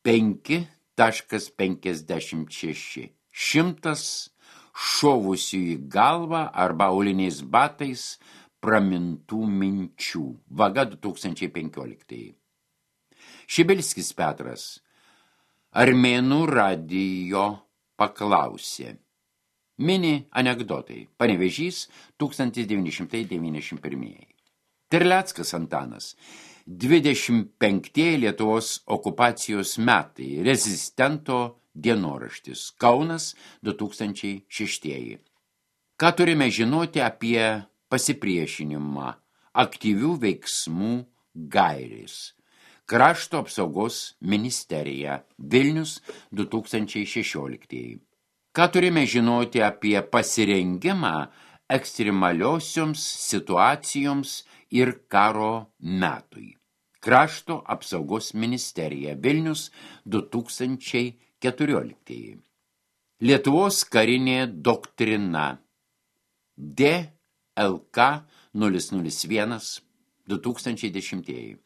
penki taškas penkiasdešimt šeši. Šimtas šovusių į galvą arba auliniais batais pramintų minčių. Vaga du tūkstančiai penkioliktieji. Šibilskis Petras. Armėnų radijo paklausė. Mini anekdotai. Panevėžys tūkstantis devyni šimtai devyniasdešimt pirmieji. Terleckas Antanas. dvidešimt penktieji Lietuvos okupacijos metai. Rezistento dienoraštis. Kaunas du tūkstančiai šeštieji. Ką turime žinoti apie pasipriešinimą? Aktyvių veiksmų gairės. Krašto apsaugos ministerija. Vilnius du tūkstančiai šešioliktieji. Ką turime žinoti apie pasirengimą ekstremaliosioms situacijoms ir karo metui? Krašto apsaugos ministerija. Vilnius du tūkstančiai keturioliktieji. Lietuvos karinė doktrina. D L K nulis nulis vienas du tūkstančiai dešimtieji.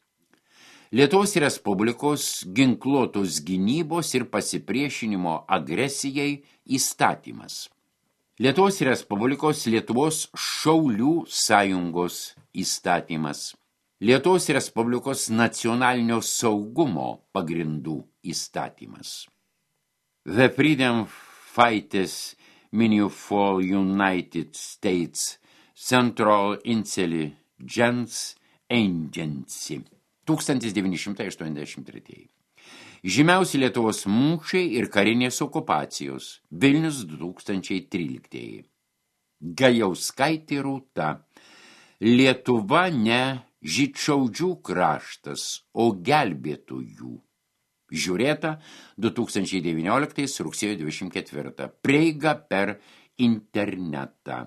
Lietuvos Respublikos ginkluotos gynybos ir pasipriešinimo agresijai įstatymas. Lietuvos Respublikos Lietuvos šaulių sąjungos įstatymas. Lietuvos Respublikos nacionalinio saugumo pagrindų įstatymas. The Freedom Fighters for United States Central Intelligence Agency. tūkstantis devyni šimtai aštuoniasdešimt tretieji. Žymiausi Lietuvos mūšiai ir karinės okupacijos. Vilnius du tūkstančiai tryliktieji. Gajauskaitė Rūta. Lietuva ne žydšaudžių kraštas, o gelbėtojų. Žiūrėta du tūkstančiai devynioliktais rugsėjo dvidešimt ketvirtą. Prieiga per internetą.